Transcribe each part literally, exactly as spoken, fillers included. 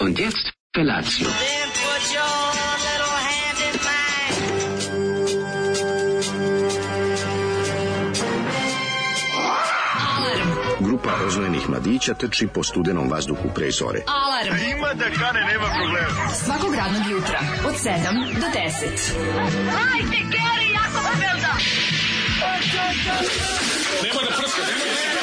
Und jetzt Felatio. Grupa rozvojenih mladića trči po studenom vazduhu pre zore. Alarm! Ima da kane, nema problema. Svakog radnog jutra, od sedam do deset. Hajde, Geri, jako se velda! Nema da prska, nema da prska!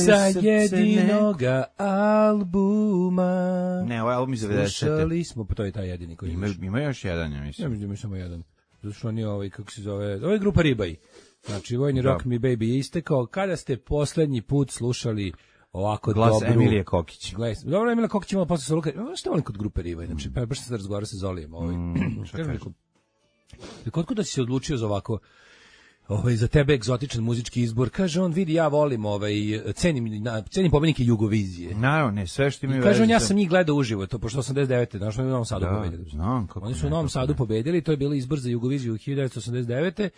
Sa jedinoga albuma. Ne, ovaj album iz devedesete. Slušali smo, pa to je taj jedini koji ima. imaš. Ima još jedan, ja mislim. Ja mislim da ima samo jedan. Zato što on je ovaj, kako se zove, ovo je grupa Ribaj. Znači, Vojni Rock Me Baby je istekao. Kada ste poslednji put slušali ovako glas dobru... Emilije Kokić. Glas, dobro, Emilija Kokić imala posle sa Luka. Što volim kod grupe Ribaj? Znači, pa baš sam se razgovarao sa Zolijem. Ovaj. Mm, Kod kuda si se odlučio za ovako, ovaj, za tebe egzotičan muzički izbor? Kaže on, vidi, ja volim, ovaj, cenim, na, cenim pobednike Jugovizije. Naravno, ne, sve što mi kaže on, ja sam njih gledao uživo, to pošto osamdeset devete. Znaš, oni u Novom Sadu da, pobedili. Znam, kako Oni su ne, u Novom Sadu ne. pobedili, to je bilo izbor za Jugoviziju hiljadu devetsto osamdeset devete.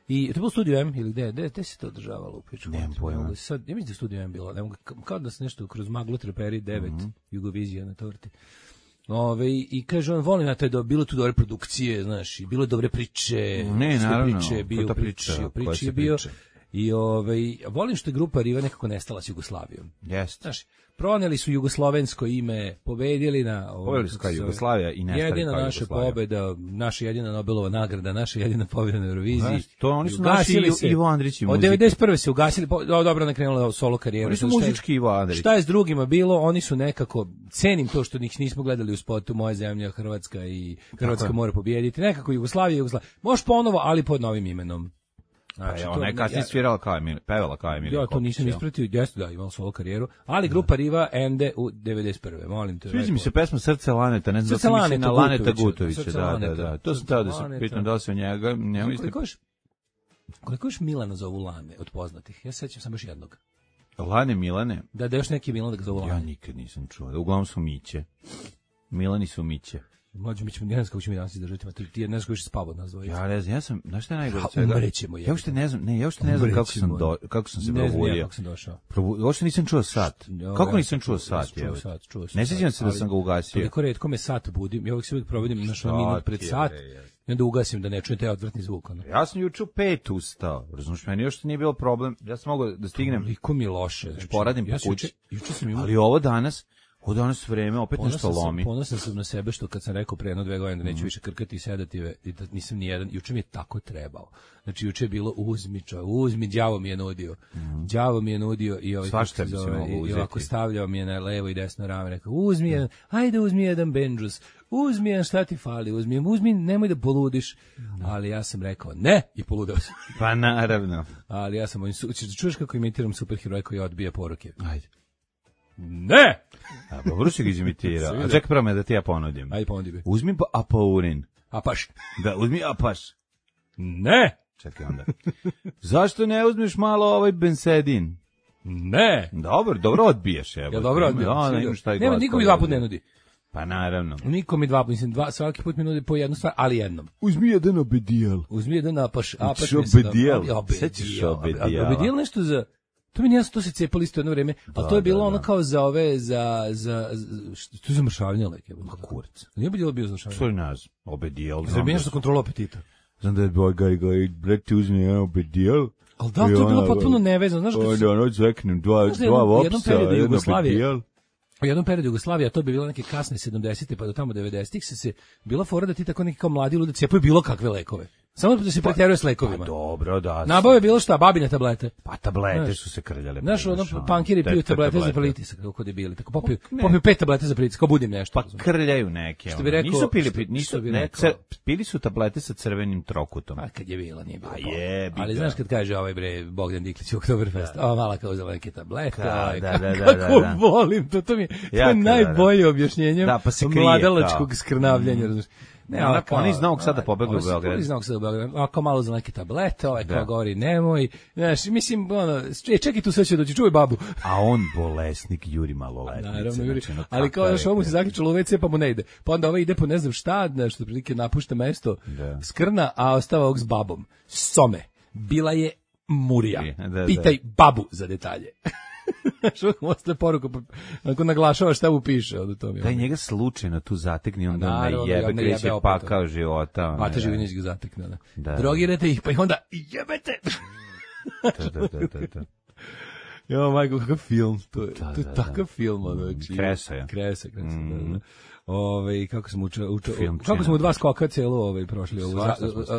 I to je bilo Studio M ili gde, gde, gde se to održavalo u priču? Nemam pojma. Sad, ja mislim da Studio M bilo, nemo, kao da se nešto kroz maglu treperi devet, mm -hmm. Jugovizija na torti. Ove, i kaže on, volim na to da bilo tu dobre produkcije, znaš, i bilo dobre priče. Ne, naravno. Priče, bio priče, priče je bio. I ovaj, volim što je grupa Riva nekako nestala s Jugoslavijom. Jeste. Znaš, proneli su jugoslovensko ime, pobedili na... Pobedili su kao Jugoslavija i nestali jedina kao naša Jugoslavija. pobeda, naša jedina Nobelova nagrada, naša jedina pobeda na Euroviziji. To oni su naši Ivo Andrić i muzike. Od devedeset prve se ugasili, po, dobro nakrenula solo karijeru. Oni su muzički Ivo Andrić. Šta je s drugima bilo, oni su nekako, cenim to što njih nismo gledali u spotu Moja zemlja, Hrvatska i Hrvatska mora pobijediti. Nekako Jugoslavija, Jugoslavija. Može ponovo, ali pod novim imenom. Znači, pa, ona je kasnije svirala kao Emil, pevala kao Emil. Ja to nisam ispratio, jeste da, imala solo karijeru, ali grupa Riva ende u devedeset prve. Molim te. Sviđa mi se pesma Srce Laneta, ne znam da mislim na Laneta Gutovića, da, da, da. To sam teo da se pitam da li se o njega, njemu isto. Koliko još Milana zovu Lane od poznatih? Ja se sećam sam još jednog. Lane Milane? Da, da još neki Milan da ga zovu Lane. Ja nikad nisam čuo. Uglavnom su Miće. Milani su Miće. Mlađe, mi ćemo, ne znam kako ćemo mi danas izdržati, ti je ne znam kako će spavao od nas dvojica. Ja ne znam, ja sam, znaš šta je najgore od svega? Umrećemo je. Ja uopšte ne znam, ne, ja uopšte ne znam kako sam, do, kako sam se probudio. probudio. Ne znam kako sam došao. Probu, uopšte nisam čuo sat. Kako ja, nisam čuo sat? Čuo sat, čuo sat. Ne sjećam se da sam ga ugasio. Toliko retko me sat budim, ja uvijek se uvijek probudim naš minut pred sat. I onda ugasim da ne čujem taj odvratni zvuk. Ono. Ja sam juče u pet ustao, razumiješ, meni još nije bilo problem, ja sam mogao da stignem. Toliko mi loše. Znači, poradim ja po kući, juče sam imao... ali ovo danas, ovo danas vreme opet ponosan nešto lomi. Sam, ponosan sam na sebe što kad sam rekao pre jedno dve godine da neću mm. više krkati i sedati i da nisam ni jedan, juče mi je tako trebao. Znači juče je bilo uzmi čo, uzmi, đavo mi je nudio. Mm. Đavo mi je nudio i ovaj svašta bi se moglo uzeti. I ovako stavljao mi je na levo i desno rame, rekao uzmi jedan, ajde uzmi jedan Benđus, uzmi jedan, šta ti fali, uzmi, uzmi, nemoj da poludiš. No. Ali ja sam rekao ne i poludeo sam. Pa naravno. Ali ja sam, čuješ kako imitiram superheroja koji odbija poruke. Ajde. Ne! A dobro si ga izimitirao. A čekaj prvo me da ti ja ponudim. Ajde ponudi bi. Uzmi pa apaurin. Apaš. Da, uzmi apaš. Ne! Čekaj onda. Zašto ne uzmeš malo ovaj bensedin? Ne! Dobro, dobro odbiješ. Ja dobro odbijam. Da, imaš taj nema, niko mi dva put ne nudi. Pa naravno. Niko mi dva put, mislim, dva, svaki put mi nudi po jednu stvar, ali jednom. Uzmi jedan obedijel. Uzmi jedan apaš. Apaš obedijel. Sećaš obedijela. Obedijel nešto za... To mi nije jasno, to se cepali isto jedno vreme, a da, to je bilo da, ono da. Kao za ove, za, za, što to je za mršavljanje leke. Ma kurac. Nije obedijel bio za mršavljanje? Što je naz? Obedijel. Zar bi nešto kontrolu apetita? Znam da je boj gaj gaj, brek ti uzmi jedan obedijel. Ali da, to je bilo potpuno nevezano, znaš kako... Onda ono zveknem dva, dva vopsa, jedan obedijel. U jednom periodu Jugoslavija, to bi bilo neke kasne sedamdesete pa do tamo devedesetih se se bila fora da ti tako neki kao mladi ljudi cepaju bilo kakve lekove. Samo da se pretjeruje s lekovima. Pa dobro, da. Nabave bilo šta, babine tablete. Pa tablete znaš, su se krljale. Znaš, ono, pankiri piju tablete za pritisak, kako debili. Tako popiju, popiju pet tablete za pritisak, kao budim nešto. Pa krljaju neke. Što bi rekao, nisu pili, nisu, ne, cer, pili su tablete sa crvenim trokutom. A kad je bila, nije bilo. A je, ali znaš kad kaže ovaj bre, Bogdan Diklić u Oktoberfest, da. O, mala kao uzela neke tablete. Da, da, da, kako da, da. Volim, to, to mi je najbolje objašnjenje mladalačkog skrnavljanja, razumiješ. Ne, ona oni iz Novog Sada pobegli u Beograd. Iz Novog Sada u Beograd. Ako malo za neke tablete, ovaj kao govori nemoj. Znaš, mislim ono, čekaj tu sve će doći, čuvaj babu. A on bolesnik juri maloletnice. Naravno, juri. Znači, no, ali kao još ovo mu se zaključalo u ve ce pa mu ne ide. Pa onda ovaj ide po ne znam šta, nešto prilike napušta mesto, da. Skrna, a ostava ovog s babom. Some. Bila je Murija. Da, da. Pitaj babu za detalje. Što ostaje poruku, ako naglašava šta mu piše od tome. Daj njega slučajno tu zatekni, onda ne jebe, kreće pakao života. Mata Živinić ga zatekne. Da. Da. Drogirate ih, pa i onda jebete. Da, da, da, da, da. Jo, majko, kakav film. To je, da, to je da, takav da. film. Ono, kresa je. Kresa, kresa, mm. da, da. Ove, kako smo učili, učili kako smo u dva skoka cijelo ovaj, prošli, ovu,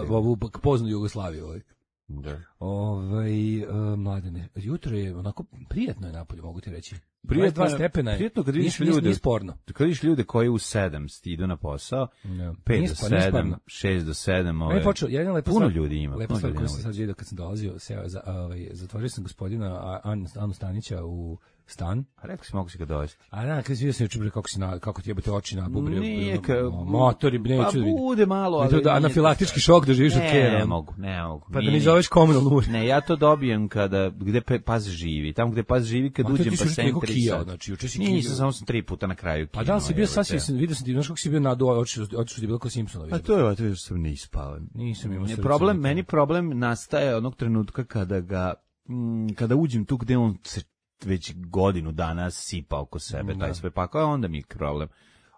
ovu poznu Jugoslaviju. Ovaj. Da. Ovaj uh, mladene, jutro je onako prijatno je napolje, mogu ti reći. Prijatno, dva stepena je. Prijatno kad vidiš ljude, nije sporno. Kad vidiš ljude koji u sedam idu na posao, no. pet do sedam, šest do sedam, ove. Počeo, ja lepo puno ljudi ima. Lepo stvar koju sam sad vidio kad sam dolazio, seo za ovaj zatvorio sam gospodina Anu Stanića u Stan? A rekao si, mogu si ga dovesti. A da, kad si vidio sam juče kako si na, kako ti jebate oči na bubri. Nije, ka... motori, neću pa da vidim. bude malo, ali... Ne, da anafilaktički šok da živiš od kera. Ne mogu, ne mogu. Pa da mi zoveš komunalnu uredu. Ne, ja to dobijem kada, gde Paz živi. Tamo gde Paz živi, kad uđem pa sem tri sata. Znači, juče si nisam, samo sam tri puta na kraju kino. A da li si bio sasvim, vidio sam ti, znaš kako si bio na do, oči su ti bilo kao Simpsonovi. A to je, to je što sam ne ispao. Nisam imao srca. Problem, meni problem nastaje onog trenutka kada ga, m, kada uđem tu gde on se već godinu dana sipa oko sebe, da. Taj sve pakao, onda mi je problem.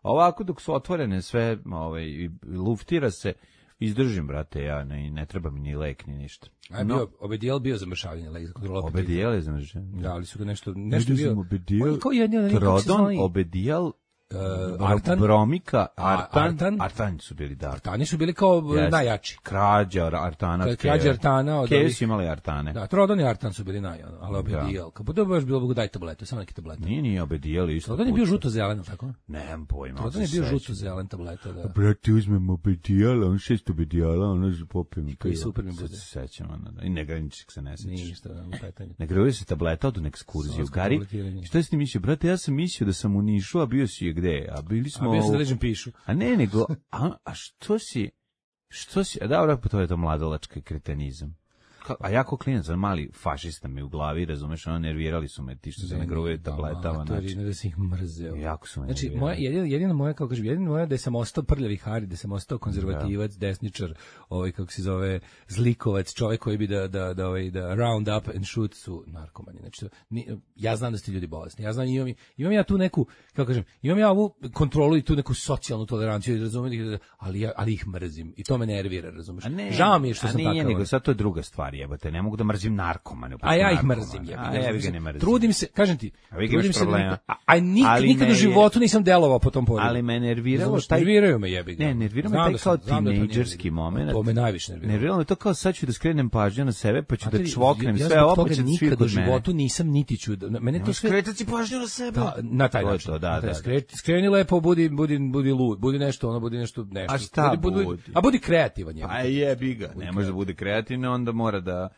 Ovako dok su otvorene sve, ovaj, luftira se, izdržim, brate, ja, ne, ne treba mi ni lek, ni ništa. A je bio, Obedijel bio za mršavljenje, lek za kontrolu apetita. Obedijel je za mršavljenje. Da, ali su ga nešto, nešto bio. Obedijel, kao jedni, Trodon, Obedijel, Uh, Artan, Bromika, Artan, Artan, Artani su bili, da. Artani su bili kao yes. najjači. Krađa Artana, Kad krađa Artana, od Kevi su imali Artane. Da, Trodon i Artan su bili naj, ali Obedijel. Kako to baš bilo, daj tablete, samo neke tablete. Nije, nije Obedijel isto. Trodon je bio žuto-zelen, tako? Nemam pojma. Trodon je bio žuto-zelen tableta, da. Brate, uzmem Obedijela, on šest Obedijela, ono se popijem. Koji super mi bude. Sećam, ono, i negraničnik se ne sećaš. Ništa, u petanju. Ne gruje se tableta od ekskurziju. Gari, šta si ti mislio? Brate, ja sam mislio da sam u Nišu, a bio si je gde? A bili smo... A bio si da ležem pišu. A ne, nego, a, a što si, što si, a dobro, pa to je to mladalački kretenizam. A jako klinac, mali fašista mi u glavi, razumeš, ono, nervirali su me ti što se ne gruvaju tabletama. To je da si ih mrzeo. Jako su me znači, nervirali. Moja, jedina, jedina moja, kao kažem, jedina moja da sam ostao prljavi Hari, da sam ostao konzervativac, da. desničar, ovaj, kako se zove, zlikovac, čovjek koji bi da, da, da, ovaj, da round up and shoot su narkomani. Znači, ni, ja znam da ste ljudi bolesni, ja znam, imam, imam ja tu neku, kako kažem, imam ja ovu kontrolu i tu neku socijalnu toleranciju, razumijete, ali, ja, ali ih mrzim i to me nervira, razumiješ. Žao mi je što sam takav. A nije, nego sad to je druga stvar. Jebate, ne mogu da mrzim narkomane. A ja ih mrzim, jebate. A ja ga ne mrzim. Trudim se, kažem ti, trudim se. Da, a, a nik, nikad u životu nisam delovao po tom polju. Ali me nerviralo taj... Nerviraju me, jebi ga. Ne, nervirao me taj kao tinejdžerski moment. To me najviše nerviralo. Nerviralo me to kao sad ću da skrenem pažnju na sebe, pa ću da čvoknem sve ovo, pa će da svi kod mene. Ja nikad u životu nisam niti ću... Mene to sve... Skretati pažnju na sebe. Na taj način. Skreni lepo, budi budi lud, budi nešto, ono, budi nešto, nešto. A šta budi? A budi kreativan, jebi. A jebi ga. Ne može da bude kreativan, onda mora da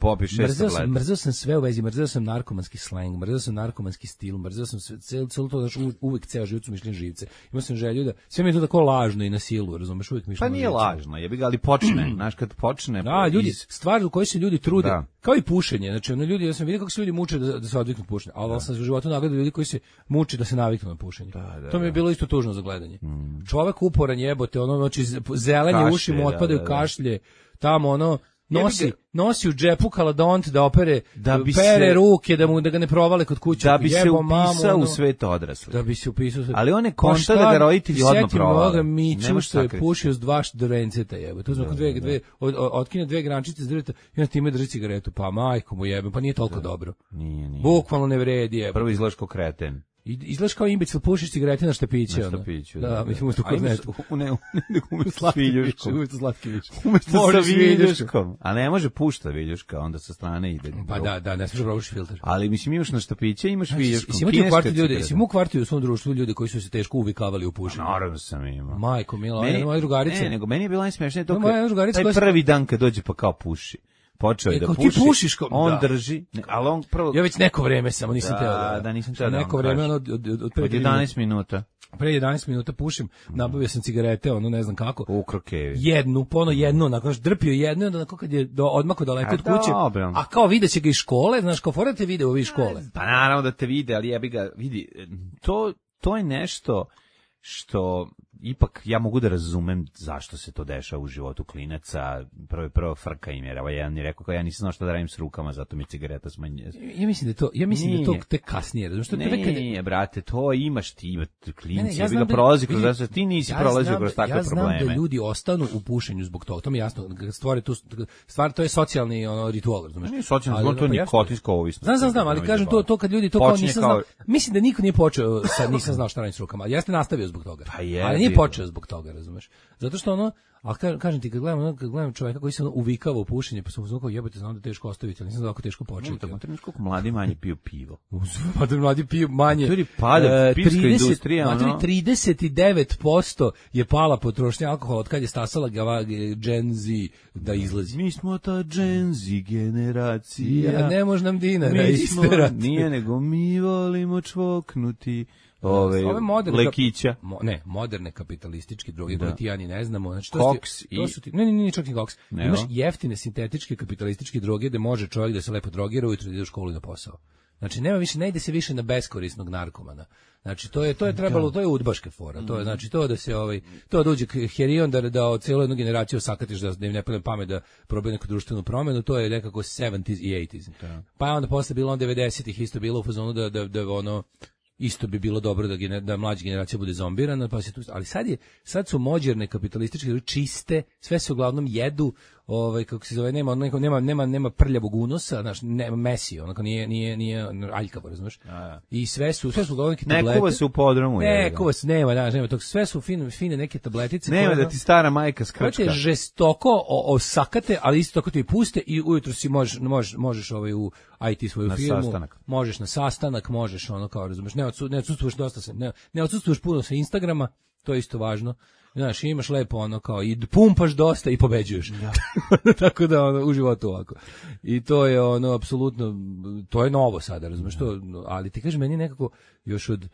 popi šest tableta. Mrzeo sam sve u vezi, mrzeo sam narkomanski slang, mrzeo sam narkomanski stil, mrzeo sam sve, celo, celo to, znači uvek ceo život su mišljen živce. Imao sam želju da, sve mi je to tako lažno i na silu, razumeš, uvek mišljen živce. Pa nije lažno, jebi ga, ali počne, znaš, kad počne. Da, ljudi, iz... stvar u kojoj se ljudi trude, da. Kao i pušenje, znači ono ljudi, ja sam vidio kako se ljudi muče da, da se odviknu pušenja, ali da. Sam u životu nagledao ljudi koji se muče da se naviknu na pušenje. Da, da, to mi je bilo isto tužno za gledanje. Mm. Čovek uporan jebote, ono, znači zelenje kašlje, uši mu otpadaju da, da, kašlje, tamo ono, nosi, nosi u džepu kaladont da opere, da bi pere se, ruke, da mu da ga ne provale kod kuće. Da bi se upisao u svet odraslih. Da bi se upisao u svet. Ali on ne konta da ga roditelji odmah provale. Miću što je pušio s dva šdrenceta, jebe. Tu smo kod dve, dve, od, otkine dve grančice s drveta i on time drži cigaretu. Pa majko mu jebe, pa nije toliko da. Dobro. Nije, nije. Bukvalno ne vredi, jebe. Prvo izgledaš kao kreten. Izgledaš kao imbecil, pušiš cigarete na štapiće. Na štapiću, da. Da, mislim, umesto kornetu. U ne, umesto s viljuškom. Umesto slatki viljuškom. Umesto sa viljuškom. A ne može pušta viljuška, onda sa strane ide. Pa da, da, ne smiješ probušiš filter. Ali mislim, imaš na štapiće, imaš viljuškom. Jesi imati u kvartu ljudi, jesi imao u kvartu u svom društvu ljudi koji su se teško uvikavali u pušenje? Naravno sam imao. Majko, mila, jedna moja drugarica. Ne, nego meni je bilo najsmešnije to taj prvi dan kad dođe pa kao puši. Počeo je da puši, ti pušiš ko, on da. Drži, ali on prvo... Ja već neko vreme samo nisam teo da... Da, nisam teo da neko vreme, ono, od, od, od, od jedanaest minuta. Pre jedanaest minuta pušim, nabavio sam cigarete, ono, ne znam kako. U krokevi. Jednu, pono jednu, onako, znaš, drpio jednu, onda onako kad je do, odmako daleko od kuće, dobro. A kao videće ga iz škole, znaš, kao fora te vide u ovih škole. Pa naravno da te vide, ali jebi ga, vidi, to, to je nešto što... Ipak ja mogu da razumem zašto se to dešava u životu klinaca. Prvo prvo frka im je. Evo jedan mi rekao kao ja nisam znao šta da radim s rukama, zato mi cigareta smanjuje. Ja mislim da to, ja mislim nije. Da to tek kasnije, razumiješ što tebe kad nije, brate, to imaš ti, ima klinci, ne, ne, ja bi ga prolazi kroz da, ti nisi ja prolazio kroz takve ja probleme. Ja znam da ljudi ostanu u pušenju zbog toga. To mi je jasno. Stvar je tu stvar to je socijalni ono ritual, razumiješ? Nije socijalni, to je nikotinska ovisnost. Znam, znam, znam, ali kažem to to kad ljudi to kao nisam znao. Mislim da niko nije počeo sa nisam znao šta radim s rukama. Ja sam nastavio zbog toga. Pa je. Ali nije je počeo zbog toga, razumeš? Zato što ono, a kažem ti, kad gledam, ono, kad gledam čoveka koji se ono uvikava u pušenje, pa sam uzmano kao jebote, znam da je teško ostaviti, ali nisam da kako teško početi. Tako, trebaš koliko mladi manje piju pivo. Materi mladi piju manje. Materi pada pivska industrija. Materi trideset devet posto je pala potrošnja alkohola od kad je stasala Gen Z da izlazi. Mi smo ta Gen Z generacija. Ja, ne može nam dinara isterati. Nije, nego mi volimo čvoknuti. Ove, ove moderne lekića. Mo, ne, moderne kapitalističke droge koje ti ja ni ne znamo. Znači, to koks ti, to i... su ti, ne, ne, ne, čak i koks. Ne, imaš jeftine sintetičke kapitalističke droge gde može čovjek da se lepo drogira ujutro da ide u školu i na posao. Znači, nema više, ne ide se više na beskorisnog narkomana. Znači, to je to je trebalo, to je udbaške fora. To je, znači, to da se ovaj, to da uđe herion, da, da celu jednu generaciju sakatiš, da im ne padne pamet da probaju neku društvenu promenu, to je nekako sedamdeset i osamdeset. Pa je onda posle bilo on devedesetih isto bilo u fazonu da, da, da ono, isto bi bilo dobro da gener, da mlađa generacija bude zombirana, pa se tu, ali sad je sad su moderne kapitalističke čiste, sve se uglavnom jedu, ovaj kako se zove, nema nema nema nema, nema prljavog unosa, znači nema mesi, onako nije nije nije aljkavo, razumeš? I sve su sve su uglavnom neke tablete. Ne kuva se u podrumu, je. Ne kuva se, nema, da, nema tog, sve su fine fine neke tabletice. Nema da ti stara majka skrčka. Hoće žestoko osakate, ali isto tako ti i puste i ujutro si možeš možeš možeš ovaj u I T svoju na firmu, sastanak. Možeš na sastanak, možeš ono kao, razumeš, ne odsu, ne odsustvuješ dosta se, ne, ne odsustvuješ puno sa Instagrama, to je isto važno. Znaš, imaš lepo ono kao i pumpaš dosta i pobeđuješ. Ja. Tako da ono u životu ovako. I to je ono apsolutno, to je novo sada, razumeš, to, ali ti kažeš meni nekako još od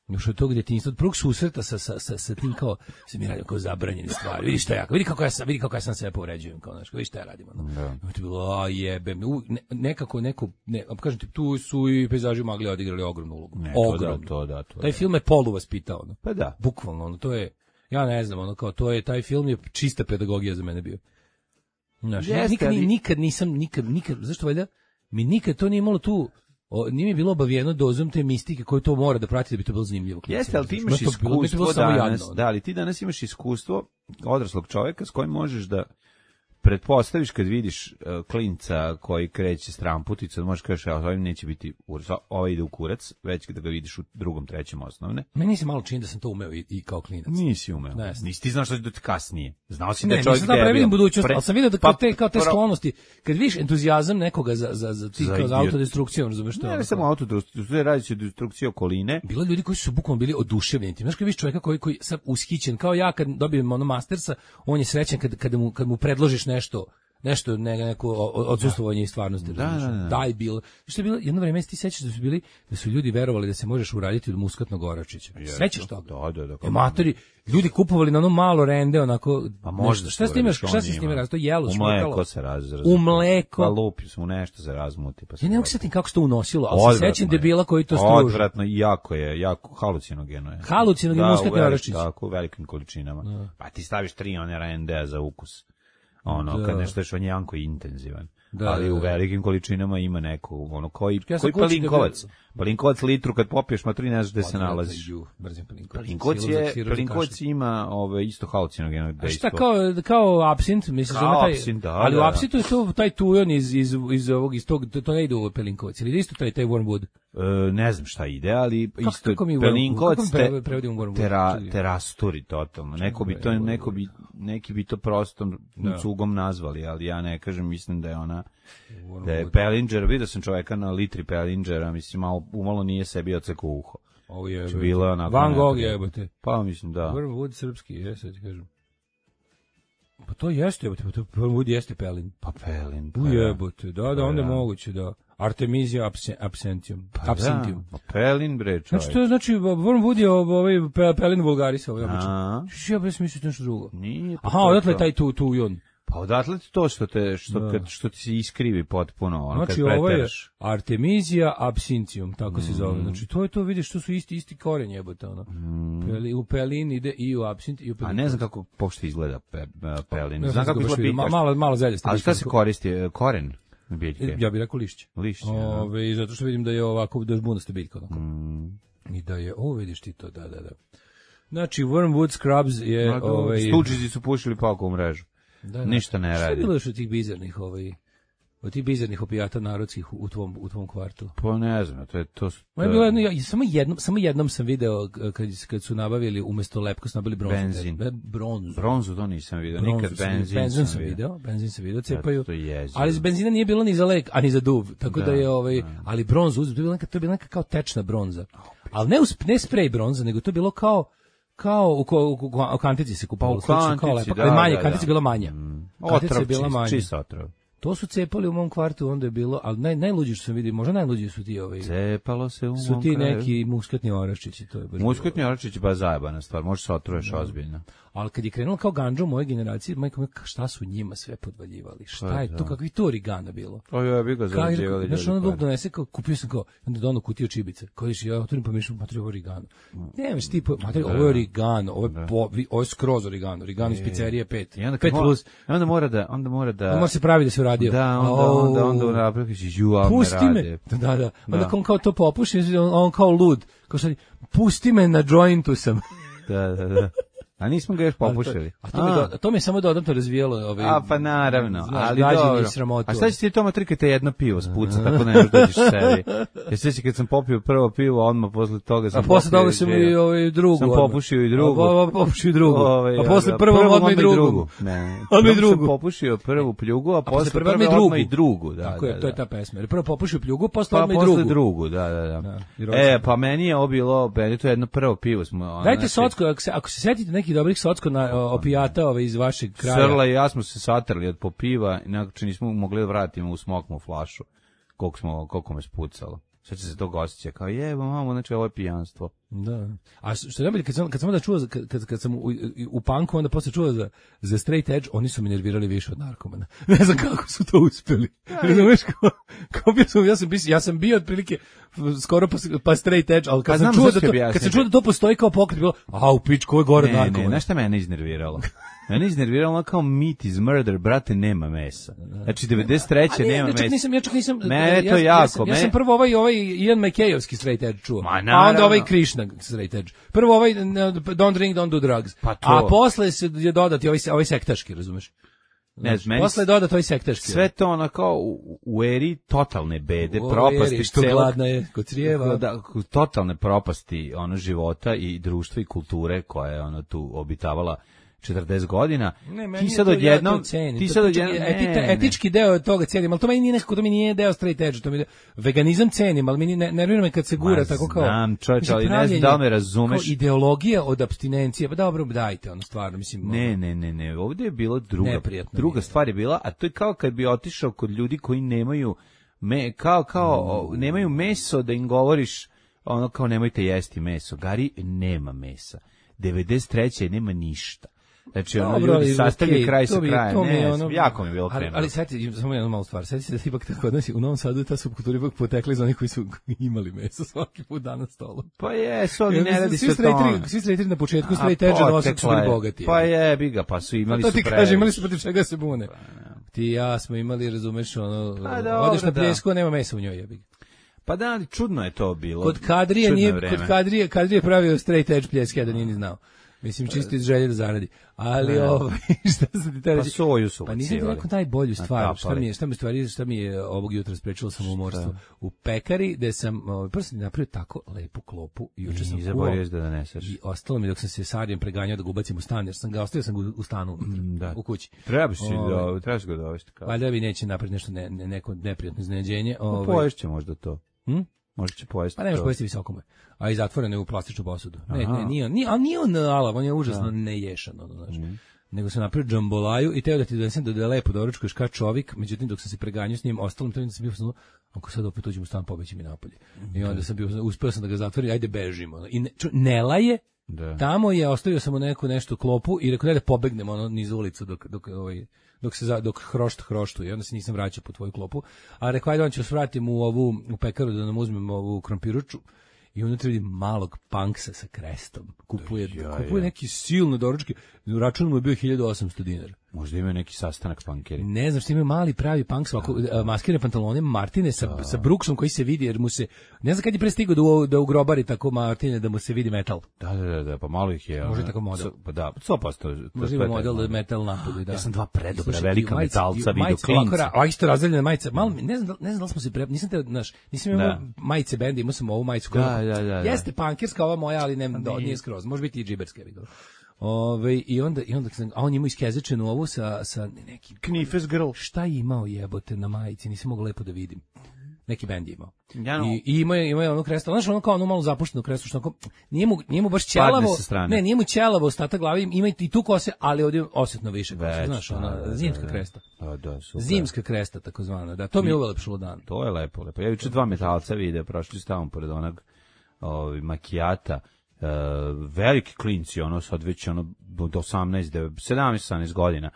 još od tog djetinjstva, od prvog susreta sa, sa, sa, sa tim kao, se mi radim kao zabranjene stvari, vidi šta ja, vidi kako ja sam, vidi kako ja sam sebe povređujem, kao, znaš, vidi šta ja radim, ono. Da. I to je bilo, a jebe, ne, nekako, neko, ne, kažem ti, tu su i pejzaži magli odigrali ogromnu ulogu. Ne, ogromnu. To da, to da, to Taj da. film je polu vaspitao, ono. Pa da. Bukvalno, ono, to je, ja ne znam, ono, kao, to je, taj film je čista pedagogija za mene bio. Znaš, Jeste, nikad, ali... nikad nisam, nikad, nikad, zašto valjda, mi nikad to nije imalo tu, O, nije mi bilo obavijeno dozom te mistike koju to mora da prati da bi to bilo zanimljivo. Jeste, ali ti imaš iskustvo danas, da, ali ti danas imaš iskustvo odraslog čovjeka s kojim možeš da pretpostaviš kad vidiš uh, klinca koji kreće s tramputicom, možeš kažeš, a ovim neće biti urs, ovaj ide u kurac, već da ga vidiš u drugom, trećem osnovne. Meni se malo čini da sam to umeo i, i kao klinac. Nisi umeo. Ne, nisi ti znaš što će kasnije. Znao si ne, da je čovjek debil. Ne, nisam da previdim budućnost, Pre... ali sam vidio da kao te, kao te pa, sklonosti, kad vidiš entuzijazam nekoga za, za, za, ti, za, kao za autodestrukcijom, razumeš što? Ne, ne samo autodestrukcijom, radi se o destrukciji okoline. Bilo ljudi koji su bukvalno bili oduševljeni. Znaš kad vidiš čovjeka koji, koji sad ushićen, kao ja kad dobijem ono mastersa, on je srećan kad, kad, mu, kad mu predložiš nešto, nešto ne, neko odsustvovanje i stvarnosti, da, da, da. Daj bilo. Što je bilo jedno vrijeme, ti sećaš da su bili da su ljudi verovali da se možeš uraditi od muskatnog oračića. Sećaš toga? Da, da, da. Ematori, ljudi kupovali na ono malo rende onako. Pa možda šta s time, šta se s time radi? To jelo, u mleko se razrazi. U mleko. Pa lupi se u nešto se razmuti, pa se. Ja ne mogu setim kako se to unosilo, ali se sećam debila koji to struži. Odvratno i jako je, jako halucinogeno je. Halucinogeno muskatni oračić. Tako, u velikim količinama. Pa ti staviš tri one rende za ukus. Ono, da. Kad nešto ješ, on je jako intenzivan. Da, ali u velikim količinama ima neko, ono, koji, ja koji palinkovac. Palinkovac litru, kad popiješ matri, ne znaš gde se nalaziš. Palinkovac je, palinkovac ima ove, isto halucinogeno dejstvo. Šta, kao, kao apsint, misliš da ima taj, apsint, da, ali da. u apsintu je to taj tujon iz, iz, iz ovog, iz tog, to ne ide u palinkovac, ili isto taj, taj wormwood? E, ne znam šta ide, ali kako, isto kako mi palinkovac te, pre, tera, terasturi totalno. Neko bi to, neko bi, neki bi to prostom da. Cugom nazvali, ali ja ne kažem, mislim da je ona, da je Pellinger, vidio sam čovjeka na litri Pellingera, mislim, malo, umalo nije sebi ocekao uho. Ovo je, bila onako Van Gogh jebote. Pa mislim, da. Wormwood srpski, jesam ti kažem. Pa to jeste, jebote, pa to Wormwood jeste Pelin. Pa Pelin. Pa jebote, da, da, onda je moguće, da. Artemisia absentium. Pa absentium. Da, Pelin bre, čovjek. Znači, to znači, Wormwood je ovaj Pelin vulgaris, ovaj obično. Ja bez misliti nešto drugo. Nije. Aha, odatle taj tu, tu i on. Pa odatle to što te što da. kad, što ti se iskrivi potpuno, ono znači, kad preteraš. Znači ovo je Artemisia absinthium, tako mm. se zove. Znači to je to, vidiš, to su isti isti koren jebote, ono. Mm. Peli, u pelin ide i u absint i u pelin. A ne znam kako pošto izgleda pe, pelin. Ne znam kako izgleda. Ma, malo malo zeljaste. A šta se koristi? Koren biljke? Ja bih rekao lišće. Lišće. Ove, i zato što vidim da je ovako da žbunaste biljka onako. Mm. I da je, ovo vidiš ti to, da, da, da. Znači Wormwood Scrubs je no, ovaj Stuđizi su pušili pa oko u mrežu. Da, da. Ništa ne radi. Šta je bilo još od tih bizarnih ovaj od tih bizarnih opijata narodskih u tvom u tvom kvartu? Pa ne znam, to je to. Ma je bilo jedno, ja, samo jednom, samo jednom sam video kad kad su nabavili umesto lepka su nabavili bronzu. Benzin. Be, bronzu. Bronzu to nisam video, nikad benzin. Benzin sam video, benzin sam video, cepaju. Ja, ali iz benzina nije bilo ni za lek, a ni za duv, tako da, da je ovaj, da. Ali bronzu, to je bila neka, to je bila neka kao tečna bronza. Ali ne usp, ne sprej bronza, nego to je bilo kao kao u, u, u, u kantici se kupalo, pa u kantici, kao lepak, da, ali manje, da, kantica da. bila manja. Mm. Kantica je bila manja. Čist otrov. To su cepali u mom kvartu, onda je bilo, ali naj, najluđi što sam vidio, možda najluđi su ti ovaj. Cepalo se u mom su ti kraju. neki muskatni oraščići, to je baš. Muskatni oraščići ba zajebana stvar, možeš se otruješ da. Ozbiljno. Ali kad je krenulo kao gandža u mojoj generaciji, majko, šta su njima sve podvaljivali? Šta je to, kakvi to origana bilo? O ja bih ga zarađivali. Znaš, ono Bog donese, kao, kupio sam kao, onda dono kutiju čibice, kao viš, ja otvorim pa mišljam, materi, ovo je origano. Nemaš ti, materi, ovo je origano, ovo je, po, ovo je skroz origano, origano iz pizzerije pet, pet plus. Onda mora da, onda mora da... Onda mora se pravi da se uradio. Da, onda, onda, onda, onda napraviš, ju, a me rade. Da, da, da. Onda on kao to popuši, on kao lud, kao šta, pusti me na jointu sam. Da, da, da. A nismo ga još popušili. A to, a to, mi, do, to mi je samo dodatno razvijelo. Ovaj, a pa naravno, znaš, ali dobro. A šta će ti to matrikate jedno pivo spuca, tako ne možeš dođeš sebi. Ja sveći kad sam popio prvo pivo, odmah posle toga sam popio. A posle toga sam i ovaj drugu. Sam popušio i drugu. A popušio i drugu. Ove, a posle prvo odmah i drugu. Ne, odmah i drugu. Sam popušio prvu pljugu, a posle prvo odmah i drugu. Da, tako je, to je ta pesma. Jer prvo popušio pljugu, posle pa odmah i drugu. Posle drugu, da, da, da. E, pa meni je obilo, meni to jedno prvo pivo smo. Dajte socko, ako se ako se setite nekih dobrih socko na opijata ove iz vašeg kraja. Srla i ja smo se satrli od popiva i nekako nismo mogli da vratimo u smokmu flašu. Koliko smo, koliko me spucalo. Sad će se to gostit, kao jebo mamo, znači ovo je pijanstvo. Da. A što je najbolje, kad sam, kad sam onda čuo, kad, kad sam u, u punku, onda posle čuo za, za straight edge, oni su mi nervirali više od narkomana. Ne znam kako su to uspeli. Razumeš, kao, kao bio sam, ja sam, ja sam bio otprilike skoro pa, pa straight edge, ali kad, pa sam, čuo da to, kad sam čuo da to postoji kao pokret, bilo, a u pič, ko je gore ne, narkomana. Ne, znaš šta mene iznerviralo? Mene iznerviralo kao meat is murder, brate, nema mesa. Znači, devedeset treće nema mesa. Nisam, ja čak nisam, mene ja, to jako. Ja sam, ja sam prvo ovaj, ovaj Ian McKayovski straight edge čuo, Ma, a onda ovaj Krishna straight edge. Prvo ovaj don't drink, don't do drugs. Pa a posle se je dodati ovaj, ovaj sektaški, razumeš? Ne, znači, posle dodati ovaj sektaški. Sve to ono kao u, u eri totalne bede, u propasti. Eri, što celog, gladna je, kod crijeva. Da, totalne propasti ono života i društva i kulture koja je ono tu obitavala četrdeset godina. Ne, ti sad odjednom, ja ti sad odjednom, ne, etički deo toga cenim, ali to meni nije nekako, to mi nije deo straight edge, to mi je, veganizam cenim, ali mi ne nervira me kad se gura Ma, tako kao. Znam, čovječ, ali ne znam da li me razumeš. Kao ideologija od apstinencije, pa dobro, dajte, ono stvarno, mislim. Ne, ne, ne, ne, ovdje je bilo druga, druga stvar je bila, a to je kao kad bi otišao kod ljudi koji nemaju, me, kao, kao, mm. nemaju meso da im govoriš, ono kao nemojte jesti meso. Gari, nema mesa. devedeset treće nema ništa. Znači, ono, dobro, ljudi sastavljaju okay, kraj sa krajem, ne, ono, jako mi je bilo ali, kremno. ali sad, samo jednu malu stvar, sad se da ipak tako odnosi, u Novom Sadu ta subkultura ipak potekla iz onih koji su imali meso svaki put dan na stolu. Pa jesu, ali ne radi se o tome. Svi straighteri na početku straight edge nosili su bili bogati. Pa je, biga, pa su imali to su ti kaže, imali su protiv čega se bune. Ti i ja smo imali, razumeš, ono, odeš na pljesku, a nema mesa u njoj, jebi ga. Pa da, ali čudno je to bilo. Kod Kadrije nije, kod Kadrije, Kadrije pravio straight edge pljeske, da nije ni znao. Mislim, čisto iz želje da zaradi. Ali, ovaj, šta sam ti te reći? Pa soju su. Pa nisam ti rekao najbolju stvar. Šta mi je, šta mi stvari, šta mi je ovog jutra sprečilo samomorstvo? U pekari, gde sam, ovaj, prvo sam napravio tako lepu klopu, juče sam kuo. I zaboravio da doneseš. I ostalo mi dok sam se Sarijem preganjao da ga ubacim u stan, jer sam ga ostavio sam ga u stanu, mm, da. u kući. Trebaš si da, trebaš ga dovesti. Valjda bi neće napraviti nešto, ne, ne, neko neprijatno iznenađenje. Ovaj. Poješće možda to. Hm? Možda će pojesti. Pa ne možeš pojesti visokome. A i zatvoreno je u plastičnu posudu. Ne, ne, nije on, nije, a nije on alav, on je užasno neješan, ono, znaš. Mm. Nego sam napravio džambolaju i teo da ti donesem da je lepo doručkuješ kao čovjek, međutim dok sam se preganjao s njim, ostalim to sam bio sam, ako sad opet uđem u stan, pobeći mi napolje. Mm. I onda sam bio, uspeo sam da ga zatvorim, ajde bežimo. Ono. I ne, čo, ne laje, da. Tamo je ostavio sam mu neku nešto klopu i rekao da pobegnemo ono niz ulicu dok dok ovaj dok se za, dok hrošt hroštu i onda se nisam vraćao po tvoju klopu, a rekao ajde on će se vratiti u ovu u pekaru da nam uzmemo ovu krompiruču i unutra vidi malog punksa sa krestom. Kupuje, da, ja, kupuje ja. neki silne doručke, račun mu je bio hiljadu osamsto dinara. Možda imaju neki sastanak punkeri. Ne znam što imaju mali pravi punk sa maskirane pantalone Martine sa, da. sa Brooksom koji se vidi jer mu se, ne znam kad je prestigao da, da ugrobari tako Martine da mu se vidi metal. Da, da, da, da pa malo ih je. Može tako model. Pa da, sto posto. Može ima model da metal napadu. Da. Ja sam dva predobra velika metalca vidio klinca. A isto razdeljene majice. Malo, ne znam, ne znam da li smo se pre, nisam te, znaš, nisam imao majice benda, imao sam ovu majicu koja. Da, da, da. Jeste punkerska ova moja, ali ne, do, nije skroz. Može biti i džiberska, vidio. Ove, i onda i onda sam, a on ima iskezečenu ovu sa sa nekim Knifes Girl. Šta je imao jebote na majici, nisam mogao lepo da vidim. Neki bend je imao. Ja no. I, i ima je ima je ono kresto, znači ono kao ono malo zapušteno kresto što onako nije mu nije mu baš ćelavo. Ne, nije mu ćelavo ostatak glave, ima i tu kose, ali ovdje osetno više kose, znaš, ona zimska kresta. Da, da, super. Zimska kresta takozvana, da. To mi je ulepšalo dan. To je lepo, lepo. Ja juče dva metalca vide, prošli su tamo pored onog ovaj makijata. Uh, veliki klinci, ono sad već ono do osamnaest, sedamnaest, osamnaest godina.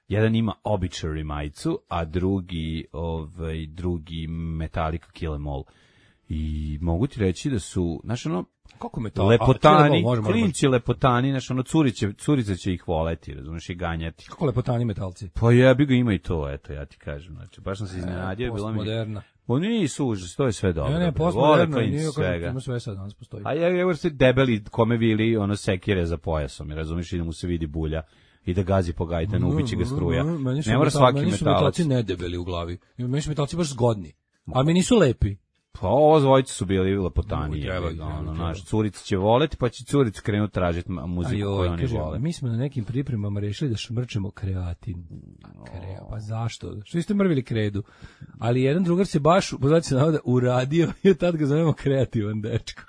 Jedan ima Obituary majicu, a drugi ovaj drugi Metallica Kill Em All. I mogu ti reći da su, znaš ono, kako me to? Lepotani, a, možemo, klinci lepotani, znaš ono, curice, curice će ih voleti, razumiješ, i ganjati. Kako lepotani metalci? Pa jebi ga, ima i to, eto, ja ti kažem, znači, baš sam se iznenadio. Postmoderna. Oni nisu užas, to je sve dobro. Ne, ne, postmoderno, nije svega. Ima sve sad, danas postoji. A ja, evo se debeli kome vili, ono, sekire za pojasom, razumiješ, i da mu se vidi bulja. I da gazi po gajtanu, ubiće ga struja. Ne mora svaki metalac. Meni su metalci nedebeli u glavi. Meni su metalci baš zgodni. Ali mi nisu lepi. Pa ovo dvojice su bili lepotani. Ono, naš curica će voleti, pa će curica krenuti tražiti muziku Ajo, koju oni kaže, vole. Mi smo na nekim pripremama rešili da šmrčemo kreatin. Krea, pa zašto? Što ste mrvili kredu? Ali jedan drugar se baš, poznati se navoda, uradio i tad ga zovemo kreativan dečko.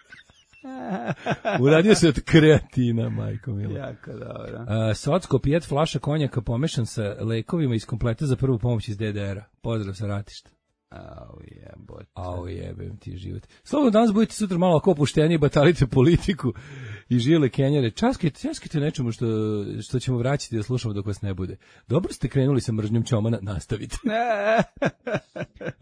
Uradio se od kreatina, majko mila. Jako dobro. Uh, Socko, pijet flaša konjaka pomešan sa lekovima iz kompleta za prvu pomoć iz D D R-a. Pozdrav sa ratišta. Au jebote. Au jebem ti život. Slobodno danas budete sutra malo ako opušteniji, batalite politiku i žile kenjare. Časkajte, časkajte nečemu što, što ćemo vraćati da slušamo dok vas ne bude. Dobro ste krenuli sa mržnjom Ćomana, nastavite.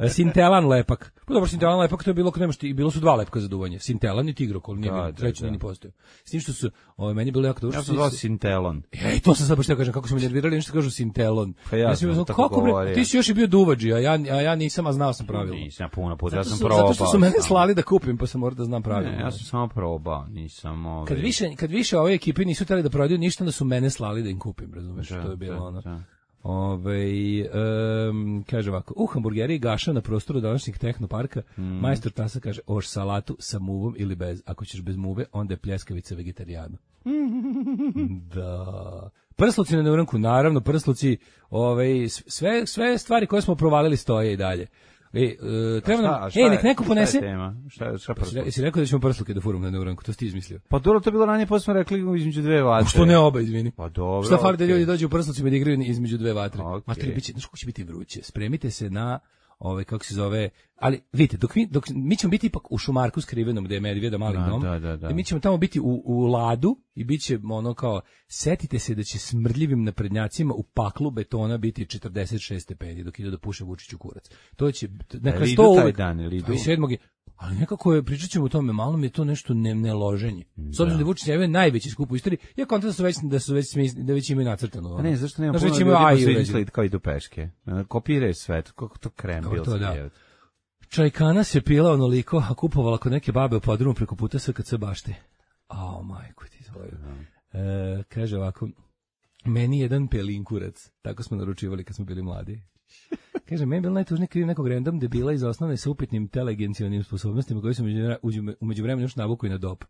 Sintelan lepak. Pa dobro, Sintelan lepak, to je bilo kod nemaš, bilo su dva lepka za duvanje. Sintelan i Tigrokol, nije da, treći da, da. Ni postojao. S tim što su, ovaj, meni bilo jako dobro. Ja sam zvao Sintelon. Ej, to sam sad baš teo kažem, kako su me nervirali, nešto kažu Sintelon. Pa ja, ja sam znam, kako bre, ti si još i bio duvađi, a ja, a ja nisam, a znao sam pravilo. Nisam puno puta, ja sam probao. Zato što su mene slali da kupim, pa sam morao da znam pravilo. Ne, ja sam samo probao, nisam ovaj... Kad više, kad više ove ekipe nisu htjeli da prodaju ništa, onda su mene slali da im kupim, razumeš, to je bilo ono. Ove, um, kaže ovako, u hamburgeri Gaša na prostoru današnjeg tehnoparka, mm. majstor Tasa kaže, oš salatu sa muvom ili bez, ako ćeš bez muve, onda je pljeskavica vegetarijana. Da. Prsluci na neuranku, naravno, prsluci, ove, sve, sve stvari koje smo provalili stoje i dalje. E, uh, treba nam, ej, nek neko ponese. Šta je, šta prsluke? Jesi rekao da ćemo prsluke da furamo na neuranku, to si ti izmislio. Pa dobro, to je bilo ranije, posle smo rekli između dve vatre. Što ne oba, izvini. Pa dobro. Šta fali da ljudi dođu u prslucima da igraju između dve vatre. Okay. Matri, biće, znaš kako će biti vruće. Spremite se na, ovaj, kako se zove, ali vidite, dok mi, dok, mi ćemo biti ipak u Šumarku skrivenom, gde je Medvjeda mali da, dom, da, da, da. mi ćemo tamo biti u, u ladu i bit će ono kao, setite se da će smrdljivim naprednjacima u paklu betona biti četrdeset šest stepeni dok ide da puše Vučiću kurac. To će, neka sto uvek, i sedmog je, ali nekako je, pričat ćemo o tome, malo mi je to nešto ne, ne loženje. S obzirom da je Vučić je najveći skup u istoriji, ja kontam da su već, da su već, da već imaju nacrtano. A ne, zašto nema puno ljudi pa su izmislili kao idu peške. Kopiraju sve, kako to krembil se je. Čajkana se pila onoliko, a kupovala kod neke babe u podrumu preko puta S K C bašte. Ao, majko ti tvoju. E, kaže ovako, meni jedan pelinkurac, tako smo naručivali kad smo bili mladi. Kaže, meni je bilo najtužnije kriv nekog random debila iz osnovne sa upitnim telegencijalnim sposobnostima koji su umeđu vremenu još navuku i na dop.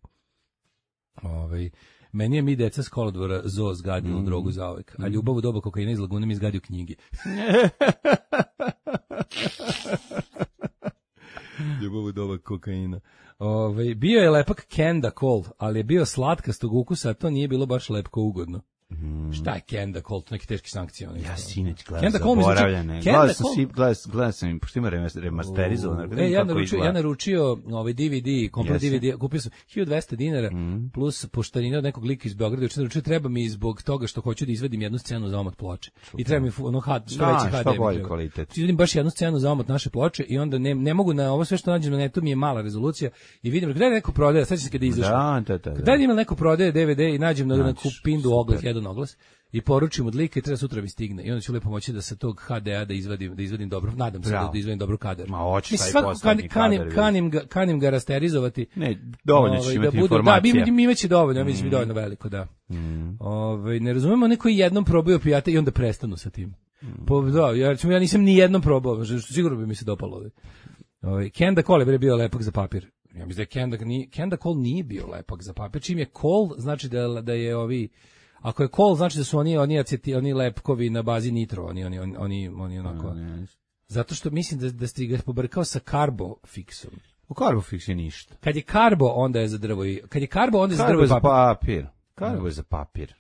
Ove, meni je mi deca s kolodvora zo zgadilo mm. drogu zauvek, a ljubav u doba kokaina iz Lagune mi izgadio knjige. Ljubav u doba kokaina. Ove, bio je lepak Kenda Cole, ali je bio slatkastog ukusa, a to nije bilo baš lepko ugodno. Mm. Šta je Kenda Cole, to neke teške sankcije. Ja sineć gledam zaboravljene. Gledam sam, gledam sam im, pošto ima remasterizovano. E, ja naručio, ja naručio ovaj D V D, komplet D V D, kupio sam hiljadu dvesta dinara, mm. plus poštarina od nekog lika iz Beograda, učinu naručio, treba mi zbog toga što hoću da izvadim jednu scenu za omot ploče. Super. I treba mi ono had, što veći H D. Što bolji kvalitet. Izvadim baš jednu scenu za omot naše ploče i onda ne, ne mogu na ovo sve što nađem na netu, mi je mala rezolucija i vidim, gdje neko prodaje, sad će se kada izašlo. Da, da, da. Kada ima neko prodaje D V D i nađem na, na kupindu ogled jedan na oglas i poručim od lika i treba sutra mi stigne. I onda ću lepo moći da sa tog ha de a da izvadim, da izvadim dobro, nadam se da, da izvadim dobro kadar. Ma hoćeš taj svakako poslednji kanim, kadar. Kanim ga, kanim ga rasterizovati. Ne, dovoljno ćeš ovaj, imati da bude, informacije. Da, mi, mi imaće dovoljno, ja mislim mm. dovoljno veliko, da. Mm. Ovaj, ne razumemo oni koji jednom probaju opijate i onda prestanu sa tim. Mm. Po, da, ja, ja nisam ni jednom probao, što sigurno bi mi se dopalo. Ovaj, Kenda Cole je bio lepak za papir. Ja mislim da Kenda, Kenda Cole nije bio lepak za papir. Čim je Cole, znači da, da je ovi... Ako je Cole, znači da su oni oni aceti, oni lepkovi na bazi nitro, oni oni oni oni, oni onako. Zato što mislim da da ste ga pobrkao sa Carbofixom. U Carbofix je ništa. Kad je Carbo, onda je za drvo i kad je Carbo, onda je za drvo i papir. Carbo je za papir.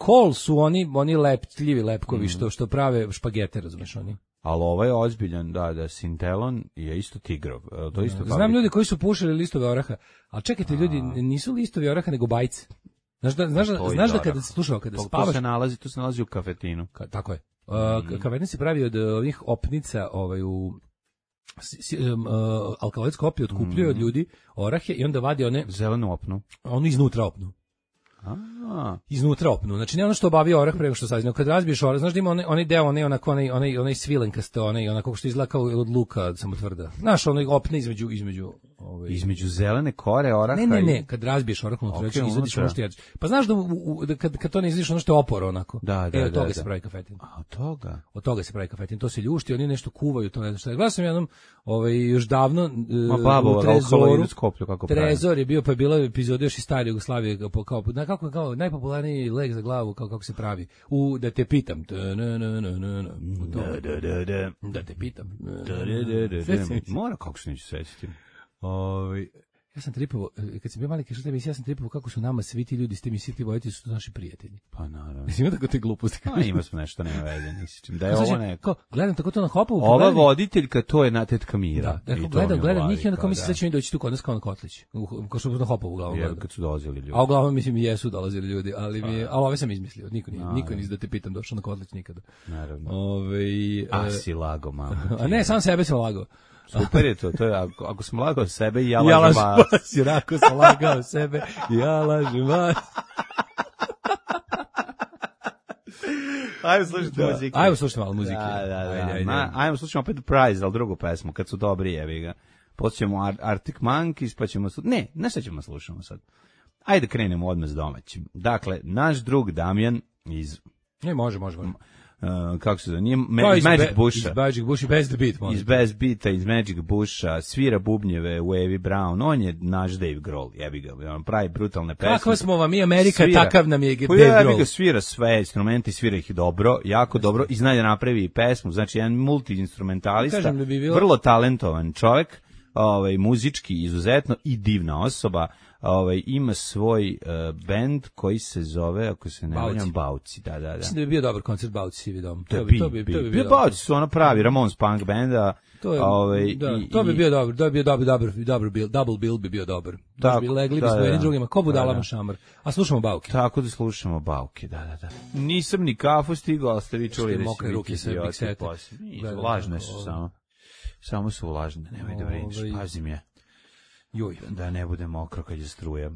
Cole su oni oni lepljivi lepkovi mm. što što prave špagete, razumeš oni. Ali ovaj je ozbiljan, da, da, Sintelon je isto tigrov. To isto da, znam ljudi koji su pušili listove oraha, ali čekajte, ljudi, nisu listovi oraha nego bajce. Znaš da, znaš da, znaš da kada se slušao, kada to, spavaš... To se nalazi, to se nalazi u kafetinu. Ka, tako je. Uh, mm. Kafetin se pravi od ovih opnica, ovaj, u... Si, um, uh, alkaloidsko opije otkupljuje mm. od ljudi orahe i onda vadi one... Zelenu opnu. Onu iznutra opnu. A. Iznutra opnu. Znači ne ono što obavi orah preko što sazi, nego kad razbiješ orah, znaš da ima onaj, onaj deo, onaj, onako, onaj, onaj, onaj svilenkasto, onaj, onako što izgleda kao od luka, samo tvrda. Znaš, onaj opne između, između, ovaj... između zelene kore oraha. Ne, ne, ne, kad razbiješ orah unutra, okay, izvadiš ono što jedeš. Pa znaš da, u, u, da kad, kad to ne izvadiš ono što je oporo, onako. Da, da, e, od toga da, se da. pravi kafetin. A, od toga? Od toga se pravi kafetin, to se ljušti, oni nešto kuvaju, to ne znam šta. Gledao sam jednom, ovaj, još davno, Ma babo, u Trezoru, skoplju, kako Trezor je bio, pa je bila epizoda još iz stare Jugoslavije, kao, kao, kako, kao najpopularniji lek za glavu, kao kako se pravi. U, da te pitam. Da te pitam. Mora, kako se neću sećati. Ovaj ja sam tripovao, kad sam bio mali, kažete mi, ja sam tripovao kako su nama svi ti ljudi s tim i svi ti vojitelji su naši prijatelji. Pa naravno. Mislim tako te gluposti. Pa ima smo nešto nema veze, nisi da je ovo neko. Gledam tako to na Hopovu. Ova voditeljka, to je na tetka Mira. Da, da gledam, gledam njih i onda kao mislim da će oni doći tu kod nas kao na Kotlić. Kao što na Hopovu uglavnom. Ja, kad su dolazili ljudi. A uglavnom mislim jesu dolazili ljudi, ali mi je, ali ove sam izmislio. Niko nije, niko nije da te pitam došao na Kotlić nikada. Naravno. Ovaj a si lago, mama. A ne, sam sebe sam lagao. Super je to, to je, ako, ako sam lagao sebe i ja lažem, ja lažem vas. vas. Jer ako sam lagao sebe i ja lažem vas. Ajmo slušati da. muzike. Ajmo slušati malo muzike. Da, da, da. Ajde, ajde. Ma, ajmo slušati opet Prize, ali drugu pesmu, kad su dobri, jevi ga. Posljedemo Ar Arctic Monkeys, pa ćemo... Ne, ne šta ćemo slušamo sad. Ajde krenemo odmah s domaćim. Dakle, naš drug Damjan iz... Ne, može, može, može. Uh, kako se zove, nije Ma, iz Magic Busha. Iz Magic Busha, bez the beat. Iz bez beata, iz Magic Busha, svira bubnjeve u Evi Brown, on je naš Dave Grohl, jebi ga, on pravi brutalne pesme. Kako smo vam, mi Amerika, svira. Takav nam je Dave Grohl. Jebi ga, svira sve instrumenti, svira ih dobro, jako dobro, i zna da napravi pesmu, znači jedan multi-instrumentalista, da bi bilo... vrlo talentovan čovjek, ovaj, muzički izuzetno i divna osoba. Ovaj ima svoj uh, bend koji se zove, ako se ne varam, Bauci, da, da, da. Mislim da bi bio dobar koncert Bauci, Sivi dom. To bi, to bi, to bi bio Bauci, su ono pravi Ramones punk benda. To je, ovaj, da, i, to bi bio dobar, to bi bio dobar, dobar, dobar bill, double bill bi bio dobar. Da bi legli bismo jedni drugima, ko budalama šamar. A slušamo Bauke. Tako da slušamo Bauke, da, da, da. Nisam ni kafu stigao, ali ste vi čuli da mokre ruke sve big sete. Vlažne su samo. Samo su vlažne, nemoj da brineš, pazim je. Joj. Da ne bude mokro kad je struja.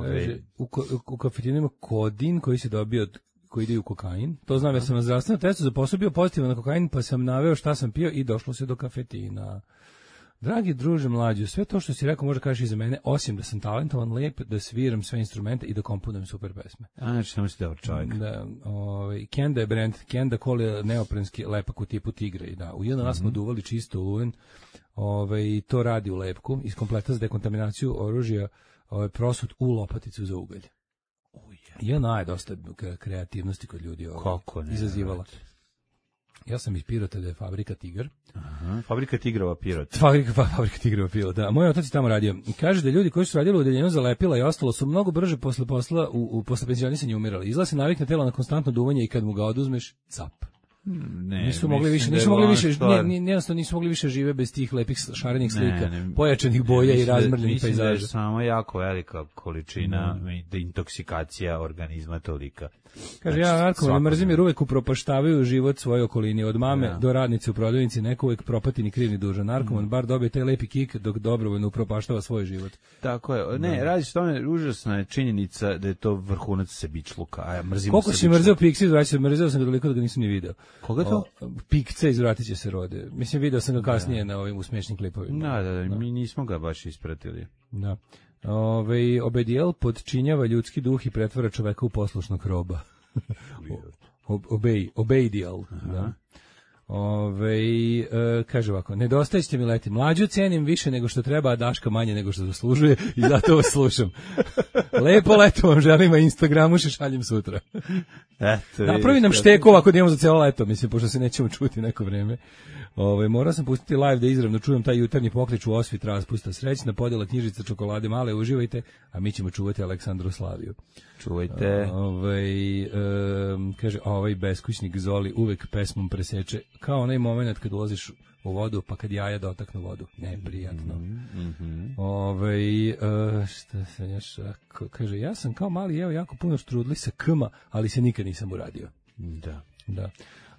Kaže, u, u kafetinu ima kodin koji se dobio od, koji ide u kokain. To znam, ja sam na zdravstvenom testu za posao bio pozitivan na kokain, pa sam naveo šta sam pio i došlo se do kafetina. Dragi druže mlađe, sve to što si rekao može kažeš i za mene, osim da sam talentovan, lep, da sviram sve instrumente i da komponujem super pesme. A, znači, samo si dobar čovjek. Da, ovaj, Kenda je brand, Kenda Cole je neoprenski lepak u tipu tigre. Da, u jedno nas smo mm -hmm. duvali čisto uven, ovaj, to radi u lepku, iz kompleta za dekontaminaciju oružja, ovaj, prosut u lopaticu za ugalj. I ona je dosta kreativnosti kod ljudi ovaj, kako ne, izazivala. Ja sam iz Pirota, da je fabrika Tigar. Aha, fabrika Tigrova Pirot. Fabrika, fabrika Tigrova Pirot, da. Moj otac je tamo radio. Kaže da ljudi koji su radili u odeljenju za lepila i ostalo su mnogo brže posle posla, u, u posle penzionisanja umirali. Izlazi se navikne telo na konstantno duvanje i kad mu ga oduzmeš, cap. Ne, nisu mogli više, nisu mogli više, jednostavno nisu mogli više žive bez tih lepih šarenih slika, ne, ne, pojačanih boja i razmrljenih pejzaža. Mislim da je samo jako velika količina mm. intoksikacija organizma tolika. Kaže, znači, ja narkoman mrzim jer uvek upropaštavaju život svoje okolini, od mame ja. do radnice u prodavnici, neko uvek propati ni kriv ni dužan. Narkoman mm. bar dobije taj lepi kik dok dobrovoljno upropaštava svoj život. Tako je, ne, no. radiš tome, užasna je činjenica da je to vrhunac sebičluka, a ja mrzim koliko si mrzeo Pikca iz Vratića, mrzeo sam ga toliko da ga nisam ni video. Koga to? O, Pikca iz Vratića se rode. Mislim, video sam ga kasnije da. na ovim usmešnim klipovima. Da, da, da, da, mi nismo ga baš ispratili. Da. Ove, Obedijel podčinjava ljudski duh i pretvara čoveka u poslušnog roba. Obej, obejdial, da. Ove, e, kaže ovako, nedostaje ćete mi leti. Mlađu cenim više nego što treba, a Daška manje nego što zaslužuje i zato vas slušam. Lepo leto vam želim, a Instagramu še šaljem sutra. Eto, napravi nam šteku ovako da imamo za cijelo leto, mislim, pošto se nećemo čuti neko vreme. Ove, morao sam pustiti live da izravno čujem taj jutarnji poklič u osvit raspusta. Srećna podjela knjižica čokolade male, uživajte, a mi ćemo čuvati Aleksandru Slaviju. Čuvajte. Ove, um, kaže, ovaj beskućnik Zoli uvek pesmom preseče, kao onaj moment kad ulaziš u vodu, pa kad jaja dotaknu vodu. Neprijatno. Mm -hmm. Ove, uh, šta se još, kaže, ja sam kao mali jeo jako puno štrudli sa kma, ali se nikad nisam uradio. Da. Da.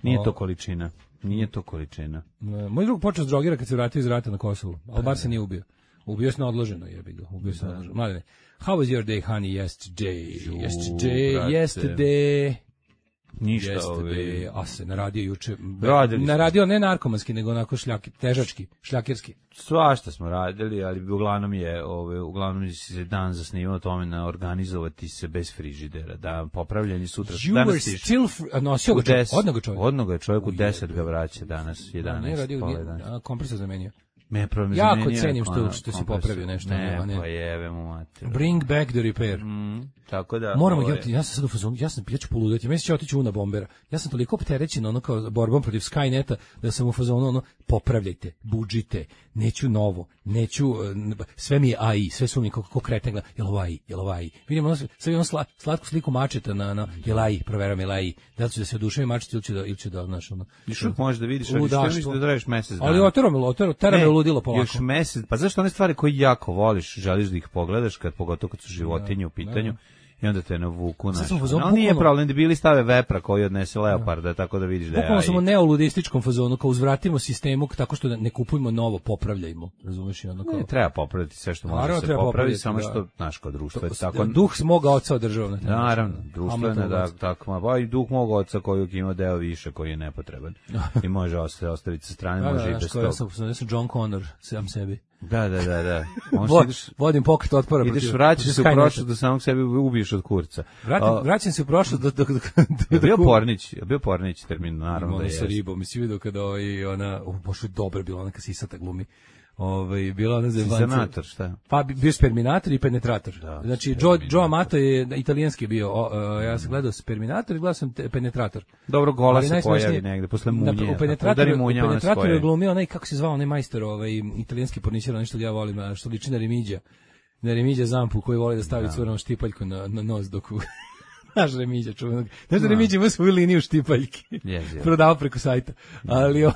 Nije to količina. Nije to količina. Moj drug počeo s drogira kad se vratio iz rata na Kosovu, ali bar se nije ubio. Ubio se na odloženo, jebi ga. Ubio se na odloženo. Mladine, how was your day, honey, yesterday? Ju, yesterday, brate. yesterday. Ništa yesterday. Ove... A se naradio juče. Radili naradio ne narkomanski, nego onako šljaki, težački, šljakirski. Svašta smo radili, ali uglavnom je, ove, uglavnom se dan zasnivao tome na organizovati se bez frižidera, da popravljanje sutra. You danas were still fr- nosio ga čovjek, odnog ga čovjek. Odnog ga čovjek u deset ga vraća danas, jedanaest. Ne, radio, kompresor zamenio. Me problem jako zamenio, cenim što, što si popravio nešto. Ne, a ne. pa jebe mu mater. Bring back the repair. Mm, tako da. Moramo, ja, ja sam sad u fazonu, ja sam, ja ću poludati, meni će otići una bombera. Ja sam toliko opterećen ono kao borbom protiv Skyneta, da sam u fazonu ono, popravljajte, budžite, neću novo, neću, sve mi je A I, sve su mi kako kreten gleda, jel ovo A I, jel ovo A I. Vidimo ono, sad imam sla, slatku sliku mačeta na, na jel A I, proveram jel A I, da li ću da se oduševim mačet ili ću da, ili ću da, znaš, ono. Još uvijek možeš da vidiš, ali što misliš da tražiš mesec dana. Ali otero me, otero, tera me ludilo polako. Još mesec, pa zašto one stvari koje jako voliš, želiš da ih pogledaš, kad pogotovo kad su životinje u pitanju, i onda te navuku naš. No, nije problem da bili stave vepra koji odnese leoparda, tako da vidiš da je. Bukvalno smo u neoludističkom fazonu, kao uzvratimo sistemu tako što ne kupujemo novo, popravljajmo. Razumeš, i ono kao. Ne, treba popraviti sve što može se popraviti, samo što naš kao društvo je tako. Duh moga oca održava. Naravno, društvo je da tako, ma i duh mog oca koji ima deo više koji je nepotreban. I može ostaviti sa strane, može i bez toga. Ja sam John Connor, sam sebi. Da, da, da, da. Vod, ideš, vodim pokret otpora. Ideš, vraćaš se u prošlost da samog sebe ubiješ od kurca. Vratim, o, vraćam se u prošlost do... do, do, do je bio Pornić, je bio Pornić termin, naravno da je. Ono sa ribom, mi si vidio kada ovaj, ona, uh, pošto je dobra bila ona kasisata glumi. Ovaj bila ona Seminator, šta? Pa bio Sperminator i Penetrator. Da, znači Joe Joe Amato je italijanski bio. O, uh, ja sam gledao Sperminator i gledao sam te, Penetrator. Dobro, gola se pojavi negde posle munje. Na, u Penetratoru, u Penetratoru je glumio onaj, kako se zvao, onaj majstor, ovaj italijanski porničar, nešto ja volim, što liči na Remigija. Na Remigija Zampu koji voli da stavi da. Crvenom štipaljku na, na nos dok u naš Remigija čuvenog. Znaš da Remigija ima svoju liniju štipaljki. Yes, yes. Prodao preko sajta. Ali ovo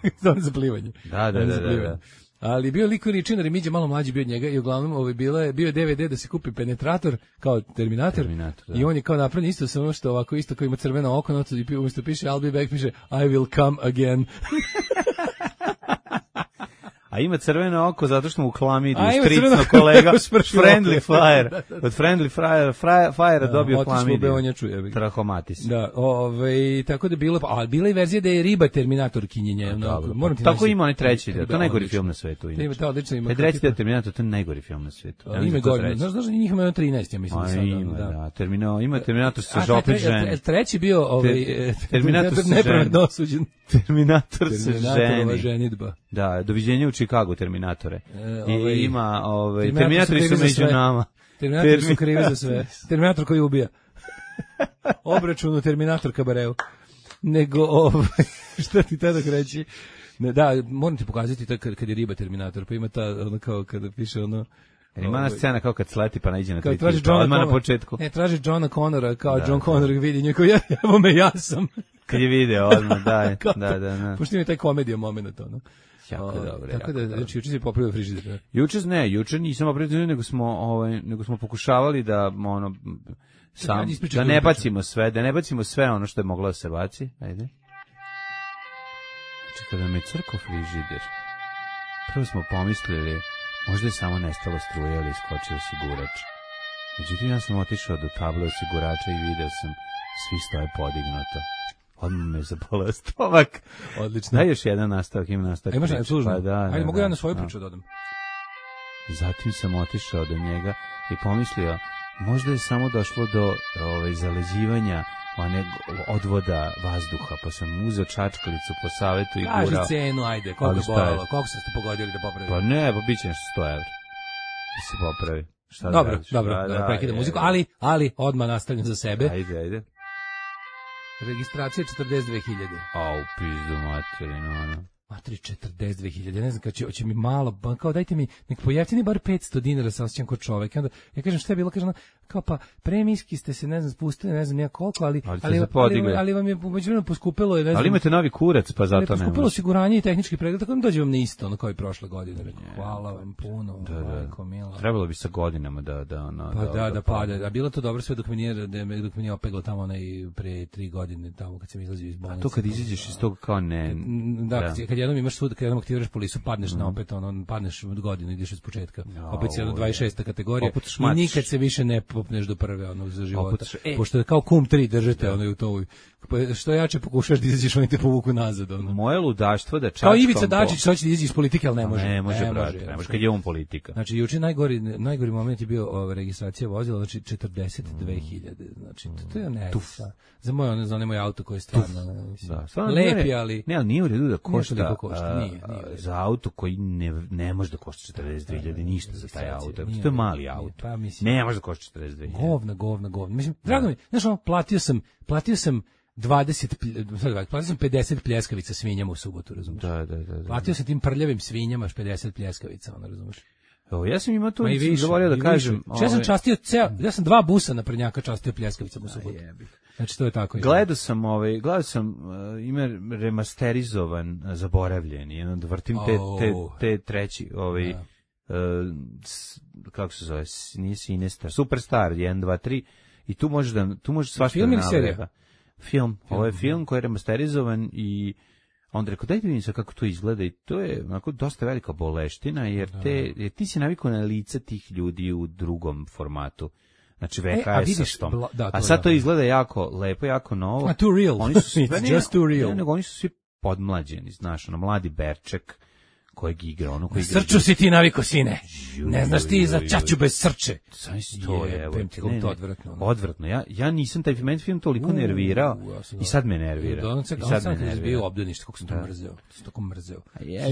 je za plivanje. Da, da, da, da, da. Ali bio liko Ričina Remigija malo mlađi bio od njega i uglavnom ovaj bila je bio je D V D da se kupi Penetrator kao Terminator, Terminator i on je kao napravljen isto samo što ovako isto kao ima crveno oko, i umjesto piše I'll be back piše I will come again. A ima crveno oko zato što mu klamidiju stricno kolega Friendly Fire. Da, da, da. Od Friendly Fire, Fire, Fire dobio klamidiju. Trahomatis. Da, ovaj tako da bilo, a bila je verzija da je riba Terminator kinjenje. No, moram ti tako ima onaj treći, to je najgori film na svetu. Ima to odlično ima. Treći deo Terminator, to je najgori film na svetu. Ima godinu. Znaš, znaš, njih ima trinaest, ja mislim sada. Ima, da. Terminator, ima Terminator sa žopet žene. Treći bio ovaj Terminator nepravedno osuđen. Terminator sa ženi. Ženidba. Da, doviđenje u Chicago Terminatore. E, ovaj, I ima, ovaj, Terminatori su među nama. Terminatori Termin... su krivi za sve. Terminator koji ubija. Obračun u Terminator kabareu. Nego, ovaj, šta ti tada reći? Ne, da, moram ti pokazati to kad, kad je riba Terminator, pa ima ta, ono kao kada piše ono... Jer ima ona scena kao kad sleti pa naiđe na tri tipa, odmah na početku. Ne, traži Johna Connora, kao da, John Connor vidi njeko, ja, evo me, ja sam. kad je video odmah, da, da, da, da. Pošto ima taj komedija moment, ono. Jako dobro. Tako da, znači, juče si popravio frižider. Juče ne, juče nisam popravio, nego smo, ovaj, nego smo pokušavali da, ono, sam, da ne bacimo sve, da ne bacimo sve ono što je moglo da se baci. Ajde. Znači, kada me crko frižider, prvo smo pomislili, možda je samo nestalo struje ili iskočio osigurač. Međutim, ja sam otišao do table osigurača i video sam svi stoje podignuto. Odmah me zapala stomak. Odlično. Daj još jedan nastavak, ima nastavak. Imaš jedan služno? Pa da, Ajde, da, mogu da, ja na svoju da. priču dodam. Zatim sam otišao do njega i pomislio, možda je samo došlo do ovaj, zaleđivanja one odvoda vazduha, pa sam uzeo čačkalicu po savetu i gurao. Kaži cenu, ajde, koliko bojalo, koliko ste pogodili da popravi? Pa ne, pa bit će nešto sto evra. Da se popravi. Šta dobro, da dobro, da, da, prekidam muziku, ali, ali, odmah nastavljam za sebe. Ajde, ajde. Registracija četrdeset dve hiljade. A, u pizdu materinu, ono. Matri, četrdeset dve hiljade, ne znam, kad će, hoće mi malo, kao dajte mi, nek pojeftini bar petsto dinara, sa osjećam kod čovek. I onda, ja kažem, šta je bilo, kažem, kao pa, premijski ste se, ne znam, spustili, ne znam, nija koliko, ali, ali, ali, ali, ali vam je međuvremeno poskupilo, je, ne znam. Ali imate novi kurac, pa zato ne može. Poskupilo osiguranje i tehnički pregled, tako da dođe vam na isto, ono kao i prošle godine. Rekao, hvala vam puno, da, da. majko mila. Trebalo bi sa godinama da, da, ono, pa da, da, da, da pada. A bilo to dobro sve dok mi nije, da me, dok mi nije opeglo tamo onaj pre tri godine, tamo kad sam izlazio iz bolnice. A to kad izađeš iz toga kao ne... Da, da. Kad jednom imaš sud, kad jednom aktiviraš polisu, padneš mm. na opet, ono, padneš od godine, ideš od početka. Ja, opet si jedna dvadeset šesta kategorija i nikad se više ne popneš do prve, ono, za života. E. Pošto je kao kum tri držete, ono, u to, što jače pokušaš da izađeš, oni te povuku nazad, ono. Moje ludaštvo da čačkam... Kao Ivica Dačić, što će da izađi iz politike, ali ne može. Ne može, ne brate, ne može, kad je on politika. Znači, juče najgori, najgori moment je bio o, registracija vozila, znači četrdeset dve hiljade, znači, to, to je ne, za moj, ono, za onaj moj auto koji je stvarno, mislim, da, stvarno lepi, ali... Ne, ali nije u redu da košta, košta nije, nije za auto koji ne, ne može da košta četrdeset dve hiljade, ništa za taj auto, to je mali auto, pa, mislim, ne može da košta četrdeset dve hiljade. Govna, govna, govna, mislim, drago mi, znaš ono, platio sam, platio sam dvadeset, platio sam pedeset pljeskavica svinjama u subotu, razumiješ? Da, da, da, da. Platio sam tim prljavim svinjama pedeset pljeskavica, ono, razumiješ? Evo, ja sam imao tu, zaboravio da kažem. Ja sam častio ceo, ja sam dva busa na prnjaka častio pljeskavicama u subotu. Znači, to je tako. Gledao sam, ovaj, gledao sam, uh, ime remasterizovan, uh, zaboravljen, jedan da vrtim te, te, te treći, ovaj, uh, s, kako se zove, nije Sinestar, Superstar, jedan, dva, tri, i tu možeš da, tu možeš svašta film da ili serija? Film, ovo je film koji je remasterizovan i onda rekao, dajte vidim se kako to izgleda i to je onako dosta velika boleština, jer, te, jer ti si navikao na lica tih ljudi u drugom formatu. Znači V H S-om. E, a, da, a sad to izgleda jako lepo, jako novo. A too real. Oni su svi, It's just too real. Ne, nego oni su svi podmlađeni, znaš, ono, mladi Berček kojeg igra, ono koji igra. Srču si ti naviko, sine. Ne znaš ti za čaču bez srče. To je, evo, ne, ne, odvratno. Odvratno. Ja, ja nisam taj film, film toliko nervirao i sad me nervira. I sad me nervira. Bio obdanište, kako sam to mrzeo. Sam tako mrzeo.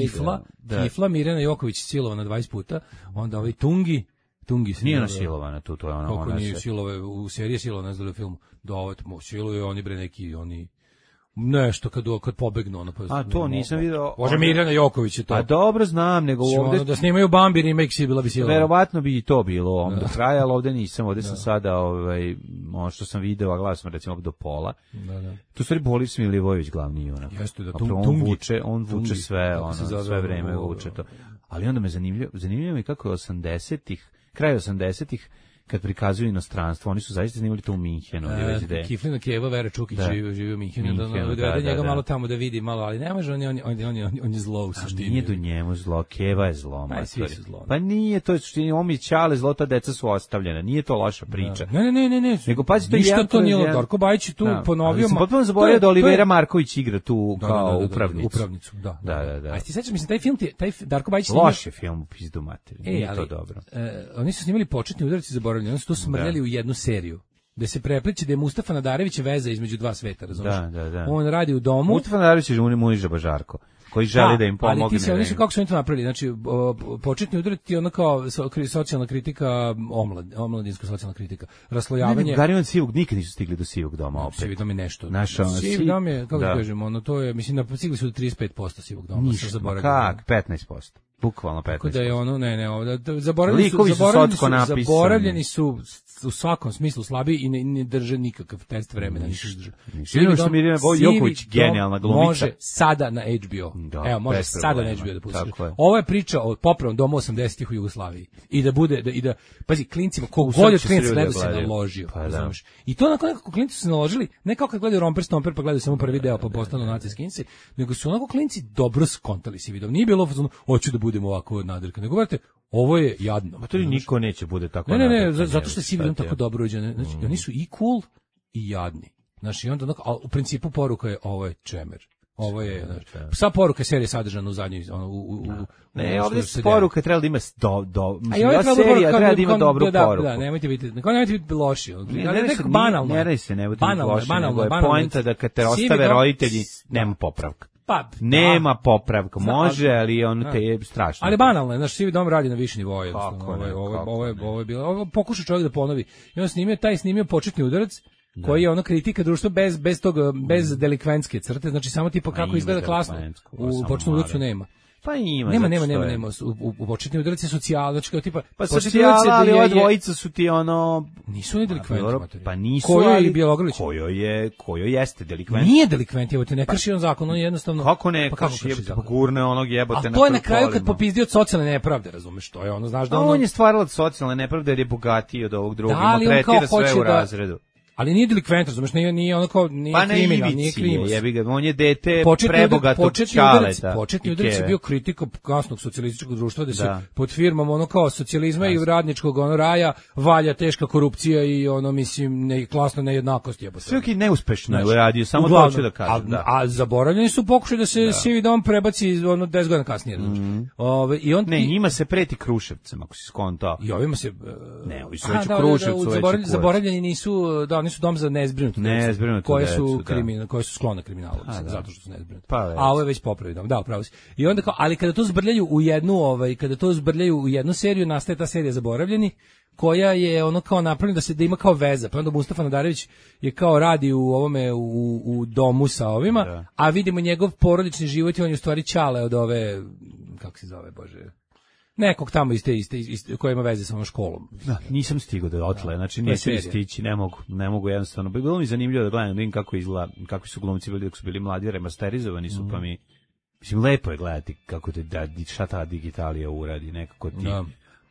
Kifla, Kifla, Mirjana Joković silovana dvadeset puta, onda ovaj Tungi, Tungi se nije ona silovana tu, to je ona. Kako nije silove, u seriji silovana, ne znam film, da ovo siluje oni bre neki, oni nešto kad kad pobegnu ono pa. A to nisam video. Može Mirjana Joković je to. A dobro znam, nego ovde da snimaju Bambi remake si bila bi sila. Verovatno bi i to bilo, on do kraja, al ovde nisam, ovde sam sada ovaj ono što sam video, a gledao sam recimo do pola. Da, da. Tu stvari Boris Milivojević glavni junak. Jeste da tu on vuče, on vuče sve, ono sve vreme vuče to. Ali onda me zanimljivo, zanimljivo mi kako je osamdesetih, kraj osamdesetih kad prikazuju inostranstvo, oni su zaista snimali to u Minhenu. E, Kiflina Kijeva, Vera Čukić da. živi, živi u Minhenu, Minhenu da, da, da, da, njega da, malo tamo da vidi, malo, ali ne može, on je, on, on, on, on, on je zlo u suštini. Nije do njemu zlo, Kijeva je zlo. Pa, svi su zlo. Pa nije, to je suštini, on mi Ćale zlo, ta deca su ostavljena, nije to loša priča. Ne, ne, ne, ne, ne. Nego pazi, to je ništa to nije, Darko Bajić tu da. ponovio. Ali sam potpuno zaboravio da Olivera Marković igra tu da, kao da, da, upravnicu. Upravnicu, da. Da, da, da. A ti sećaš, mislim, taj film, taj Darko Bajić loš je film u pizdu materiju, nije to dobro. Oni su snimali početni udarci zaboravljeni, oni su to smrljali u jednu seriju. Da se prepliče da je Mustafa Nadarević veza između dva sveta, razumiješ? Da, da, da. On radi u domu. Mustafa Nadarević je Muniža Bažarko, koji želi da, da im pomogne. Ali ti se, oni su, kako su oni to napravili, znači, o, početni udar ti je ono kao so, socijalna kritika, omlad, omladinska socijalna kritika, raslojavanje. Ne, ne, Gari od Sivog, nikad nisu stigli do Sivog doma opet. Sivi dom je nešto. Naša, Sivi dom je, kako da kažemo, ono, to je, mislim, stigli su do trideset pet posto Sivog doma. Ništa, kak, petnaest posto. bukvalno petnaest posto. Tako da je ono, ne, ne, ovo, da, zaboravljeni su, zaboravljeni su, zaboravljeni su u svakom smislu slabiji i ne, ne drže nikakav test vremena. Svi su Mirjana Joković, genijalna glumica. Može sada na H B O. Da, Evo, može sada na H B O da pustiš. Je. Ovo je priča o popravnom domu osamdesetih u Jugoslaviji. I da bude, da, i da, pazi, klincima, kog god od klinca gleda se naložio. Pa, da. I to onako nekako klinci su naložili, ne kao kad gledaju Romper Stomper pa gledaju samo prvi deo pa postanu naci skinci, nego su onako klinci dobro skontali se vidom. Nije bilo fazonu, hoću da budem ovako nadrka. Nego gledajte, ovo je jadno. Ma to li niko neće bude tako. Ne, ne, ne, ne zato što je si vidom tako dobro uđen. Znači, mm. oni su i cool i jadni. Znači, onda onako, a u principu poruka je ovo je čemer. Ovo je, znači, sva poruka serije sadržana u zadnjoj, ono, u, u, u, ne, ovdje poruka treba da ima do, do, mislim, ja serija treba da ima dobru da, poruku. Da, nemojte biti, nemojte biti loši. Ne, ne, ne, banalno. Ne radi se, ne budete loši, nego je poenta da kad te ostave roditelji, nema popravka. Pa, nema popravka, može, ali on te je strašno. Ali banalno je, znaš, Sivi dom radi na više nivoje. Ovo je, ovo je, ovo je bilo, ovo pokušao čovjek da ponovi. I on snimio, taj snimio početni udarac, da. Koji je ono kritika društva bez bez tog bez delikventske crte, znači samo tipa kako izgleda klasno. U početnom udarcu nema. Pa ima. Nema, nema, nema, nema. U, u početni udarac je socijala, znači kao tipa pa socijala, ali ova dvojica su ti ono nisu ni delikventi. Pa nisu, Kojo je Bjelogrlić? Kojo je, kojo jeste delikvent. Nije delikvent, evo te ne krši on zakon, on jednostavno. Kako ne? Pa kako krši zakon? Pa gurne onog jebote na. A to je na kraju kad popizdio od socijalne nepravde, razumeš, to je ono, znaš da ono. On je stvaralac socijalne nepravde jer je bogatiji od ovog drugog, i tretira sve u razredu. Ali nije delikvent, razumeš, nije, nije ono kao, nije pa kriminal, nije kriminal. Jebi ga, on je dete prebogatog čaleta. Početni udarac je bio kritika kasnog socijalističkog društva, da se da. Pod firmom ono kao socijalizma i radničkog ono raja valja teška korupcija i ono, mislim, ne, klasna nejednakost. Sve ok, neuspešno je radio, samo to hoću da kažem. A, a zaboravljeni su pokušali da se da. Sivi dom prebaci ono deset godina kasnije. Mm. Ove, i on, ne, njima se preti Kruševcem, ako si skontao. I ovima se... Ne, ovi su već u Kruševcu. Zaboravljeni nisu, da, nisu dom za nezbrinutu decu, koje su kriminal, koje su sklone kriminalu, a, zato što su nezbrinuti. Pa, a ovo je već popravio dom, da, upravo si. I onda kao, ali kada to zbrljaju u jednu, ovaj, kada to zbrljaju u jednu seriju, nastaje ta serija Zaboravljeni, koja je ono kao napravljena da se da ima kao veza. Pa onda Mustafa Nadarević je kao radi u ovome u, u domu sa ovima, da. A vidimo njegov porodični život i on je u stvari ćale od ove, kako se zove, bože, nekog tamo iz te iste, iste koje ima veze sa ovom školom. Da, nisam stigao da otle, znači neću stići, ne mogu, ne mogu jednostavno. Bilo mi zanimljivo da gledam, da vidim kako izgleda, kakvi su glumci bili dok su bili mladi, remasterizovani su, mm. pa mi, mislim, lepo je gledati kako te, da, šta ta digitalija uradi, nekako ti, da.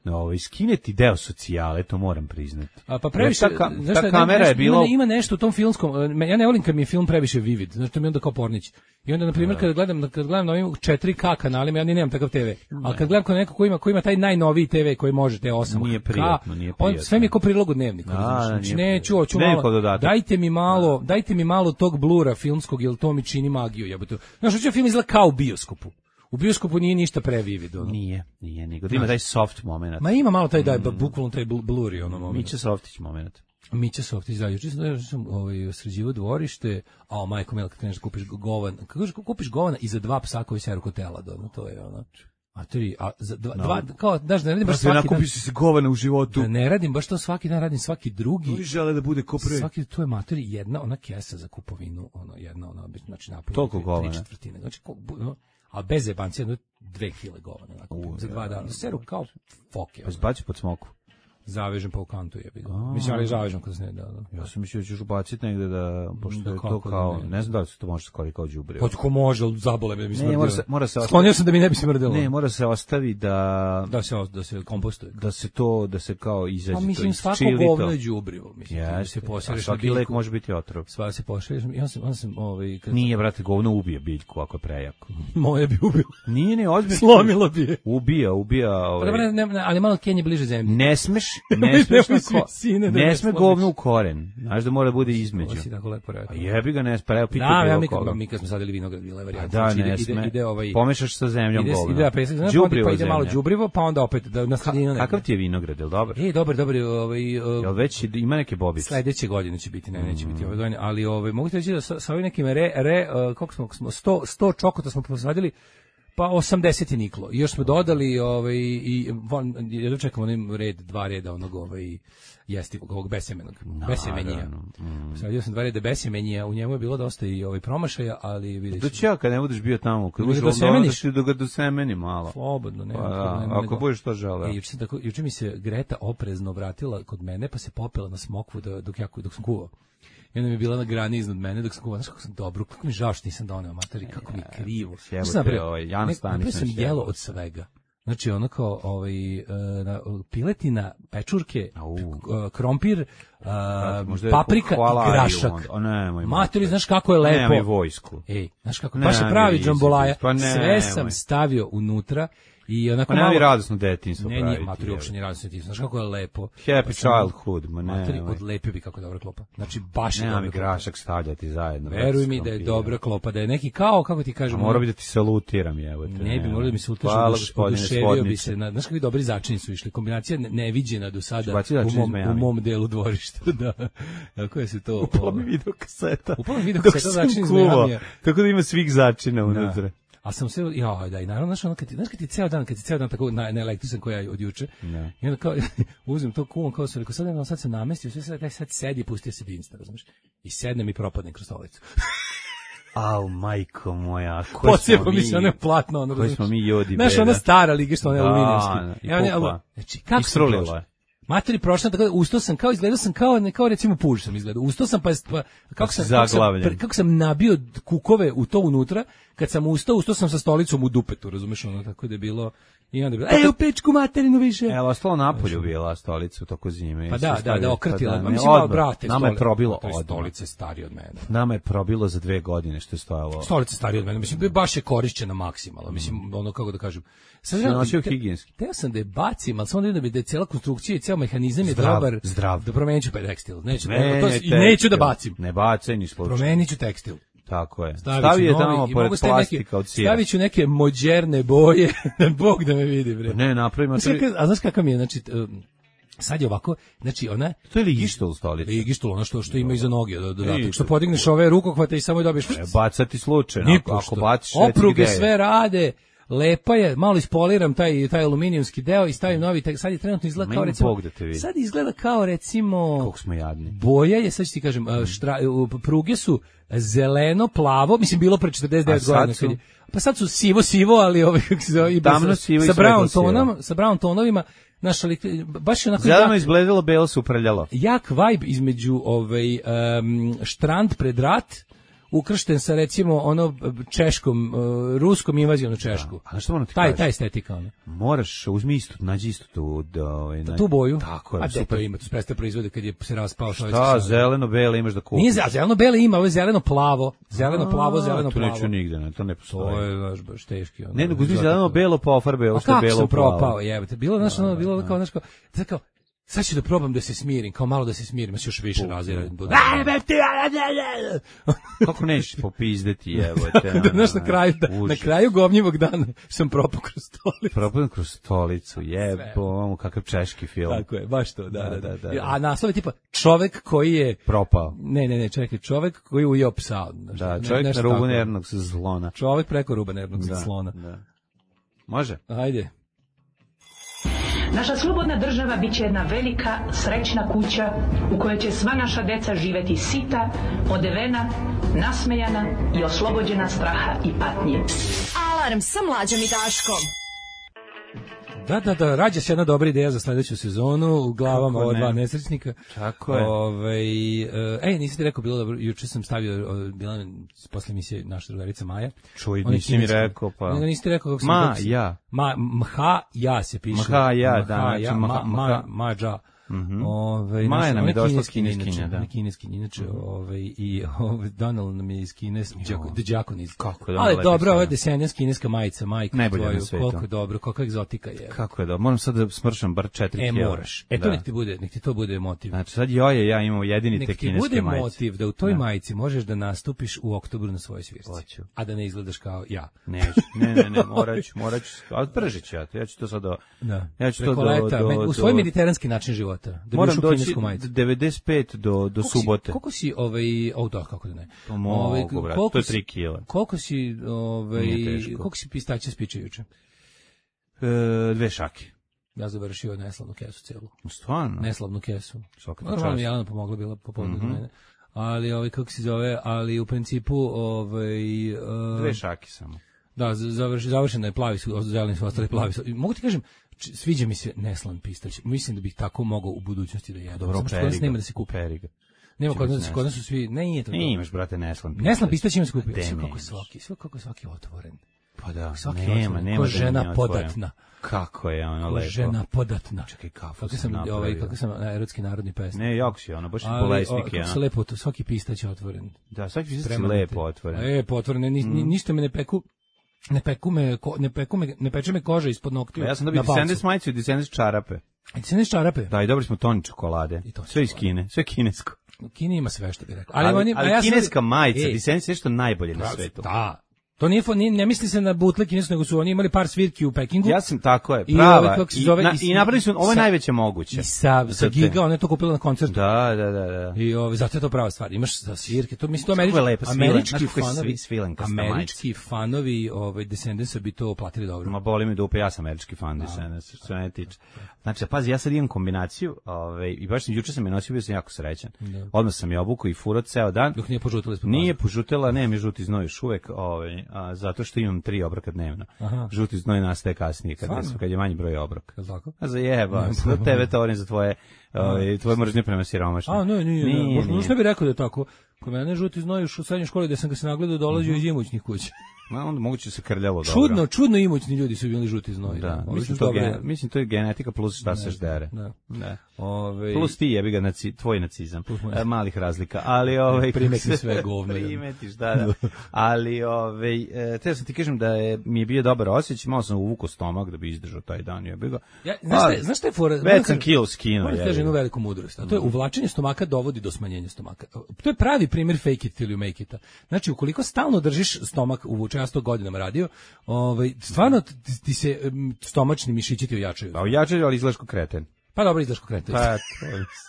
No, ovaj, skineti deo socijale, to moram priznati. A pa previše, ta, ta, ta kamera nešto, je bilo... Ima, ima nešto u tom filmskom, ja ne volim kad mi je film previše vivid, znači to mi je onda kao pornić. I onda, na primjer, kad gledam, kad gledam na ovim četiri K kanalima, ja ni nemam takav te ve, ali kad gledam kod neko ko ima, ko ima taj najnoviji te ve koji može te osam K, nije prijatno, nije prijatno. On sve mi je kao prilog u dnevniku. Znači, neću, hoću malo, dajte mi malo, dajte mi malo tog blura filmskog, jer to mi čini magiju, jebote. Znaš, hoću film izgleda kao u bioskopu. U bioskopu nije ništa previvid, ono. Nije, nije, nego da ima taj soft moment. Ma ima malo taj, daj, mm. bukvalno taj bluri, ono moment. Mića Softić moment. Mića Softić, da, juče sam, sam ovaj, sređivo dvorište, a o majko mila, kad kreneš da kupiš govan, kad kupiš govana i za dva psa koji seru kotela, ono, to je ono. A tri, a za dva, no. dva kao, daš, da ne radim baš svaki dan. Nakupiš se govana u životu. Da ne radim baš to svaki dan, radim svaki drugi. Oni žele da bude ko pre. Svaki, to je materi, jedna ona kesa za kupovinu, ono, jedna ona, znači napolje. Toliko govana. Tri četvrtine, znači, ko, no, a bez jebancije, jedno dve kile govana, nakupim, za dva dana. Seru kao foke. Pa zbaci pod smoku. Zavežem pa u kantu je bilo. Mislim, ali zavežem kad se ne da. da. Ja sam mislio da ćeš ubaciti negde da, pošto da, je to kao, ne, ne znam da li se to može skoli kao đubrivo. Pa ko može, ali zabole me mi smrdilo. Ne, mora se, mora se Sklonio sam da mi ne bi smrdilo. Ne, mora se ostavi da... Da se, da se kompostuje. Da se to, da se kao izađe to, pa mislim, svako govno je đubrivo. Mislim, ja, se pošereš. A svaki lek može biti otrov. Sva se pošereš. Ja sam, ja sam, ovaj... Kad... Nije, brate, govno ubije biljku ako je prejako. Moje bi ubilo. Nije, ne, ozbiljno. Slomilo bi je. Ubija, ubija. Ovaj... Pa, ne, ne, ali malo Kenje bliže zemlji. Ne smeš, ne smeš Ko, sine, ne, ne sme govno u koren. Znaš da mora da bude između. Ovo si tako lepo rekao. A jebi ga, ne sme. Evo, pita da, bilo ja, koga. mi kad smo sadili vinograd, bila je varijanta. Da, znači, ne ide, sme. Ide, ide ovaj, pomešaš sa zemljom ide, govno. Ide, pesak, znači, đubrivo pa ide zemlja. malo đubrivo, pa onda opet da na sredinu. Kakav ti je vinograd, je li dobar? E, dobar, dobar. Ovaj, uh, jel već ima neke bobice? Sledeće godine će biti, ne, neće mm. biti ovaj dojene, ali ovaj, mogu ti reći da sa, sa ovim nekim re, re uh, koliko smo, sto, sto čokota smo posadili, Pa osamdeset je niklo. I još smo dodali ovaj i jedno čekamo onim red dva reda onog ovaj jestivog ovog besemenog. No, besemenija. Mm. Sadio sam dva reda besemenija, u njemu je bilo dosta i ovaj promašaja, ali vidiš. Do čega kad ne budeš bio tamo, kad budeš došao da ga dosemeni malo. Slobodno, nema pa, problema. Ako budeš to želeo. I juče tako juče mi se Greta oprezno vratila kod mene, pa se popela na smokvu dok ja dok sam kuvao. I onda mi je bila na grani iznad mene dok sam kuvao, znaš kako sam dobro, kako mi žao što nisam doneo materi, kako mi krivo. Jebote, ovaj Jan Stanić sam jelo od svega. Znači ono kao ovaj na, piletina, pečurke, uh, krompir, uh, paprika i grašak. Materi, znaš kako je lepo. Nemoj vojsku. Ej, znaš kako, baš je pravi džambolaja. Pa sve sam stavio unutra. I onako pa malo radosno detinjstvo pravi. Ne, nije materi uopšte ni radosno detinjstvo. Znaš kako je lepo. Happy childhood, ma ne. Materi odlepio bi kako dobra klopa. Znači baš je dobra. Nema mi grašak stavljati zajedno. Veruj mi da je dobra klopa, da je neki kao, kako ti kažem. Mora bi da ti salutiram, jebote. Ne bi, mora da mi salutiraš, oduševio bi se. Znaš kakvi dobri začini su išli. Kombinacija neviđena do sada u mom, u mom delu dvorišta. Da. Kako je se to... Upala mi video kaseta. Upala mi video kaseta začini znamija. Tako da ima svih začina unutra. A sam se, ja, da, i naravno, znaš, ono, kad ti, znaš, kad ti ceo dan, kad ti ceo dan tako na, na električan koja je od juče, ne. I onda kao, uzim to kuvom, kao sam rekao, sad, jedno, sad se namestio, sve sad, sad sedi i pustio se Insta, razumiješ, i sednem i propadnem kroz stolicu. Au, majko moja, koji Pocijemo mi se, ono je platno, ono, koji smo mi jodi, znaš, ona stara liga, što ona je aluminijski. I pukla. Znači, kako sam prošao? Materi prošla, tako da ustao sam kao, izgledao sam kao, ne, kao recimo puž sam izgledao. Ustao sam pa, pa kako, sam, kako, sam, kako sam nabio kukove u to unutra, kad sam ustao, ustao sam sa stolicom u dupetu, razumeš, ono, tako da je bilo, i onda je bilo, ej, u pečku materinu više. Evo, ostalo napolju bila stolica u toko zime. Pa da, da, da, okratila. Pa mislim, malo, brate, nama je probilo odmah. Stolice starije od mene. Nama je probilo za dve godine što je stojalo. Stolice starije od mene, mislim, baš je korišćena maksimalno, mislim, ono, kako da kažem. Sad ja nosio higijenski. Teo sam da je bacim, ali samo da vidim da je cela konstrukcija i ceo mehanizam je dobar. Zdrav. Da promenit ću pa tekstil. Neću, ne, to, ne, i neću da bacim. Ne bacaj ni slučaj. Promenit ću tekstil. Tako je. Stavi je tamo pored plastika od sira. Stavit ću neke moderne boje, Bog da me vidi, bre. Ne, napravimo... Tri... A znaš kakav mi je, znači... Sad je ovako, znači ona... To je ligištol stolica. Ligištol, ono što, što ima iza noge, dodatak. Što podigneš ove rukohvate i samo je dobiješ... Ne, bacati slučajno. Ako, ako baciš... Opruge sve rade... Lepa je, malo ispoliram taj taj aluminijumski deo i stavim novi, sad je trenutno izgleda kao recimo, sad izgleda kao recimo, kako smo jadni. Boja je, sad ću ti kažem, štra, pruge su zeleno, plavo, mislim bilo pre četrdeset devet godina, su... pa sad su sivo, sivo, ali ovaj, kako se zove, tamno sivo sa brown tonom, sa brown tonovima, naš, ali, baš je onako... Zeleno izgledalo, belo se uprljalo. Jak vibe između ovaj, um, štrand pred rat, ukršten sa recimo ono češkom, uh, ruskom invazijom na Češku. Da. A što ono ti taj, kažeš? Ta estetika, ono. Moraš, uzmi isto, nađi isto tu, da, ovaj, da, tu boju. Tako je. A super. To ima, tu spreste proizvode kad je se raspao. Šta, zeleno-bele imaš da kupiš? Nije zeleno-bele ima, ovo je zeleno-plavo. Zeleno-plavo, zeleno-plavo. To neću nigde, ne, to ne postoji. To je baš, baš teški. Ono, ne, nego uzmi zeleno-belo pa ofarbe, ovo što je belo-plavo. A kako sam propao, jebate. Bilo, znaš, ono, bilo kao, znaš, kao, kao, sad ću da probam da se smirim, kao malo da se smirim, još više razira. Kako nećeš popizdeti, evo te. Da, znaš, na kraju, da, na kraju govnjivog dana sam propao kroz stolicu. Propao kroz stolicu, jebo, kakav češki film. Tako je, baš to, da, da, da. da, da. A naslov je tipa, čovek koji je... Propao. Ne, ne, ne, čekaj, čovek koji je ujeo psa. Da, čovek ne, na rubu nervnog slona. Čovek preko ruba nervnog slona. Da. Može? Ajde. Naša slobodna država bit će jedna velika, srećna kuća u kojoj će sva naša deca živeti sita, odevena, nasmejana i oslobođena straha i patnje. Alarm sa Mlađom i Daškom. Da, da, da, rađa se jedna dobra ideja za sledeću sezonu u glavama ova dva nesrećnika. Tako je. Ove, ej, nisi ti rekao, bilo dobro, juče sam stavio, bila posle emisije naša drugarica Maja. Čuj, nisi mi rekao, pa... Ne, nisi ti rekao kako sam... Ma, ja. Ma, mha, ja se piše. Mha, ja, da, znači, ja, ma, ma, ma, dža. Mm-hmm. Ove, Maja nam je došla s kineskinja, da. Kineskinja, inače, mm-hmm. ove, i ove, Donald nam je iz Kines, Đakoniz. Kako je ali dobro, ovo je desenjas kineska majica, majka najbolje tvoju, na svetu. koliko dobro, koliko egzotika je. Kako je dobro, moram sad da smršam bar četiri e, kila. E, moraš, e, to nek ti bude, nek ti to bude motiv. Znači, sad joje, ja imam jedini te kineske majice. Nek ti bude motiv da u toj da. majici možeš da nastupiš u oktobru na svojoj svirci. Hoću. A da ne izgledaš kao ja. Neću, ne, ne, ne, morat ću, morat ću, ali pržit ću ja, ja ću to sad do... Da. Ja ću to do, leta, do, u svoj mediteranski način života. subota. Da moram doći devedeset pet do, do koliko subote. Si, koliko si, ovaj, o da, kako da ne. Pa mogu, ovaj, brat, to je tri kila. Koliko si, ovaj, koliko si pistaća spiče juče? E, dve šake. Ja završio neslavnu kesu celu. Stvarno? Neslavnu kesu. Svaka normalno mi Jelena pomogla, bila popodne mm-hmm. do mene. Ali, ovaj, kako se zove, ali u principu, ovaj... Uh, dve šake samo. Da, završ, završeno je plavi su, zeleni su ostali plavi su. Mogu ti kažem, sviđa mi se neslan pistać. Mislim da bih tako mogao u budućnosti da jedem. Dobro, periga. Nema da se kupi. Periga. Nema kod nas, kod nas su svi, ne, nije to. Ne imaš, brate, neslan pistać. Neslan pistać ima se kupi. Sve kako svaki, sve kako svaki otvoren. Pa da, svaki nema, otvoren. nema ko da žena podatna. Kako je ono ko lepo. žena podatna. Čekaj, kafu kako sam, sam napravio. Ovaj, kako sam erotski narodni pesnik. Ne, jako si ono, baš i bolesnik je. Kako se lepo, to, svaki pistać je otvoren. Da, svaki pistać je lepo otvoren. E, potvoren, ni, mm. ništa me ne peku. Ne peku me, ko, ne peku me, ne peče me koža ispod noktiju. Ja sam dobio Descendants majicu i Descendants čarape. Descendants čarape? Da, i dobili smo toni čokolade. Sve iz Kine, sve kinesko. U Kini ima sve što bih rekao. Ali, ali, oni, ali ja kineska sam, majica, Descendants je što najbolje na svetu. Da. To nije, nije, ne misli se na butle kinesku, nego su oni imali par svirki u Pekingu. Ja sam, tako je, prava. I, ove, zove, i, na, i napravili su, ovo je najveće moguće. I sa, sa Giga, ona je to kupila na koncertu. Da, da, da. da. I ove, zato je to prava stvar. Imaš za svirke, to mislim, to američki, lepa, američki fanovi, svilenka, američki fanovi ovaj, Descendantsa bi to platili dobro. Ma boli mi dupe, ja sam američki fan Descendantsa, što ne tiče. Znači, pazi, ja sad imam kombinaciju, ovaj, i baš sam, juče sam je nosio, bio sam jako srećan. Da. Odmah sam je obukao i furao ceo dan. Dok nije požutila ispod Nije požutila, ne, mi žuti znoj još uvek, ovaj, a, zato što imam tri obroka dnevno. Aha. Žuti znoj nastaje kasnije, kad, je, kad je manji broj obroka. Je tako? A za jeba, za tebe to onim za tvoje, ovaj, tvoje mržnje prema siromašnim. A, ne, nije, nije. Možda, možda ne bih rekao da je tako. Kod mene žuti znoj u srednjoj školi gde sam ga se nagledao dolazio mm-hmm. iz imućnih kuća. Ma onda moguće se krljavo dobro. Čudno, čudno imućni ljudi su bili žuti znoj. Da, da. Mislim, to gen, mislim to je genetika plus šta se ždere. Da. Da. Ove, plus ti jebi ga naci, tvoj nacizam. E, malih razlika, ali ovaj primeti sve govno. Primetiš, da, da. Ali ovaj e, te sam ti kažem da je mi je bio dobar osjećaj, malo sam uvukao stomak da bi izdržao taj dan, jebi ga. Ja, znaš šta, znaš šta je fora? Već sam kilo skinuo, je. Kažem jednu veliku mudrost, a to je uvlačenje stomaka dovodi do smanjenja stomaka. To je pravi primjer fake it till you make it. Znači, ukoliko stalno držiš stomak uvučen, ja sto godinama radio, ovaj, stvarno ti, ti se um, stomačni mišići ti ojačaju. Pa ojačaju, ali izgledaš kao kreten. Pa dobro, izgledaš kao kreten. Pa,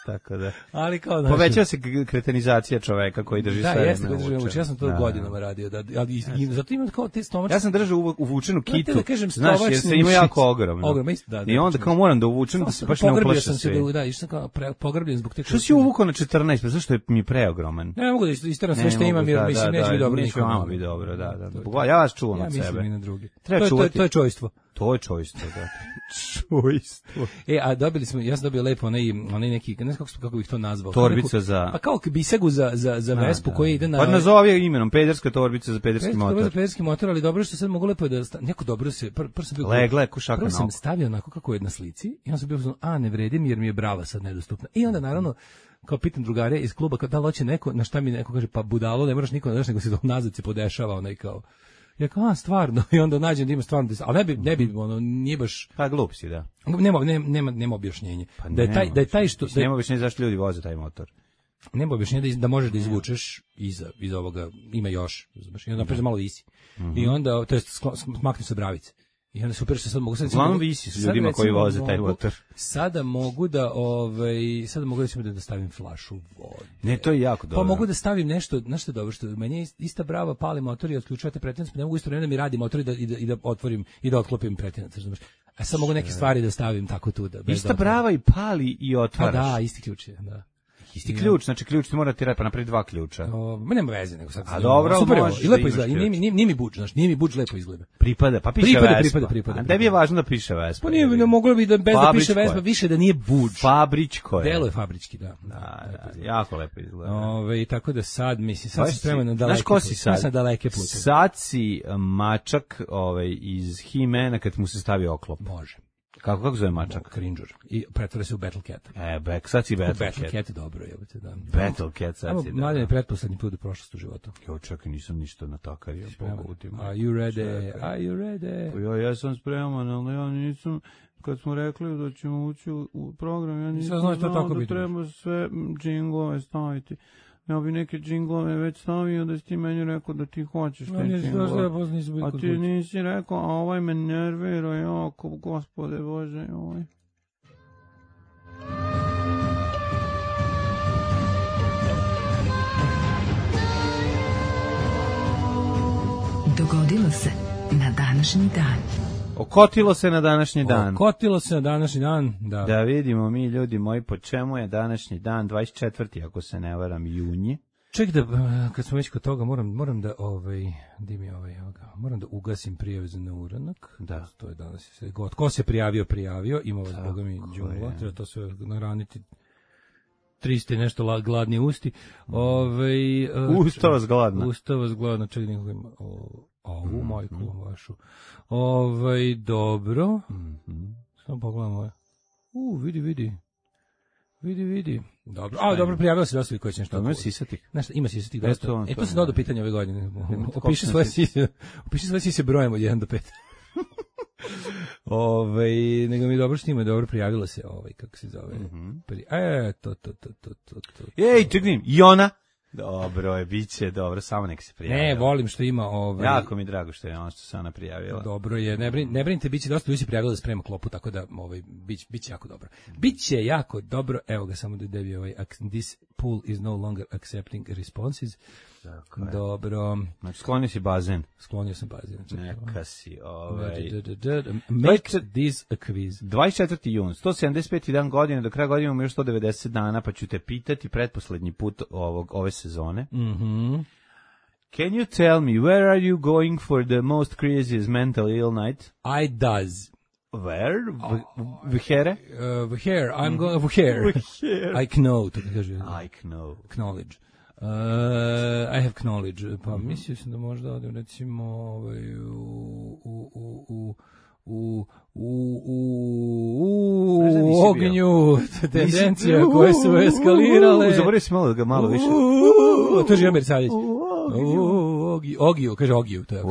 tako da. Ali kao znači, povećava se kretenizacija čoveka koji drži da, sve. Da, jeste, drži uvučen. Ja sam to da, godinama radio. Da, ali i, zato imam kao te stomačne. Ja sam držao uvučenu kitu. Da kažem, znaš, jer se ima jako ogromno. Ogromno, isto, da, da. I onda kao moram da uvučem da se baš ne uplaše sam se da, da, išao sam kao pre, pogrbljen zbog te. Što si uvukao na četrnaest, pa zašto je mi preogroman? Ne, mogu da isteram sve što imam, jer mislim neće biti dobro nikom. Neće biti dobro, da, da. Ja vas čuvam od sebe. Ja mislim i na drugi. Treba čuvati. To je čojstvo. To je čojstvo, da. Čojstvo. E, a dobili smo, ja sam dobio lepo onaj, onaj neki, ne znam kako, kako bih to nazvao. Torbica za... Pa kao bisegu za, za, za Vespu koji ide na... Pa nazovi imenom, pederska torbica za pederski pederska motor. Za pederski motor, ali dobro što sad mogu lepo da... Sta... Neko dobro se... Pr, prvo sam bio... Legle je kušaka prvo sam stavio onako kako je na slici i onda sam bio znači, a ne vredim jer mi je brava sad nedostupna. I onda naravno, kao pitam drugare iz kluba, kao da li hoće neko, na šta mi neko kaže, pa budalo, ne moraš niko da daš, nego se do nazad se podešava onaj kao... Ja kao, a, stvarno, i onda nađem da ima stvarno, ali ne bi, ne bi, ono, nije baš... Pa glup si, da. Nema, nema, nema, nema objašnjenje. Pa da je taj, da je taj što... Da je, nema objašnjenje zašto ljudi voze taj motor. Nema objašnjenje da, da možeš da izvučeš iza, iza ovoga, ima još, znaš, i onda napred malo visi. Mm-hmm. I onda, to je, smaknu se bravice. I onda super što sad mogu sad... Uglavnom visi s ljudima koji voze taj motor. Sada mogu da, ovaj, sada mogu recimo da, da stavim flašu vode. Ne, to je jako dobro. Pa mogu da stavim nešto, znaš što je dobro, što meni je ista brava, pali motor i otključujete pretinac, pa ne mogu isto vreme da mi radi motor i da, i da, i da otvorim i da otklopim pretinac, znaš. A sad mogu neke stvari da stavim tako tu da... Ista brava i pali i otvaraš. Pa da, isti ključ je, da. Isti ključ, znači ključ ti mora ti radi, pa napravi dva ključa. O, ma nema veze, nego sad. A dobro, super, možeš i lepo izgleda, nije, nije, nije mi budž, znači nije mi budž lepo izgleda. Pripada, pa piše pripada, Vespa. Pripada, pripada, A tebi je važno da piše Vespa. Pa nije, ne moglo bi da bez da piše Vespa, više da nije budž. Fabričko je. Delo je fabrički, da. Da, da, jako lepo izgleda. Ove, i tako da sad, mislim, sad sam spreman na daleke pute. Znaš ko si sad? Sad daleke pute. Sad si mačak ovaj, iz He-Mana kad mu se stavi oklop. Može. Kako, kako zove mačak? Cringer. I pretvore se u Battle Cat. E, back, sad si Battle, Battle Cat. Cat je dobro, jebate, da. Battle Cat sad si, da. Mladen je pretposlednji put u prošlost u životu. Jo, čekaj, nisam ništa natakario. Are you ready? Čekaj. Are you ready? Pa ja, ja sam spreman, ali ja nisam... Kad smo rekli da ćemo ući u program, ja nisam znao da biti. Treba sve džinglove staviti. Ja bi neke džinglove već stavio da si ti meni rekao da ti hoćeš no, te džinglove. A ti nisi rekao, a ovaj me nervira jako, gospode Bože, ovaj. Dogodilo se na današnji dan. Okotilo se na današnji dan. Okotilo se na današnji dan, da. Da vidimo mi, ljudi moji, po čemu je današnji dan, dvadeset četvrti ako se ne varam, junji. Ček da, kad smo već kod toga, moram, moram da, ovaj, di mi ovaj, ovoga, moram da ugasim prijave za neuranak. Da. To je danas sve god. Ko se prijavio, prijavio. Ima vas, boga mi, džungla. Treba to sve naraniti. trista i nešto la, gladni usti. Ove, Usta vas gladna. Usta vas gladna. Ček, nekako ima. O, ovu mm, majku mm. vašu. Ove, dobro. Mm -hmm. Samo pogledamo ovo. U, vidi, vidi. Vidi, vidi. Dobro. A, dobro, prijavio se dosta koji će nešto. Ima sisatih. Nešto, ima sisatih dosta. To, e, to se dodao pitanje ove godine. Opiši svoje sise. Opiši svoje sise brojem od jedan do pet. Ovaj, nego mi dobro što ima, dobro prijavila se, ovaj, kako se zove. Mm -hmm. Pri... E, to, to, to, to, to, to. Ej, čekaj, i ona? Dobro je, bit će, dobro, samo nek se prijavila. Ne, volim što ima ovaj. Jako mi drago što je ono što se ona prijavila. Dobro je, ne brin, ne brinite, biće dosta ljudi se prijavilo da sprema klopu, tako da ovaj bić biće jako dobro. Biće jako dobro. Evo ga samo da debi ovaj this pool is no longer accepting responses. Tako dobro. Znači sklonio si bazen. Sklonio sam bazen. Neka si ovaj. Make this a quiz. dvadeset četvrti jun, sto sedamdeset peti dan godine, do kraja godine imamo još sto devedeset dana, pa ću te pitati pretposlednji put ovog ove sezone. Mhm. Can you tell me where are you going for the most craziest mental ill night? I does. Where? Vhere? Uh, Vhere. I'm going Vhere. I know, to kaže. I know. Knowledge. Uh, I have knowledge. Pa mm-hmm. mislio sam da možda odem recimo ovaj, u, u, u, u, u, u, u, u ognju tendencija koje su eskalirale. Zaboravio si malo da ga malo više. To je Žemer Sadić. Ogiju, kaže Ogiju. To je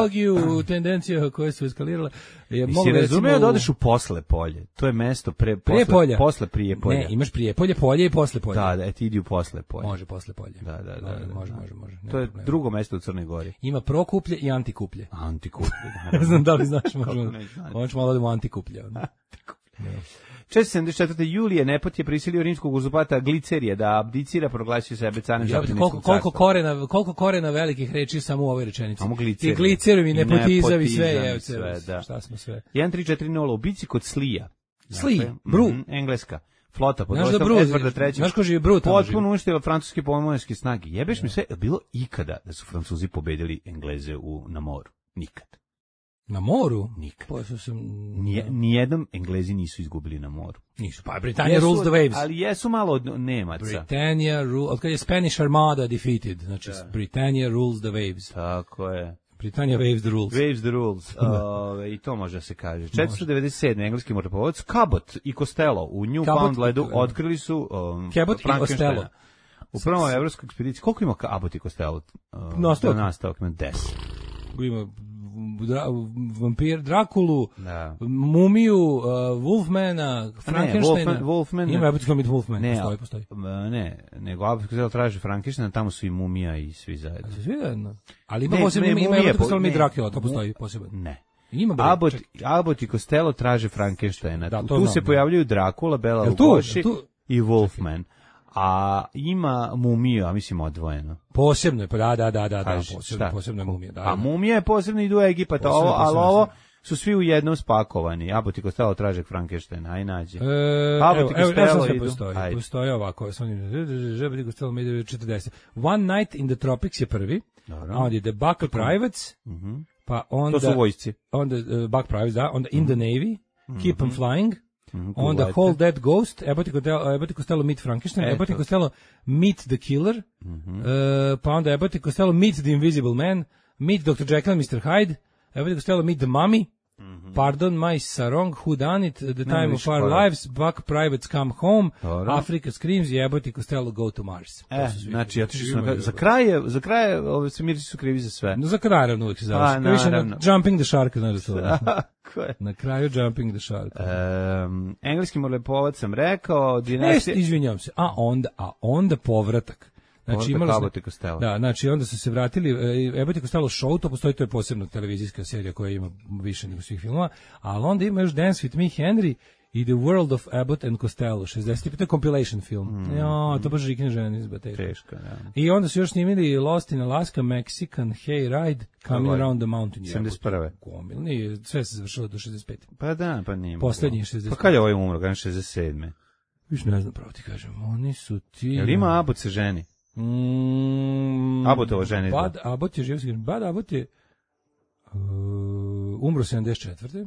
Ogiju, tendencija koje su eskalirale. Je, si razumeo da odeš u posle polje? To je mesto pre, posle, polja. Posle prije polja. Ne, imaš prije polje, polje i posle polje. Da, da, ti idi u posle polje. Može posle polje. Da, da, da. da, da. Može, može, može. To je problema. Drugo mesto u Crnoj Gori. Ima prokuplje i antikuplje. Antikuplje. Ne znam da li znaš, možemo. Možemo malo da mu antikuplje. Antikuplje. četiristo sedamdeset četvrte Julije Nepot je prisilio rimskog uzurpata Glicerija da abdicira, proglasio sebe carom Žapljeničkog carstva. Koliko korena, koliko korena velikih reči samo u ovoj rečenici. Samo glicerij. I glicerim i nepotizam i sve, je, sve, da. Šta smo sve. jedan tri četiri nula u bici kod Slija. Sli, dakle, Bru. Mm, engleska. Flota pod vodstvom Edvarda trećeg. Znaš ko živi Bru tamo? Potpuno uništila francuske pomoćničke snage. Jebeš mi sve, je bilo ikada da su Francuzi pobedili Engleze u, na moru? Nikad. Na moru? Nikad. Pa sam... Nije, nijednom Englezi nisu izgubili na moru. Nisu, pa Britannia rules the waves. Ali jesu malo od Nemaca. Britannia rules, od kad je Spanish Armada defeated, znači da. Britannia rules the waves. Tako je. Britannia waves the rules. Waves the rules. uh, I to može da se kaže. četiristo devedeset sedme engleski moreplovac Cabot i Costello u Newfoundlandu otkrili su um, Cabot i Costello. U prvom evropskoj ekspediciji. Koliko ima Cabot i Costello? Uh, nastavak. Nastavak ima deset. Ima Dra, vampir Drakulu, da. Mumiju, uh, Wolfmana, Frankensteina. Ne, Wolfman, Wolfman, ima Abbott Costello Wolfman, ne, postoji, postoji. Ne, nego Abbott Costello traži Frankensteina, tamo su i Mumija i svi zajedno. A svi zajedno? Ali ima posebno, ima, ima Abbott Costello i Dracula, to postoji posebno. Ne. Ima Abbott, Abbott i Costello traže Frankensteina. Da, tu znam, se pojavljuju Dracula, Bela Lugoši i Wolfman. A ima Mumija, mislim odvojeno. Posebno je, pa da, da, da, da, posebno, posebno je Mumija. Da, a Mumija je posebno idu u Egipat, ovo, ali ovo su svi u jednom spakovani. Abbott i Costello traže Frankensteina, aj nađe. E, Abbott i Costello idu. Postoji, postoji ovako, Abbott i Costello idu četrdeset. One Night in the Tropics je prvi, a onda je The Buck Privates, pa onda... To su vojsci. Onda Buck Privates, da, onda In the Navy, Keep 'em Flying, Mm, onda Hold That Ghost, Abbott i Costello Meet Frankenstein, Abbott i Costello Meet the Killer, mm-hmm. uh, pa onda Abbott i Costello Meet the Invisible Man, Meet doktor Jekyll and mister Hyde, Abbott i Costello Meet the Mummy, mm-hmm. Pardon My Sarong, Who Done It, The Time no, of Our hvala. Lives, Buck Privates Come Home, Hvala. Africa Screams i Abbott i Costello Go to Mars. E, znači, ja tiši sam, za kraj je, za kraj je, ove svemirci su krivi za sve. No, za kraj, naravno, uvijek se završi. Više na Jumping the Shark, znaš da to. Na kraju Jumping the Shark. Um, engleski morlepovac sam rekao, dinastija... E, izvinjam se, a onda, a onda povratak. Znači imali Abbott i Costello. Da, znači onda su se vratili Abbott i Costello show, to postoji, to je posebna televizijska serija koja ima više nego svih filmova, ali onda ima još Dance with Me Henry i The World of Abbott and Costello, šezdeset. To je compilation film. Mm. Jo, to baš žikne žene izba teško. Teško, ja. I onda su još snimili Lost in Alaska, Mexican Hayride, Coming Ovaj. Around the Mountain. sedamdeset prve. Gomil, nije, sve se završilo do šezdeset pete. Pa da, pa nije. Poslednji je šezdeset pete. Pa kad je ovaj umro, kada je šezdeset sedme. Viš ne znam pravo ti kažem, oni su ti... Jel ima Abbott se ženi? Mm, Abbotova žena izgleda. Bad Abbott je živ, Bad Abbott je uh, umro sedamdeset četvrte.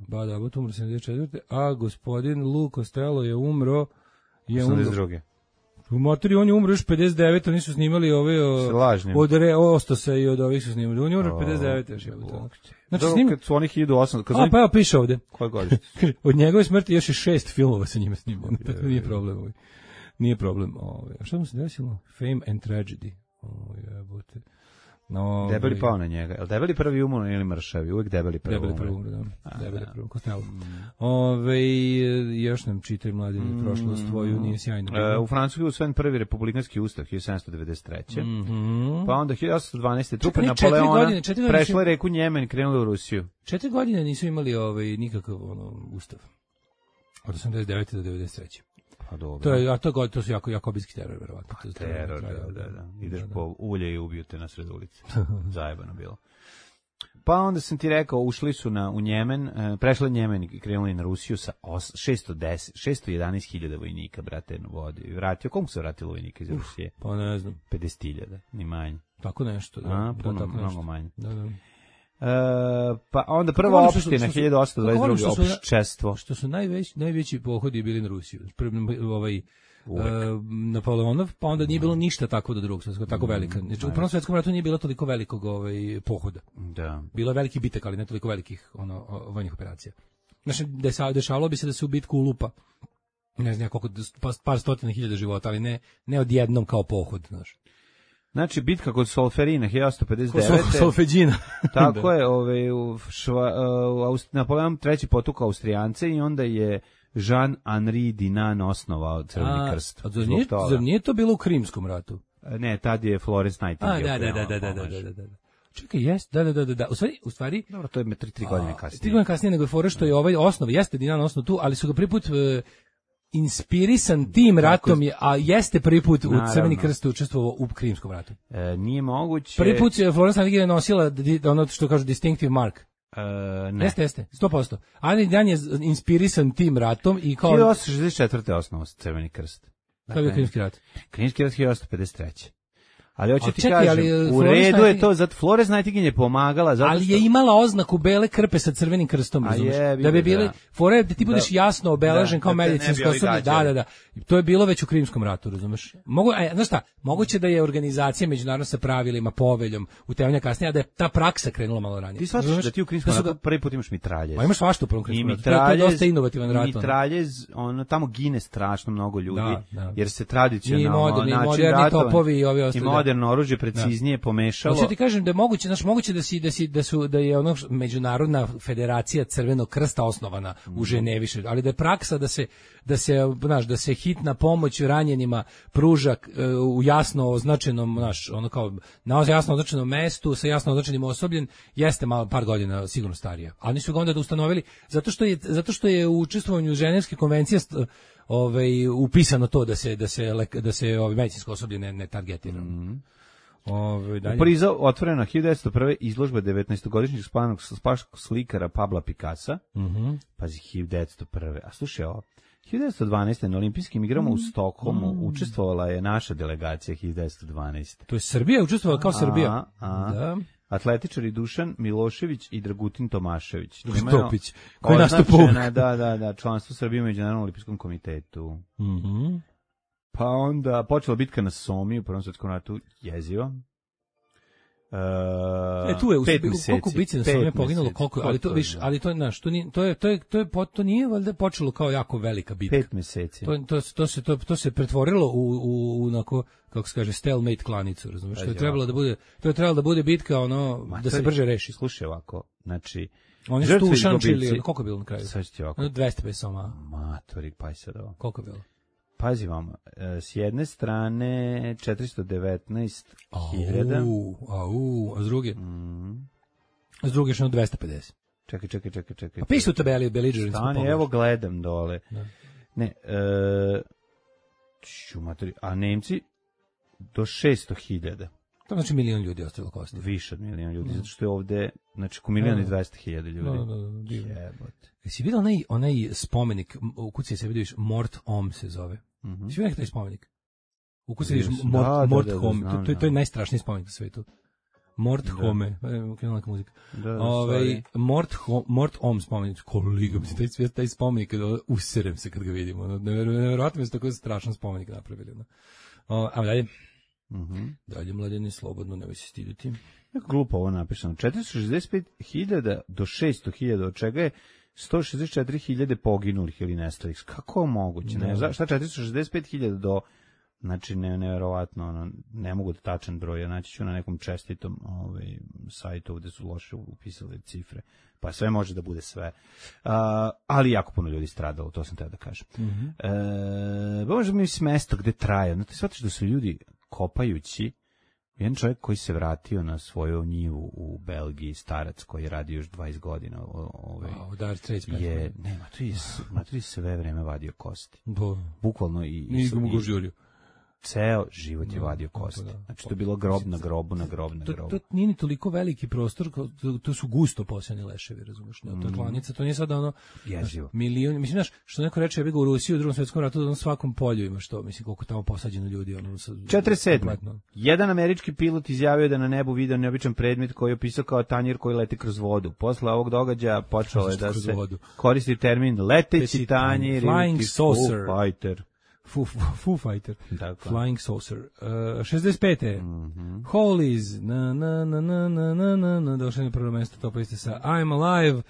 Bad Abbott umro sedamdeset četvrte. A gospodin Lou Costello je umro je osamdeset druge. U motori on je umro još pedeset devete. Oni su snimali ove od Re Ostosa i od ovih su snimali. On je umro pedeset devete. Još je to. Znači snim... kad su oni hiljadu osamsto... A, pa evo piše ovde. Koje godište? Od njegove smrti još je šest filmova sa njime snimano. Tako nije problem ovaj. Nije problem. Ovaj. A šta mu se desilo? Fame and Tragedy. Ovaj, jebote. No, debeli pao na njega. Jel debeli prvi umro ili mršavi? Uvijek debeli prvi umro. Debeli prvi umro, da. A, debeli da. prvi, Costello. Mm. Ove, još nam čitaj mladine mm. prošlost tvoju, nije sjajno. E, u Francuskoj je usvojen prvi republikanski ustav, hiljadu sedamsto devedeset treće. Mm-hmm. Pa onda hiljadu osamsto dvanaeste. trupe Napoleona godine, prešle reku Njemen i krenule u Rusiju. Četiri godine nisu imali ovaj, nikakav ono, ustav. Od osamdeset devete do devedeset treće. Pa dobro. To je, a to, to su jako jakobinski teror, verovatno. Pa teror, da, da, da. Ideš da, da. po ulje i ubiju te na sred ulici. Zajebano bilo. Pa onda sam ti rekao, ušli su na, u Njemen, prešli Njemen i krenuli na Rusiju sa šesto deset, šesto jedanaest hiljada vojnika, brate, na vodi. Vratio, koliko se vratilo vojnika iz Rusije? Pa ne znam. pedeset hiljada, ni manje. Tako nešto, da. A, puno, da, tako mnogo nešto. manje. Da, da. Uh, pa onda prva opština hiljadu osamsto dvadeset druge opščestvo. Što su najveći najveći pohodi bili na Rusiju. Ovaj uh, Napoleonov, pa onda nije bilo ništa tako do drugog svjetskog, tako velika. Znači u Prvom svjetskom ratu nije bilo toliko velikog ovaj pohoda. Da. Bilo je veliki bitak, ali ne toliko velikih ono vojnih operacija. Znači dešavalo bi se da se u bitku ulupa ne znam koliko par stotina hiljada života, ali ne ne odjednom kao pohod, znaš. Znači, bitka kod Solferina, hiljadu osamsto pedeset devete. Solfeđina. Tako je, ovaj, u šva, uh, Napoleon treći potukao Austrijance i onda je Jean-Henri Dinan osnovao Crveni krst. A zar nije, zar nije to bilo u Krimskom ratu? Ne, tad je Florence Nightingale. A, da, da, da, da, da, da, da, da. Čekaj, jest, da, da, da, da, da. U stvari, u stvari... Dobro, to je tri, tri godine kasnije. Tri godine kasnije nego je fora što je ovaj osnov, jeste Dinan osnov tu, ali su ga prvi put... Uh, inspirisan tim ratom je, a jeste prvi put u Crveni krst učestvovao u Krimskom ratu. E, nije moguće. Prvi put je Florence Nightingale nosila ono što kažu distinctive mark. E, ne. Jeste, jeste, sto posto. Ali Dan je inspirisan tim ratom i kao... hiljadu osamsto šezdeset četvrte osnovao Crveni krst. Dakle, to je Krimski rat. Krimski rat hiljadu osamsto pedeset treće. Ali hoću ti čekaj, kažem, ali, u redu je to, zato Florence Nightingale je pomagala. Zato ali što... je imala oznaku bele krpe sa crvenim krstom, razumiješ? Da bi bili, fore, da ti budeš da, jasno obeležen da, kao da medicinsko osoblje. Da, da, da. To je bilo već u Krimskom ratu, razumiješ? Mogu, a, znaš šta, moguće da je organizacija međunarodna sa pravilima, poveljom, utemeljena kasnije, a da je ta praksa krenula malo ranije. Ti shvataš da ti u Krimskom ratu prvi put imaš mitraljez. Ma imaš svašta u prvom Krimskom ratu. To je dosta inovativan rat. Mitraljez, ono, tamo gine strašno mnogo ljudi, da, da. jer se tradicionalno moderni, moderni topovi i ovi ostali. I moderno oružje preciznije pomešalo. Hoću ti kažem da je moguće, znači moguće da si da si da su da je ono međunarodna federacija Crvenog krsta osnovana u Ženevi, ali da je praksa da se da se znaš da se hitna pomoć ranjenima pruža u jasno označenom, znaš, ono kao na jasno označenom mestu sa jasno označenim osobljem, jeste malo par godina sigurno starija. Ali nisu ga onda da ustanovili zato što je zato što je u učestvovanju Ženevske konvencije ovaj upisano to da se da se da se ovaj medicinsko osoblje ne, ne targetira. Mm. Ove, u Parizu otvorena hiljadu devetsto prve izložba devetnaestogodišnjeg spanog slikara Pabla Picassa. Mm-hmm. Pazi, hiljadu devetsto prve. A slušaj ovo, hiljadu devetsto dvanaeste. na olimpijskim igrama mm. u Stokholmu mm. učestvovala je naša delegacija hiljadu devetsto dvanaeste. To je Srbija učestvovala kao Srbija. A, a. Da. Atletičari Dušan Milošević i Dragutin Tomašević. Topić. Koji je nastupao? Da, da, da, članstvo Srbije u Međunarodnom olimpijskom komitetu. Mhm. Pa onda počela bitka na Somi u Prvom svjetskom ratu, jezivo. Uh, e tu je u koliko bici na Somi poginulo, koliko, ali to viš, ali to naš, to nije, to je to je to je to nije valjda počelo kao jako velika bitka. Pet mjeseci. To to to se to to se pretvorilo u u onako kako se kaže stalemate klanicu, razumiješ? To je trebalo da bude, to je trebalo da bude bitka ono Ma, da se brže reši. Slušaj ovako, znači oni su tu šančili, koliko je bilo na kraju? Sačti ovako. dvesta pedeset soma. Matori, pa se da. Koliko je bilo? Pazi vam, s jedne strane četiristo devetnaest hiljada. Au, au, a s druge? Mm. A s druge što dvesta pedeset. Čekaj, čekaj, čekaj, čekaj. A pisu u tabeli, Belligerents. Stani, evo gledam dole. Da. Ne, e, ču, materi, a Nemci do šesto hiljada. To znači milion ljudi ostavilo kosti. Više od milion ljudi, mm. zato što je ovde, znači, ko milion i dvesta hiljada ljudi. Da, da, da. Jebote. Jesi vidio onaj, onaj spomenik, u kući se vidiš, Mort Om se zove. Mm-hmm. Jesi vidio taj spomenik? U kući se vidiš, Mort, da, Mort da, da, Home, da, to, to, to je najstrašniji spomenik na svetu. Mort da. Home, krenula neka muzika. Da, da, Ove, Mort, ho, Mort Om spomenik, koliko bi taj, taj spomenik, userem se kad ga vidimo. Nevjerojatno mi se tako strašan spomenik napravili. No. O, a dalje? Mm-hmm. Dalje, mladeni, slobodno, nemoj se stiditi. Neko glupo ovo napisano. četiristo šezdeset pet hiljada do šesto hiljada, od čega je sto šezdeset četiri hiljade poginulih ili nestalih. Kako je moguće? Ne, šta četiristo šezdeset pet hiljada do... Znači, ne, nevjerovatno, ono, ne mogu da tačan broj, ja naći ću na nekom čestitom ovaj, sajtu gde su loše upisali cifre, pa sve može da bude sve. Uh, ali jako puno ljudi stradalo, to sam teo da kažem. Mm-hmm. E, možda mi je mesto gde traje, znači, shvatiš da su ljudi kopajući, jedan čovjek koji se vratio na svoju njivu u Belgiji, starac koji je radio još dvadeset godina, ovaj, wow, je, ne, maturi sve vreme vadio kosti. Do. Bukvalno i... Nije ga mogu žurio. Ceo život je vadio kosti. Znači, to je bilo grob na grobu, na grob na grobu. To, to nije ni toliko veliki prostor, to, to su gusto posejani leševi, razumeš? Ne? To je klanica, to nije sad ono... Jezivo. Milion, mislim, znaš, što neko reče, ja bih ga u Rusiji u drugom svjetskom ratu, da na svakom polju ima što, mislim, koliko tamo posađeno ljudi. Ono, sa, četrdeset sedme Jedan američki pilot izjavio da na nebu video neobičan predmet koji je opisao kao tanjir koji leti kroz vodu. Posle ovog događaja počelo je da se koristi termin leteći tanjir ili Foo Fighter. Foo, Foo Fighter, dakle. Flying Saucer. Uh, šezdeset pete Mm-hmm. Holies, na, na, na, na, na, na, na, na, došli na prvo mjesto top liste sa I'm Alive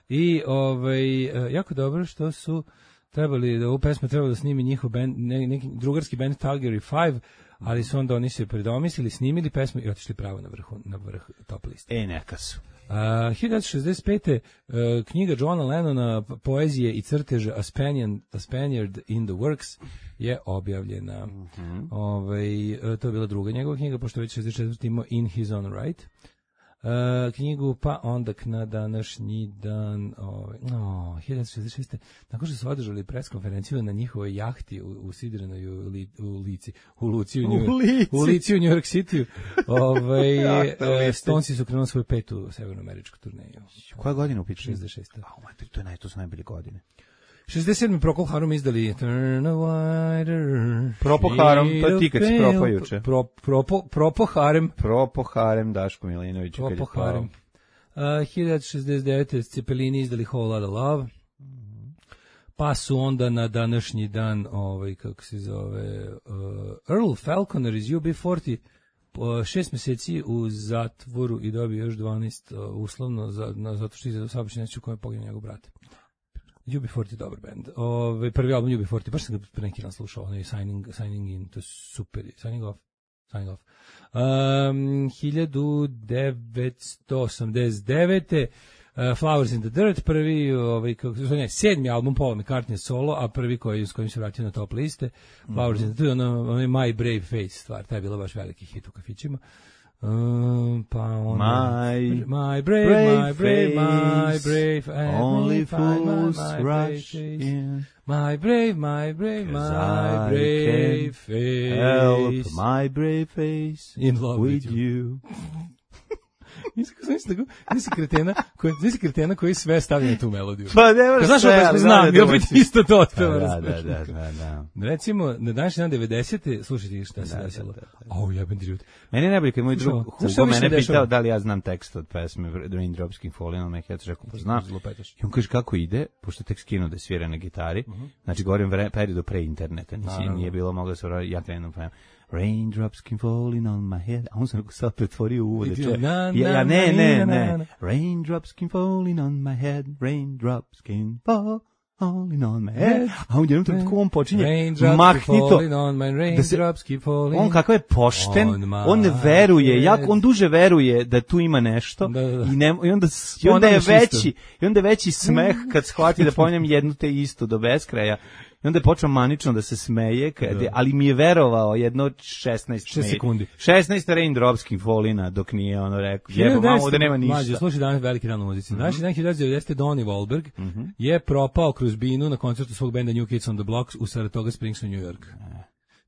i ovaj, uh, jako dobro što su trebali, da ovu pesmu trebalo da snimi njihov band, ne, neki drugarski band Calgary Five, ali su onda oni se predomislili, snimili pesmu i otišli pravo na, vrhu, na vrh top liste. E, neka su. Uh, hiljadu devetsto šezdeset pete Uh, knjiga Johna Lennona, poezije i crteže A Spaniard, A Spaniard in the Works je objavljena. Mm-hmm. Ovaj, uh, to je bila druga njegova knjiga, pošto već šezdeset četvrte imao In His Own Right. Uh, knjigu, pa onda na današnji dan, ovaj, no, hiljadu devetsto šezdeset šeste nakon što su održali preskonferenciju na njihovoj jahti u, u Sidrenoj u, li, u Lici, u Luci u, New, u Lici u New York City, ovaj, ja, Stonesi su krenuli svoju petu severnoameričku turneju. Koja godina u pitanju? šezdeset šeste A, mater, to je naj, to su najbolje godine. šezdeset sedme Procol Harum izdali Turn a Wider. Procol Harum, to je ti kad si propao juče. Pro, propo, propo Harem. Propo Harem, Daško Milinović. Propo Harem. Uh, hiljadu devetsto šezdeset devete Cepelini izdali Whole Lotta Love. Mm-hmm. Pa su onda na današnji dan, ovaj, kako se zove, uh, Earl Falconer iz U B četrdeset, uh, šest meseci u zatvoru i dobio još dvanaest uh, uslovno, za, na, zato što je za saobraćajnu nesreću u kojoj je poginuo njegov brat. U B četrdeset je dobar band. Ove, prvi album U B četrdeset, baš sam ga pre neki dan slušao, onaj Signing, Signing In, to je super, Signing Off, Signing Off. Um, hiljadu devetsto osamdeset devete Uh, Flowers in the Dirt, prvi, ovaj, kako se zove, sedmi album Paula McCartney solo, a prvi koji, s kojim se vratio na top liste, Flowers mm-hmm. in the Dirt, ono, ono je My Brave Face stvar, taj je bila baš veliki hit u kafićima. Um, pa onda, my, my brave, brave my brave, my brave, only fools rush in. My brave, my brave, my brave face. Help my brave face in love with, with you. you. Nisi kretena, koji, nisi kretena koji sve stavlja na tu melodiju. Pa ne moraš sve. Znaš opet znam, i opet isto to otpeva. Da, da, da, da, da. Recimo, na današnji dan devedesete slušajte šta se desilo. Au, jebem ti život. Meni je najbolje kad moj drug Hugo mene pitao da li ja znam tekst od pesme Raindrops Keep Falling on My Head, rekao pa znam. I on kaže kako ide, pošto tek skinuo da svira na gitari. Znači govorim periodu pre interneta, nije bilo moglo da se ja krenem pa Raindrops keep falling on my head. A on sam sad pretvorio uvode. Ja, ja, ne, ne, ne. Raindrops keep falling on my head. Raindrops keep falling on my head. A on jednom trenutku on počinje mahnito. Raindrops keep falling. On kakav je pošten. On ne veruje. Jak, on duže veruje da tu ima nešto. Da, da. I, ne, i, onda, i onda je veći i onda je veći smeh kad shvati da ponjem jednu te istu do beskraja. I onda je počeo manično da se smeje, kad je, ali mi je verovao jedno šesnaest sekundi. šesnaest raindropskim folina dok nije ono rekao, jebo mamu ovde nema ništa. Mlađe, slušaj danas veliki dan u muzici. Mm -hmm. Naši dan hiljadu devetsto devedesete Donnie Wahlberg mm -hmm. je propao kroz binu na koncertu svog benda New Kids on the Block u Saratoga Springsu, New York. Mm.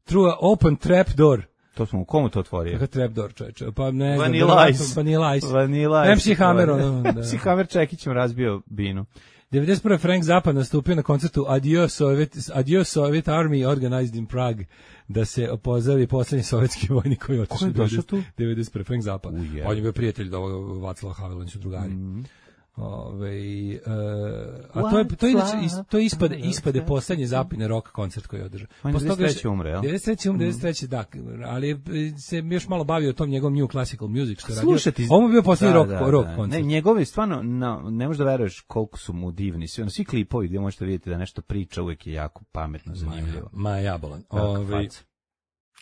Through a open trap door. To smo, komu to otvorio? Kakav trapdoor, čoveče. Pa ne znam. Vanilla Ice. Vanilla Ice. Vanilla Ice. M C Hammer, ono. M C Hammer Čekićem razbio binu. devedeset prve Frank Zappa nastupio na koncertu Adios Soviet, Adios Soviet Army Organized in Prague da se opozdravi poslednji sovjetski vojnik koji je otišao. Ko je došao tu? devedeset prve Frank Zappa. On je bio prijatelj do ovog Vaclava Havela, oni su drugari. Mm. Ove, uh, a to je to je to ispade ispade poslednji Zappine rock koncert koji je održao. Posle toga je umre, jel? devedeset treće umre, devedeset treće da, ali se još malo bavio tom njegovom new classical music što je radio. Ovo je bio poslednji rock da, rock da. koncert. Ne, njegovi stvarno no, ne možeš da veruješ koliko su mu divni. Svi, ono, svi klipovi gdje možete vidjeti da nešto priča uvijek je jako pametno, zanimljivo. Ma, ma jabolan. Ove,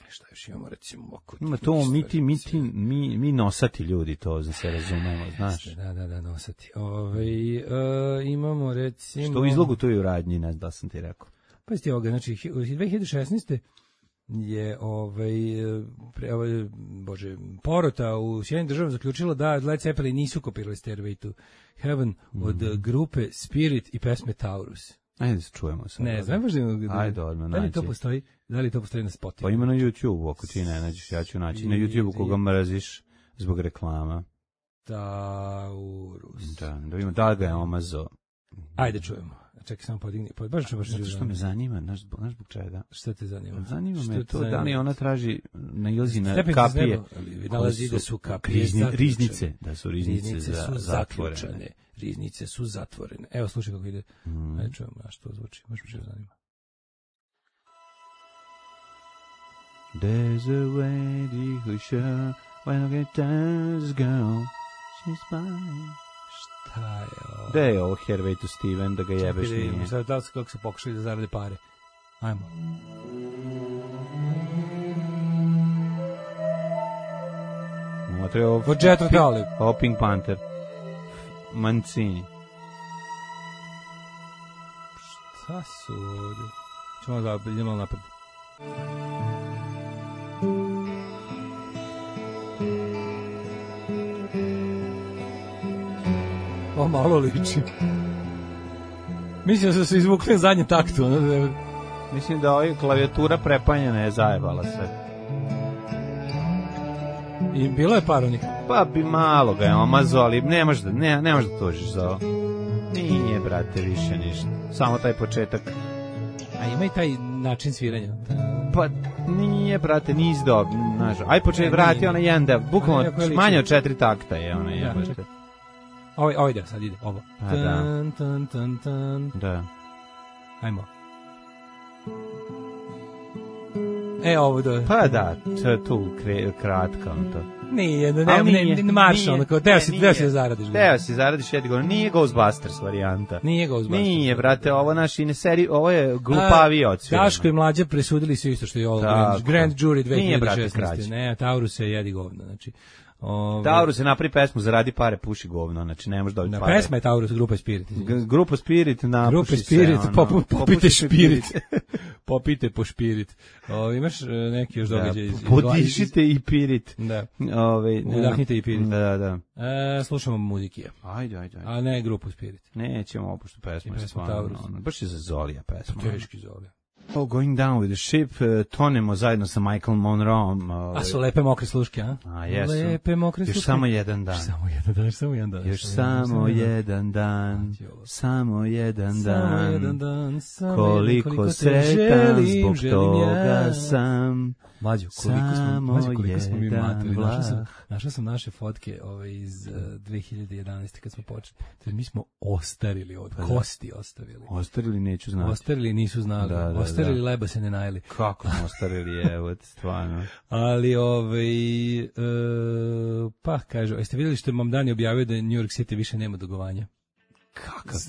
šta još imamo, recimo, oko... Ima to, mi, ti, mi, ti, mi, mi nosati ljudi, to za se razumemo, znaš. Da, da, da, nosati. Ove, uh, imamo, recimo... Što u izlogu tu i u radnji, ne znam da sam ti rekao. Pa isti ovoga, znači, dve hiljade šesnaeste je, ovaj, pre, ovaj, bože, porota u Sjedinjenim državama zaključila da Led Zeppelin nisu kopirali Stairway to Heaven mm. od grupe Spirit i pesme Taurus. Ajde se čujemo sad. Ne, znam baš da... Ajde, odmah, da li to postoji, da li to postoji na Spotify? Pa ima na YouTube, ako ti ne nađeš, ja ću naći. Na YouTube koga mraziš zbog reklama. Taurus. Da, da vidimo da ga je omazo. Ajde čujemo. Čekaj, samo podigni. Pa baš ću baš zato što me zanima, znaš zbog znaš zbog čega? Šta te zanima? Zanima šta me to zanima? Da li ona traži nailazi na Stepen kapije. Nalazi da su kapije Rizni, riznice, da su riznice, riznice za, su zatvorene. Zaključane. Riznice su zatvorene. Evo slušaj kako ide. Mm. Ajde čujemo, a što zvuči. Baš me što zanima. There's a lady who sure when I get times girl she's mine. Šta je ovo? Da je ovo Hervey to Steven, da ga jebeš nije. nije. Sad da li kako se pokušali da zarade pare. Ajmo. Motre ovo... Od Jethro Tull. Ovo Pink Panther. Mancini. Šta su ovdje? Čemo da idemo malo napred. O, malo liči. Mislim da su se izvukli na zadnjem taktu. Ono. Mislim da ovaj klavijatura prepanjena je zajebala sve. I bilo je par onih. Pa bi malo ga je omazo, ali ne možeš da, ne, ne možeš da tužiš za ovo. Nije, brate, više ništa. Samo taj početak. A ima i taj način sviranja. Pa nije, brate, niz do, znaš. Aj početi vrati onaj jedan deo, bukvalno manje od četiri takta je onaj jedan. Ja, ovo, ovo ide, sad ide, ovo. A, tan, da. Tan, tan, tan. Da. Ajmo. E, ovo da... Pa da, tu kre, kratka on to. Nije, ne, ne, ne, ne marša, onako, teo si, teo si da zaradiš. Teo si zaradiš, ja ti govorim, nije Ghostbusters varijanta. Nije Ghostbusters. Nije, brate, ovo naš ine seri, ovo je glupaviji odsvirano. Daško i Mlađa presudili su isto što je ovo Grand, Grand Jury dve hiljade šesnaeste. Ne, Taurus je jedi govno, znači... Ove... Taurus je napravi pesmu, zaradi pare, puši govno, znači ne možeš dobiti na pare. Pesma je Taurus, grupa Spirit. G- grupa Spirit, napuši grupa Spirit, se. Grupa Spirit, popite špirit. Popite po špirit. Ove, imaš neki još događaj? Da, podišite i pirit. Da. Ove, udahnite i pirit. Da, da. E, slušamo muzike. Ajde, ajde, ajde. A ne grupu Spirit. Nećemo opuštu pesmu. pesmu Taurus. Ono, baš je za Zolija pesma. Teški Zolija. Oh, Going Down with the Ship, uh, tonemo zajedno sa Michael Monroeom. Uh, a su lepe mokre sluške, a? A jesu. Lepe mokre sluške. Još samo jedan dan. Još samo jedan dan, još samo jedan dan. Još samo jedan dan, samo jedan dan, samo jedan dan, samo koliko, koliko sretan zbog toga ja. Sam. Mlađo, koliko smo, mlađo, koliko smo mi materi. Našao sam, našao sam naše fotke ove iz uh, dve hiljade jedanaeste kad smo počeli. Mi smo ostarili od kosti ostavili. Ostarili neću znati. Ostarili nisu znali. Da, da, ostarili da. Leba se ne najeli. Kako smo ostarili, evo, stvarno. Ali, ovaj, uh, pa, kažu, jeste vidjeli što je Mamdani objavio da New York City više nema dugovanja? Kakav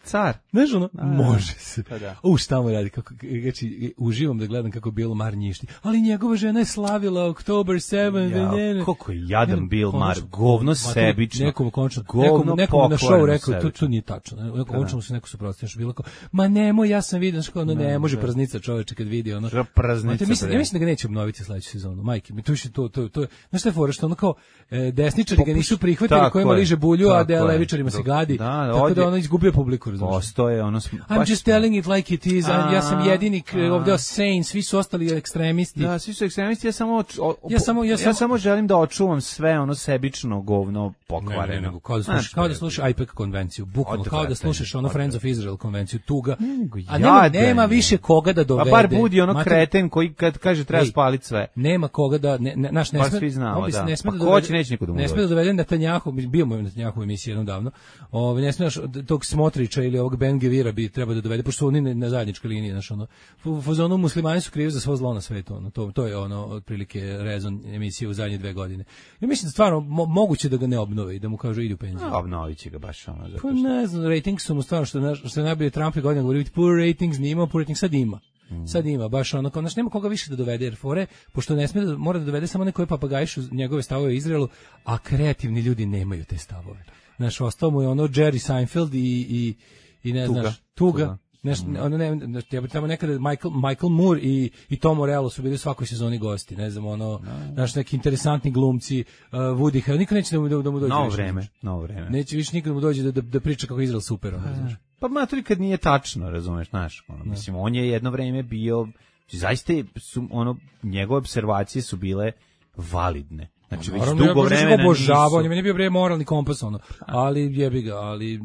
car. Znaš ono, A, može se. Pa da. U, šta mu radi, kako, znači, uživam da gledam kako Bill Maher njišti. Ali njegova žena je slavila Oktober sedmog. Ja, koliko je jadan Bill Maher, govno sebično. Nekom končno, govno nekom, nekom na show rekao, to, sebično. to nije tačno. Nekom končno se neko suprotstavio, što bilo kao, ma nemoj, ja sam vidio, što ono, ne, ne može da. praznica čoveče kad vidi ono. Što praznica? Mislim, ja mislim da ga neće obnoviti sledeću sezonu. Majke, mi to više to to to. Znaš šta je fora, što ono kao e, desničari ga nisu prihvatili, kojima liže bulju, a da levičarima se gadi. Da, tako da ono izgubio publiku, razumiješ. Postoje ono I'm just telling it like it is. A, ja sam jedini ovdje sane, svi su ostali ekstremisti. Da, svi su ekstremisti, ja samo o, ja samo ja, ja samo, samo želim da očuvam sve ono sebično govno pokvareno. Ne, ne, ne, kao da slušaš, kao da slušaš I P E C konvenciju, bukvalno kao da slušaš ono Friends of Israel konvenciju, tuga. A nema, nema više koga da dovede. A bar budi ono kreten koji kad kaže treba spaliti sve. Nema koga da ne, ne, naš ne sme. Ne sme da dovede. Ne sme da dovede Netanjahu, bio mu Netanjahu emisija jednom davno. Ovaj ne smeš tog Smotrića ili ovog Ben Gvira bi treba da dovede, pošto oni na zajedničkoj liniji, znači ono u fazonu muslimani su krivi za svo zlo na svetu, ono to to je ono otprilike rezon emisije u zadnje dve godine. Ja mislim da stvarno mo, moguće da ga ne obnove i da mu kažu idi u penziju. A obnoviće ga baš ono zato što. Pa ne znam, ratings su mu stvarno što što najbolje Trump i godina govorio poor ratings, nima poor ratings, sad ima. Mm. Sad ima baš ono kao, znači nema koga više da dovede jer fore, pošto ne sme da mora da dovede samo neko koji papagajišu njegove stavove u Izraelu, a kreativni ljudi nemaju te stavove. Znaš, ostao mu je ono Jerry Seinfeld i i i ne tuga. znaš, tuga. tuga. Nešto, mm. ono ne, ja bih tamo nekada Michael, Michael Moore i, i Tom Morello su bili u svakoj sezoni gosti, ne znam, ono, no. Naš neki interesantni glumci, uh, Woody Harrelson, niko neće da mu, da, da mu dođe. Novo vreme, novo vreme. Neće više nikad da mu dođe da, da, da priča kako je Izrael super, ono, znaš. Pa maturi kad nije tačno, razumeš, znaš, ono, no. Mislim, on je jedno vreme bio, zaista su, ono, njegove observacije su bile validne. Znači već dugo vremena nisu. Obožavao, on je meni bio bre moralni kompas ono, ali jebi ga, ali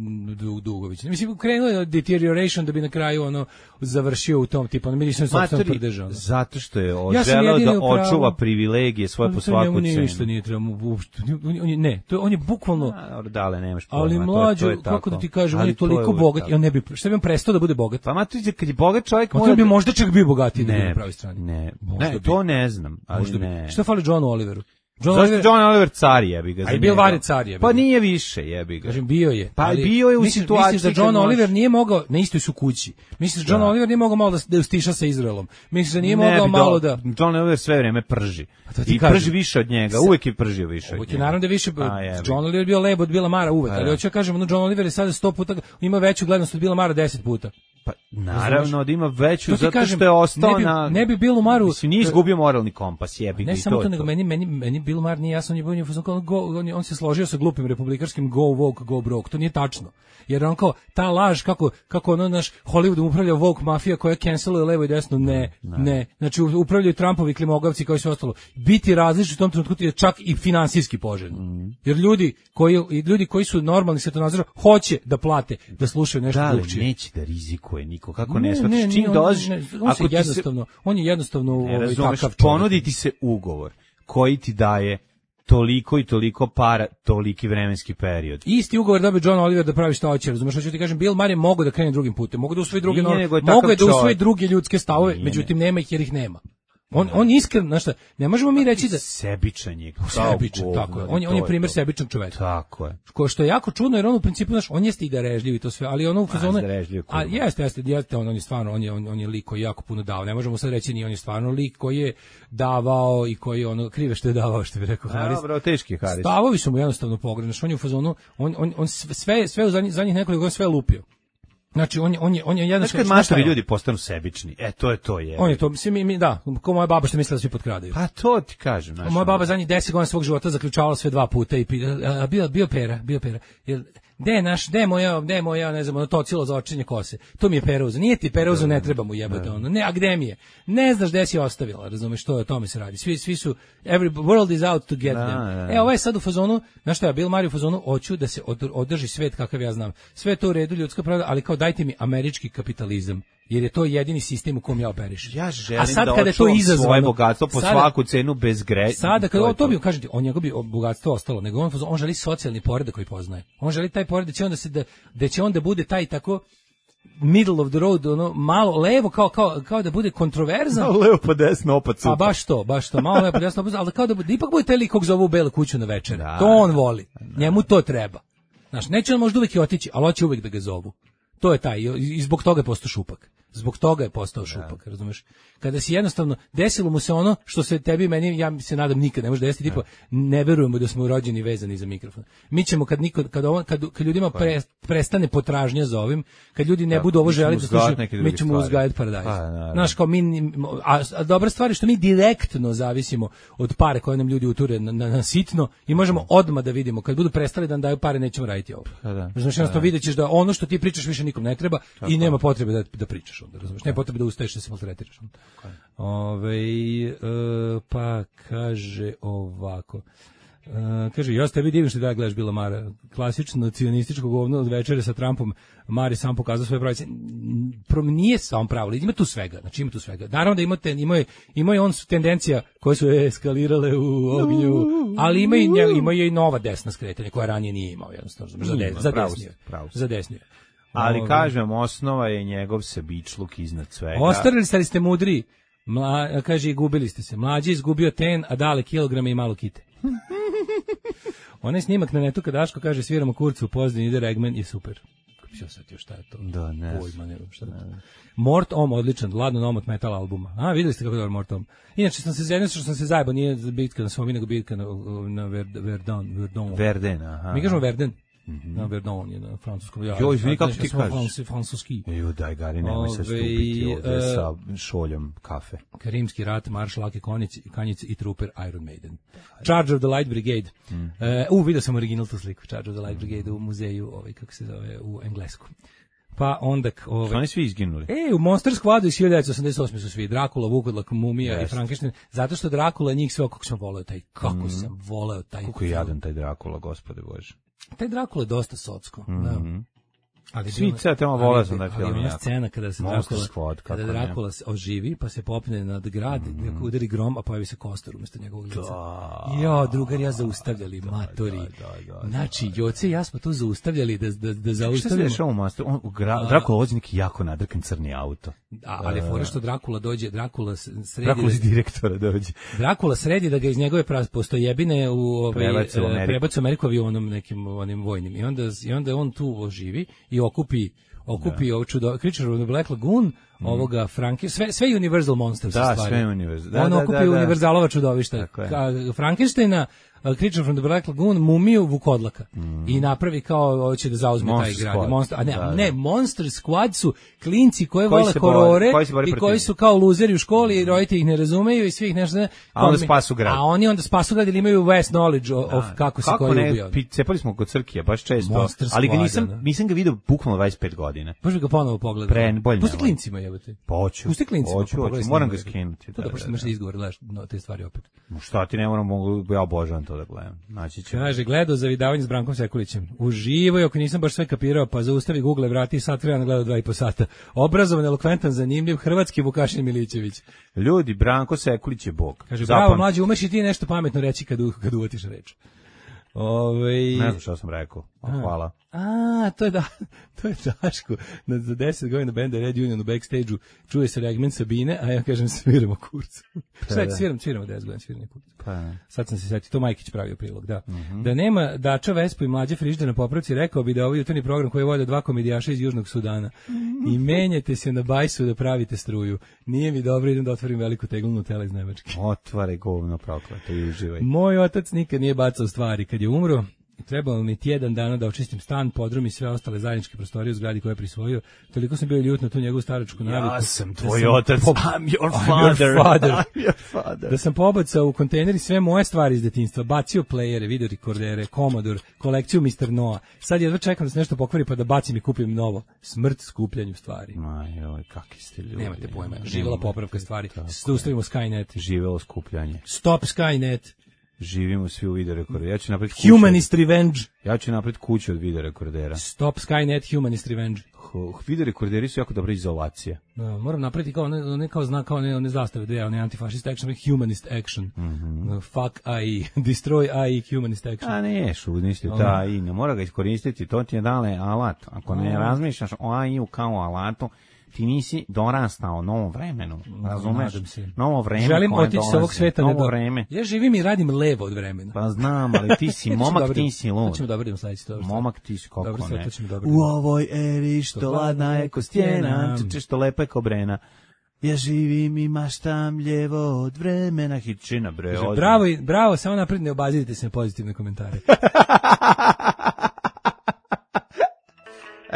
Dugović. Mislim krenuo je deterioration da bi na kraju ono završio u tom tipu, on mi nisam sopstveno podržao. Zato što je želeo da očuva privilegije svoje po svaku cenu. Ništa nije trebamo uopšte. On je ne, to on je bukvalno. Dale, nemaš pojma. Ali mlađe, kako da ti kažem, on je toliko bogat i on ne bi, šta bi on prestao da bude bogat? Pa maturi kad je bogat čovjek mora bi možda čak bio bogatiji na pravoj strani. Ne, ne, to ne znam, ali ne. Šta fali Johnu Oliveru? John Zašto Oliver, John Oliver car jebi ga. A je bio vari car jebi ga. Pa nije više jebi ga. Kažem bio je. Pa ali, bio je u misliš, situaciji. Misliš da John Oliver nije mogao, na istoj su kući. Misliš da John da. Oliver nije mogao malo da, da ustiša sa Izraelom. Misliš da nije ne, mogao malo da... John Oliver sve vreme prži. I kažem, prži više od njega, uvek je pržio više od njega. Uvek je naravno da više, A, John Oliver bio lebo od Billa Mara uvek, A, ali hoću ja kažem, no John Oliver je sada sto puta, ima veću gledanost od Billa Mara deset puta. Pa naravno da ima veću zato kažem, što je ostao ne bi, na ne bi Bill Maru mislim nije izgubio moralni kompas jebi ga i to. Ne samo to nego meni meni meni Bill Maher nije jasno, on je bio on, on se složio sa glupim republikanskim go woke go broke. To nije tačno. Jer on kao ta laž kako kako ono naš Hollywood upravlja woke mafija koja canceluje levo i desno, ne, ne. ne. Znači upravljaju Trumpovi klimogavci koji su ostalo. Biti različit u tom trenutku je čak i finansijski poželjno. Mm. Jer ljudi koji i ljudi koji su normalni svetonazora hoće da plate da slušaju nešto da, drugčije. Neće da rizikuje niko. Kako ne, ne shvatiš čim dođeš, ako ti jednostavno, se, on je jednostavno ovaj takav ponuditi se ugovor koji ti daje toliko i toliko para, toliki vremenski period. Isti ugovor dobio John Oliver da pravi šta hoće, razumeš, hoću ti kažem, Bill Maher mogu da krene drugim putem, mogu da usvoji druge, mogu da usvoji druge ljudske stavove, Nije međutim nema ih jer ih nema. On on iskren, znači ne možemo mi reći da sebičan je, sebičan, tako je. On je on je primer sebičnog čoveka. Tako je. Ko što je jako čudno jer on u principu znaš, on jeste i darežljiv i to sve, ali ono u fazonu a jeste, jeste, jeste, on on je stvarno on je on, on je lik koji jako puno dao. Ne možemo sad reći ni on je stvarno lik koji je davao i koji ono krive što je davao, što bi rekao Haris. Dobro, teški Haris. Stavovi su mu jednostavno pogrešni. On je u fazonu, on on on sve sve u zadnjih zadnjih nekoliko godina sve lupio. Znači on je on je on je jedan što kad maštovi ljudi postanu sebični. E to je to je. On je to mislim mi da, ko moja baba što mislila da svi potkradaju. Pa to ti kažem, znači. Moja baba zadnjih deset godina svog života zaključavala sve dva puta i a, bio bio pera, bio pera. Jel gde je naš, gde je moja, gde je moja, ne znam, ono to cilo za očenje kose. To mi je peruza. Nije ti peruza, ne treba mu jebati ono. Ne, a gde mi je? Ne znaš gde si ostavila, razumeš, što je o tome se radi. Svi svi su every world is out to get them. E, ovo je sad u fazonu, znaš šta, Bill Maher u fazonu, hoću da se održi svet kakav ja znam. Sve to u redu, ljudska pravda, ali kao dajte mi američki kapitalizam. Jer je to jedini sistem u kom ja operišem. Ja želim a sad, da kada to izazvano, svoje bogatstvo po sada, svaku cenu bez greša. Sada kada to, to bi kažete, on njegov bi bogatstvo ostalo, nego on on želi socijalni poredak koji poznaje. On želi taj poredak da će onda se da, da će onda bude taj tako middle of the road, ono malo levo kao kao kao da bude kontroverzan. Malo levo pa desno opet super. A baš to, baš to, malo levo pa desno, ali kao da bude, ipak bude taj lik kog zovu u belu kuću na večer. Da, to on voli. Da. Njemu to treba. Znaš, neće on možda uvijek i otići, ali hoće uvijek da ga zovu. To je taj, i zbog toga je postao šupak. Zbog toga je postao šupak, razumeš? Kada si jednostavno, desilo mu se ono što se tebi i meni, ja se nadam nikad ne može desiti, tipa, ne verujemo da smo rođeni vezani za mikrofon. Mi ćemo kad niko, kad, ovo, kad, kad ljudima pre, prestane potražnja za ovim, kad ljudi ne budu ovo želi da slušaju, mi ćemo uzgajati paradajz. Znaš, kao mi, a, a dobra stvar je što mi direktno zavisimo od pare koje nam ljudi uture na, na, na sitno i možemo odmah da vidimo, kad budu prestali da nam daju pare, nećemo raditi ovo. Znaš, jednostavno vidjet ćeš da ono što ti pričaš više nikom ne treba i nema potrebe da, da pričaš. Da razumeš, ne potrebe da ustaješ da se maltretiraš. Ove, e, pa kaže ovako. E, kaže, ja s tebi divim što da gledaš Bila Mara. Klasično cijonističko govno od večere sa Trumpom. Mari sam pokazao svoje pravice. Nije sam pravo, ima tu svega. Znači ima tu svega. Naravno da ima, ten, ima, je, ima je on tendencija koje su eskalirale u ognju, ali ima i, ima i nova desna skretanja koja ranije nije imao. Jednostavno, za, de, za desnije. Za desnije. Ali kažem, osnova je njegov sebičluk iznad svega. Ostarili ste, ali ste mudri. Mla, kaže, i gubili ste se. Mlađi izgubio ten, a dale kilograme i malo kite. Onaj snimak na netu kad Daško kaže sviramo kurcu u Pozdini, ide Regman je super. Kako se osjetio šta je to? Da, ne. Pojma, ne, šta je to? Mort Om, odličan, Ladno Nomot metal albuma. A, videli ste kako je dobar Mort Om. Inače, sam se zajedno što sam se zajebao, nije bitka na Somi, nego bitka na, na Verdun. Verdun. Verden, aha. Mi kažemo Verden. Mm-hmm. Na Verdun je na francuskom. Ja, jo, izvini, kako ti kažeš? Francuski. Jo, daj, Gari, nemoj se stupiti ovdje uh, sa šoljom kafe. Karimski rat, Marš, Lake Konjic, Kanjic i Trooper Iron Maiden. Charge of the Light Brigade. Mm. Uh, u, vidio sam original tu sliku, Charge of the Light Brigade u muzeju, ovaj, kako se zove, u Englesku. Pa onda... Ovaj, što oni svi izginuli? E, u Monster Squadu iz hiljadu devetsto osamdeset osme su svi. Drakula, Vukodlak, Mumija yes. i Frankenstein. Zato što Drakula njih sve, kako sam voleo taj, kako mm. sam voleo taj... Kako je jadan taj Drakula, gospode Bože. Taj Drakula je dosta socko. Mm-hmm. Da. Ali svi se tamo vole sam da film. Ali ona scena kada se Drakula, kada Drakula oživi, pa se popne nad grad, mm. udari grom, a pojavi se Kostor umjesto njegovog lica. Da. Jo, drugar, ja zaustavljali, da, matori. Da, da, da, znači, Joce i ja smo tu zaustavljali da, da, da zaustavljamo. Šta se dešava u Masteru? On, gra, Drakula vozi neki jako nadrkan crni auto. Da, ali je fora što Drakula dođe, Drakula sredi... Drakula iz direktora dođe. Drakula sredi da ga iz njegove postojebine u ovaj, prebacu Ameriku avionom nekim onim vojnim. I onda, i onda on tu oživi i okupi okupi ovo čudo, Creature of the Black Lagoon, mm. ovoga Franke, sve, sve Universal Monsters da, stvari. Sve Universal. Da, on da, okupi da, da. Universalova čudovišta. Frankensteina, Creature from the Black Lagoon, Mumiju, Vukodlaka. Mm. I napravi kao, hoće da zauzme Monster taj grad. Monster, a ne, da, ne, da. Monster Squad su klinci koji, koji vole horore koji i koji su kao luzeri u školi i roditelji ih ne razumeju i svih nešto ne. A onda spasu grad. A oni onda spasu grad ili imaju vast knowledge of, da. of kako se kako koji ne, ubio. Cepali smo kod Crkija, baš često. Monster ali ga nisam, Squad, nisam ga vidio bukvalno dvadeset pet godina. Možeš ga ponovo pogledati. Pre, bolje pusti klincima, jebote. Poću. Pusti klincima. Hoću, hoću. Moram ga skinuti. To da pošto imaš izgovor, gledaš no, te stvari opet. Šta ti ne moram, mogu, ja obožavam to da gledam. Znači ću. Kaže, gledao zavidavanje s Brankom Sekulićem. Uživoj, ako nisam baš sve kapirao, pa zaustavi Google, vrati sat vremena gledao dva i po sata. Obrazovan, elokventan, zanimljiv, hrvatski Vukašin Milićević. Ljudi, Branko Sekulić je bog. Kaže, Zapam... bravo, mlađe, umeš i ti nešto pametno reći kad, kad uvatiš reč. Ove... Ne znam što sam rekao. A, hvala. A, to je da, to je Daško. Na, za deset godina benda Red Union u backstage-u čuje se Regmen Sabine, a ja kažem sviramo kurcu. Šta je, sviram, sviramo deset godina, sviramo kurcu. Pa, sad sam se setio, to Majkić pravio prilog, da. Uh-huh. Da nema Dača, Vespu i mlađe frižide na popravci, rekao bi da je ovaj jutarnji program koji vode dva komedijaša iz Južnog Sudana. I menjate se na bajsu da pravite struju. Nije mi dobro, idem da otvorim veliku teglunu tela iz Nemačke. Otvaraj govno prokleto i uživaj. Moj otac nikad nije bacao stvari. Kad je umro, trebalo mi tjedan dana da očistim stan, podrum i sve ostale zajedničke prostorije u zgradi koje je prisvojio. Toliko sam bio ljut na tu njegovu staračku naviku. Ja sam tvoj da otac. Po... I'm your father. I'm your father. I'm your father. Da sam pobacao u kontejneri sve moje stvari iz detinjstva. Bacio playere, videorekordere, Commodore, kolekciju mister Noah. Sad jedva čekam da se nešto pokvari pa da bacim i kupim novo. Smrt skupljanju stvari. Ma joj, kakvi ste ljudi. Nemate pojma. Živjela popravka stvari. Zaustavimo Skynet. Živjelo skupljanje. Stop Skynet. Živimo svi u video rekorderu. Ja ću napraviti kuću. Humanist Revenge. Ja ću napraviti kuću od video rekordera. Stop Skynet, Humanist Revenge. Video rekorderi su jako dobra izolacija. Da, moram napraviti kao ne, ne kao znak, kao ne, ne zastave, da je ne antifašist action, humanist action. Mm-hmm. Fuck A I, destroy A I, humanist action. A ne, šudnisti, ta A I, ne mora ga iskoristiti, to ti je dale alat. Ako ne razmišljaš o A I-u kao alatu, ti nisi dorastao novom vremenu, razumeš? Novo vreme. Želim otići sa ovog sveta. Novo vreme. Ja živim i radim levo od vremena. Pa znam, ali ti si momak, ti si lud. To ćemo dobro idemo sledeći to. Momak ti si kako dobro, ne. Dobro, u ovoj eri što ladna je ko stjena, što lepa je ko brena. Ja živim i maštam ljevo od vremena, hitčina bre. Kaže, bravo, bravo, samo napred ne obazirite se na pozitivne komentare.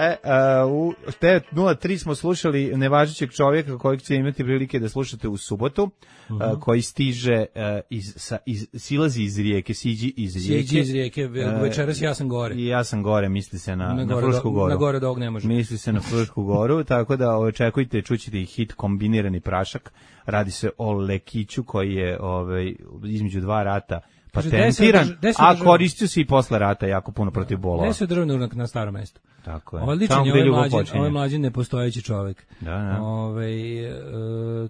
E, uh, u te nula tri smo slušali nevažećeg čovjeka kojeg će imati prilike da slušate u subotu, uh-huh. uh, koji stiže uh, iz, sa, iz, silazi iz rijeke, siđi iz rijeke. Siđi iz rijeke, večeras ja sam gore. I ja sam gore, misli se na, na, na Frušku goru. Na gore do ovog ne može. Misli se na Frušku goru, tako da očekujte, čućete i hit Kombinirani prašak. Radi se o lekiću koji je ovaj, između dva rata patentiran, a koristio se i posle rata jako puno protiv bolova. Gde se državni na starom mestu? Tako je. Ovo je ličan, ovo je mlađin, ovo je mlađin nepostojeći čovjek. Da, da. Ove, e,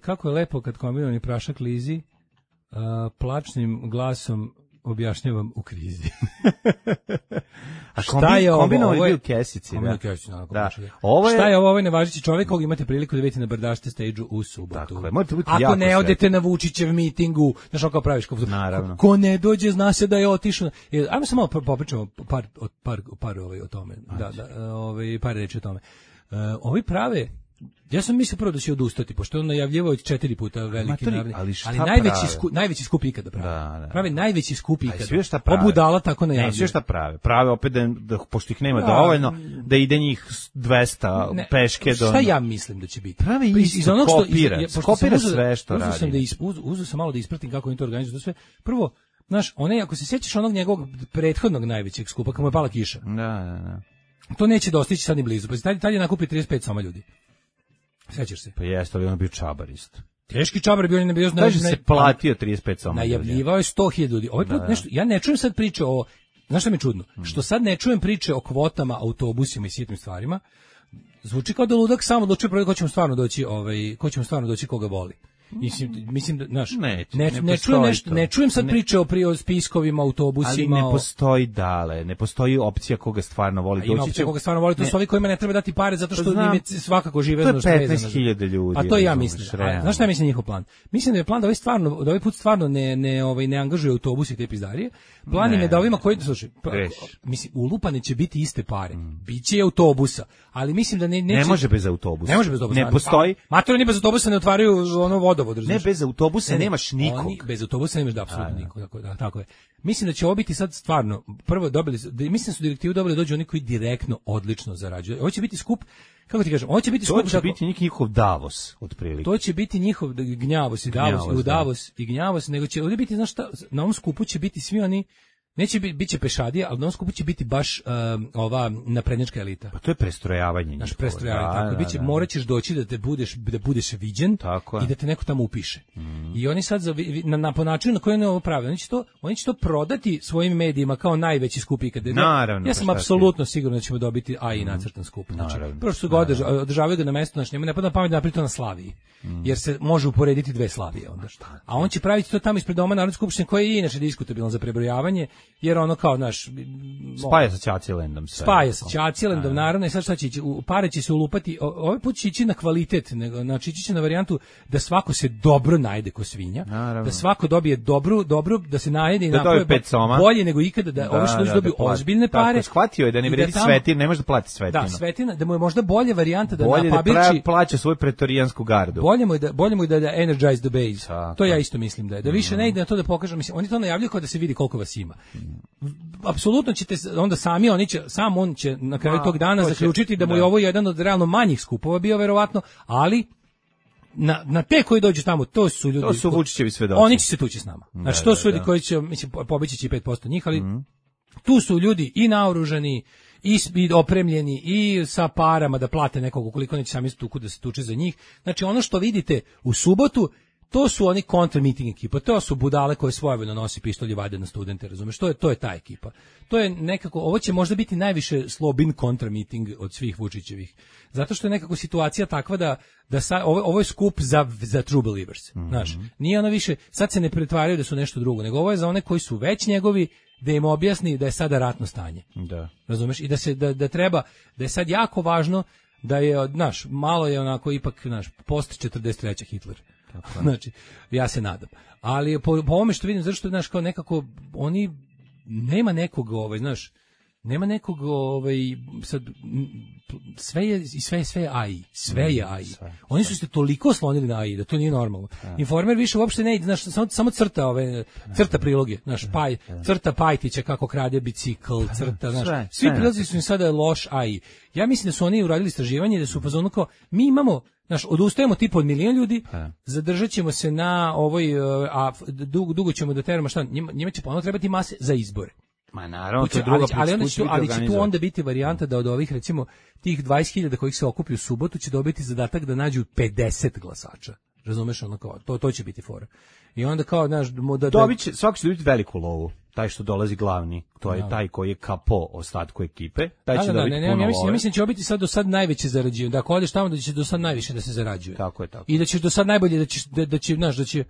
kako je lepo kad kombinirani prašak lizi, a, plačnim glasom objašnjavam u krizi. A šta je ovo? Kombinovani bio u kesici. Kombinovani kesici, naravno. Da. Ovo je... Šta je ovo? Ovo je nevažeći čovjek kojeg imate priliku da vidite na Brdašte stage-u u subotu. Tako je, morate biti ako jako ne sretni. odete na Vučićev mitingu, znaš kako praviš? Ko, naravno. Ko ne dođe, zna se da je otišao. Ajmo samo popričamo par, par, par, par ovaj, o tome. Da, da, ovaj, par reći o tome. Uh, ovi prave... Ja sam mislio prvo da će odustati, pošto on najavljivao četiri puta veliki naravni, ali, ali najveći, sku, najveći skup ikada pravi. Da, da. Pravi najveći skup ikada. Pobudala tako najavljuje. Ne, sve šta prave. Prave opet da, da pošto ih nema da, dovoljno, da ide njih dvesta ne, peške do... Šta ja mislim da će biti? Pravi isto, iz kopira. Iz, kopira uzeo, sve što uzeo radi. Sam da ispuz, uzeo sam malo da ispratim kako oni to organizuju. Sve. Prvo, znaš, one, ako se sjećaš onog njegovog prethodnog najvećeg skupa, kako mu je pala kiša. Da, da, da. To neće dostići sad ni blizu. Pa tad, tad je nakupi trideset pet soma ljudi. Sećaš se? Pa jeste, ali on je bio čabarist. Teški čabar bio, on je bio... Kaže se platio trideset pet soma ljudi. Najavljivao je sto hiljada ljudi. Ovaj put da, nešto, ja ne čujem sad priče o... Znaš šta mi je čudno? Hmm. Što sad ne čujem priče o kvotama, autobusima i sitnim stvarima. Zvuči kao da ludak samo odlučuje ko ćemo stvarno doći, ovaj, ko ćemo stvarno doći koga boli. Mislim, mislim da, znaš, ne, ne, ne, ne, čujem nešto, ne čujem sad ne, priče o prio spiskovima, autobusima. Ali ne postoji dale, ne postoji opcija koga stvarno voli. Ima opcija koga stvarno voli, to su ovi kojima ne treba dati pare zato što njime svakako žive. To je petnaest hiljada ljudi. A to ja mislim. A, znaš šta mislim njihov plan? Mislim da je plan da ovaj stvarno, da ovaj put stvarno ne, ne, ovaj, ne angažuje autobuse i te pizdarije. Plan im je da ovima koji, slušaj, mislim, ulupane će biti iste pare. Mm. Biće i autobusa, ali mislim da ne... Neće, ne može bez autobusa. Ne može bez autobusa. Ne postoji. Matori bez autobusa ne otvaraju ono vodovod, ne bez autobusa ne, nemaš nikog. Oni, bez autobusa nemaš da apsolutno nikog, tako, da, tako je. Mislim da će ovo biti sad stvarno, prvo dobili, da, mislim da su direktivu dobili da dođu oni koji direktno odlično zarađuju. Ovo će biti skup, kako ti kažem, ovo će biti skup... To će tako, biti njihov Davos, otprilike. To će biti njihov gnjavos i Davos, gnjavos, i u Davos da. I gnjavos, nego će ovdje biti, znaš šta, na ovom skupu će biti svi oni... Neće biti, bit će pešadija, ali na ovom skupu će biti baš um, ova naprednjačka elita. Pa to je prestrojavanje. Naš prestrojavanje, da, tako. Da, biće, da. Morat ćeš doći da te budeš, da budeš viđen tako i da te neko tamo upiše. Mm. I oni sad, za, na, na, po načinu na koji oni ovo prave, oni će, to, oni će to prodati svojim medijima kao najveći skup ikada. Naravno. Ja sam apsolutno siguran da ćemo dobiti A I nacrtan skup. Znači, prvo što su ga održa, održavaju ga na mesto, znači, nema ne pada pamet da napravi to na Slaviji. Mm. Jer se može uporediti dve Slavije onda. A on će praviti to tamo ispred doma Narodne skupštine koje je inače diskutabilno za prebrojavanje, jer ono kao naš spaja sa Ćaćilendom sve. Spaja sa Ćaćilendom, naravno, i sad šta će ići, pare će se ulupati, ovaj put će ići na kvalitet, nego, znači ići će na varijantu da svako se dobro najde ko svinja, naravno. Da svako dobije dobru, dobru, da se najede i da napravi bolje nego ikada, da, da ovi što da, dobiju da ozbiljne pare. Tako, shvatio je da ne vredi da svetin, ne može da plati svetinu. Da, svetina, da mu je možda bolje varijanta da bolje na Pabirči da plaća svoju pretorijansku gardu. Bolje mu je da, bolje mu je da, da energize the base. Tako. To ja isto mislim da je. Da više mm. ne ide na to da pokaže, mislim, oni to najavljuju kao da se vidi koliko vas ima. Apsolutno ćete onda sami oni će sam on će na kraju A, tog dana zaključiti da mu je ovo jedan od realno manjih skupova bio verovatno, ali na na te koji dođu tamo to su ljudi. To su Vučićevi svedoci. Oni će se tući s nama. Znači to su ljudi koji će mislim pobići će pet posto njih, ali mm. tu su ljudi i naoružani i opremljeni i sa parama da plate nekog ukoliko neće sami tuku da se tuče za njih. Znači ono što vidite u subotu to su oni kontra meeting ekipa, to su budale koje svojevoljno nosi pištolj i vade na studente, razumeš? To je to je ta ekipa. To je nekako, ovo će možda biti najviše Slobin kontra meeting od svih Vučićevih. Zato što je nekako situacija takva da da sa, ovo, ovo je skup za za true believers. Mm-hmm. Znaš, nije ono više, sad se ne pretvaraju da su nešto drugo, nego ovo je za one koji su već njegovi, da im objasni da je sada ratno stanje. Da. Razumeš? I da se da, da treba, da je sad jako važno da je, znaš, malo je onako ipak, znaš, post četrdeset treće Hitler. Tako, znači, ja se nadam. Ali po, po ovome što vidim, zašto, znaš, kao nekako, oni, nema nekog, ovaj, znaš, nema nekog, ovaj, sad, sve je, sve je, sve je A I, sve je A I. Oni su se toliko oslonili na A I da to nije normalno. Informer više uopšte ne ide, znaš, samo, samo crta ove, crta priloge, znaš, paj, crta Pajtića kako krade bicikl, crta, znaš, svi prilozi su im sada loš A I. Ja mislim da su oni uradili istraživanje, da su upozorno kao, mi imamo, znaš, odustajemo tipa od milion ljudi, zadržat ćemo se na ovoj, a dugo, dugo ćemo da teramo, šta, njima, njima će ponovno trebati mase za izbore. Ma naravno, to je druga ali, ali, onda će, ali će tu onda biti varijanta da od ovih, recimo, tih dvadeset hiljada kojih se okupi u subotu će dobiti zadatak da nađu pedeset glasača. Razumeš, ono kao, to, to će biti fora. I onda kao, znaš, da... da dobit će, svako će dobiti veliku lovu. Taj što dolazi glavni, to je da. taj koji je kapo ostatku ekipe, taj da, će da, dobiti ne, ne, puno ja mislim, love. Ja mislim da će biti sad do sad najveće zarađivanje. Da ako odeš tamo da će do sad najviše da se zarađuje. Tako je, tako. I da će do sad najbolje da će, da, da će, znaš, da će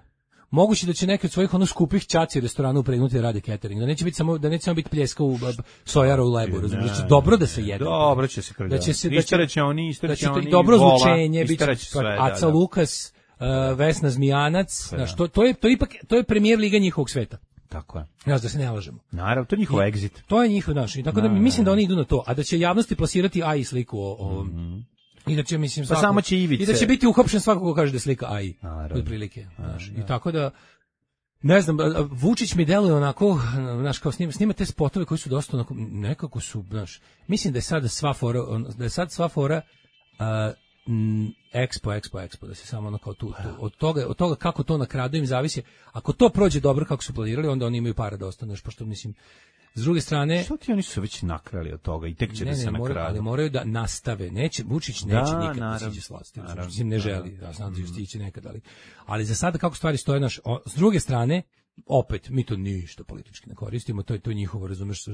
moguće da će neki od svojih ono skupih ćaci restorana upregnuti da rade catering, da neće biti samo da neće samo biti pljeska u sojara u lebu, razumiješ, da će dobro da se jede. Dobro će se krljati. Da će se istareće oni, istareće oni. Dobro zvučenje, biće sve, Aca da, da. Lukas, uh, Vesna Zmijanac, znaš, to, to je to je ipak to je premijer liga njihovog sveta. Tako je. Znaš, da se ne lažemo. Naravno, to je njihov exit. To je njihov, znaš, i tako da mislim da oni idu na to, a da će javnosti plasirati A I sliku o ovom. Mm-hmm. I da će, mislim, pa svako, samo će Ivice. I da će biti uhapšen svako ko kaže da je slika A I. Otprilike, znaš. I tako da ne znam, Vučić mi deluje onako, znaš, kao snima, snima te spotove koji su dosta onako, nekako su, znaš, mislim da je sada sva fora, da je sad sva fora uh, m, Expo, Expo, Expo, da se samo ono kao tu, tu, od toga, od toga kako to na kraju im zavisi. Ako to prođe dobro kako su planirali, onda oni imaju para da ostanu, pošto mislim, s druge strane, što ti oni su već nakrali od toga i tek će ne, da se nakrade. Moraju, ali moraju da nastave. Neće, Vučić neće da, nikad naravno, da siđe s vlasti. Naravno, mislim, ne želi. Ja znam da će stići nekad, ali, ali za sada kako stvari stoje naš, o, s druge strane, opet, mi to ništa politički ne koristimo, to je to njihovo, razumeš,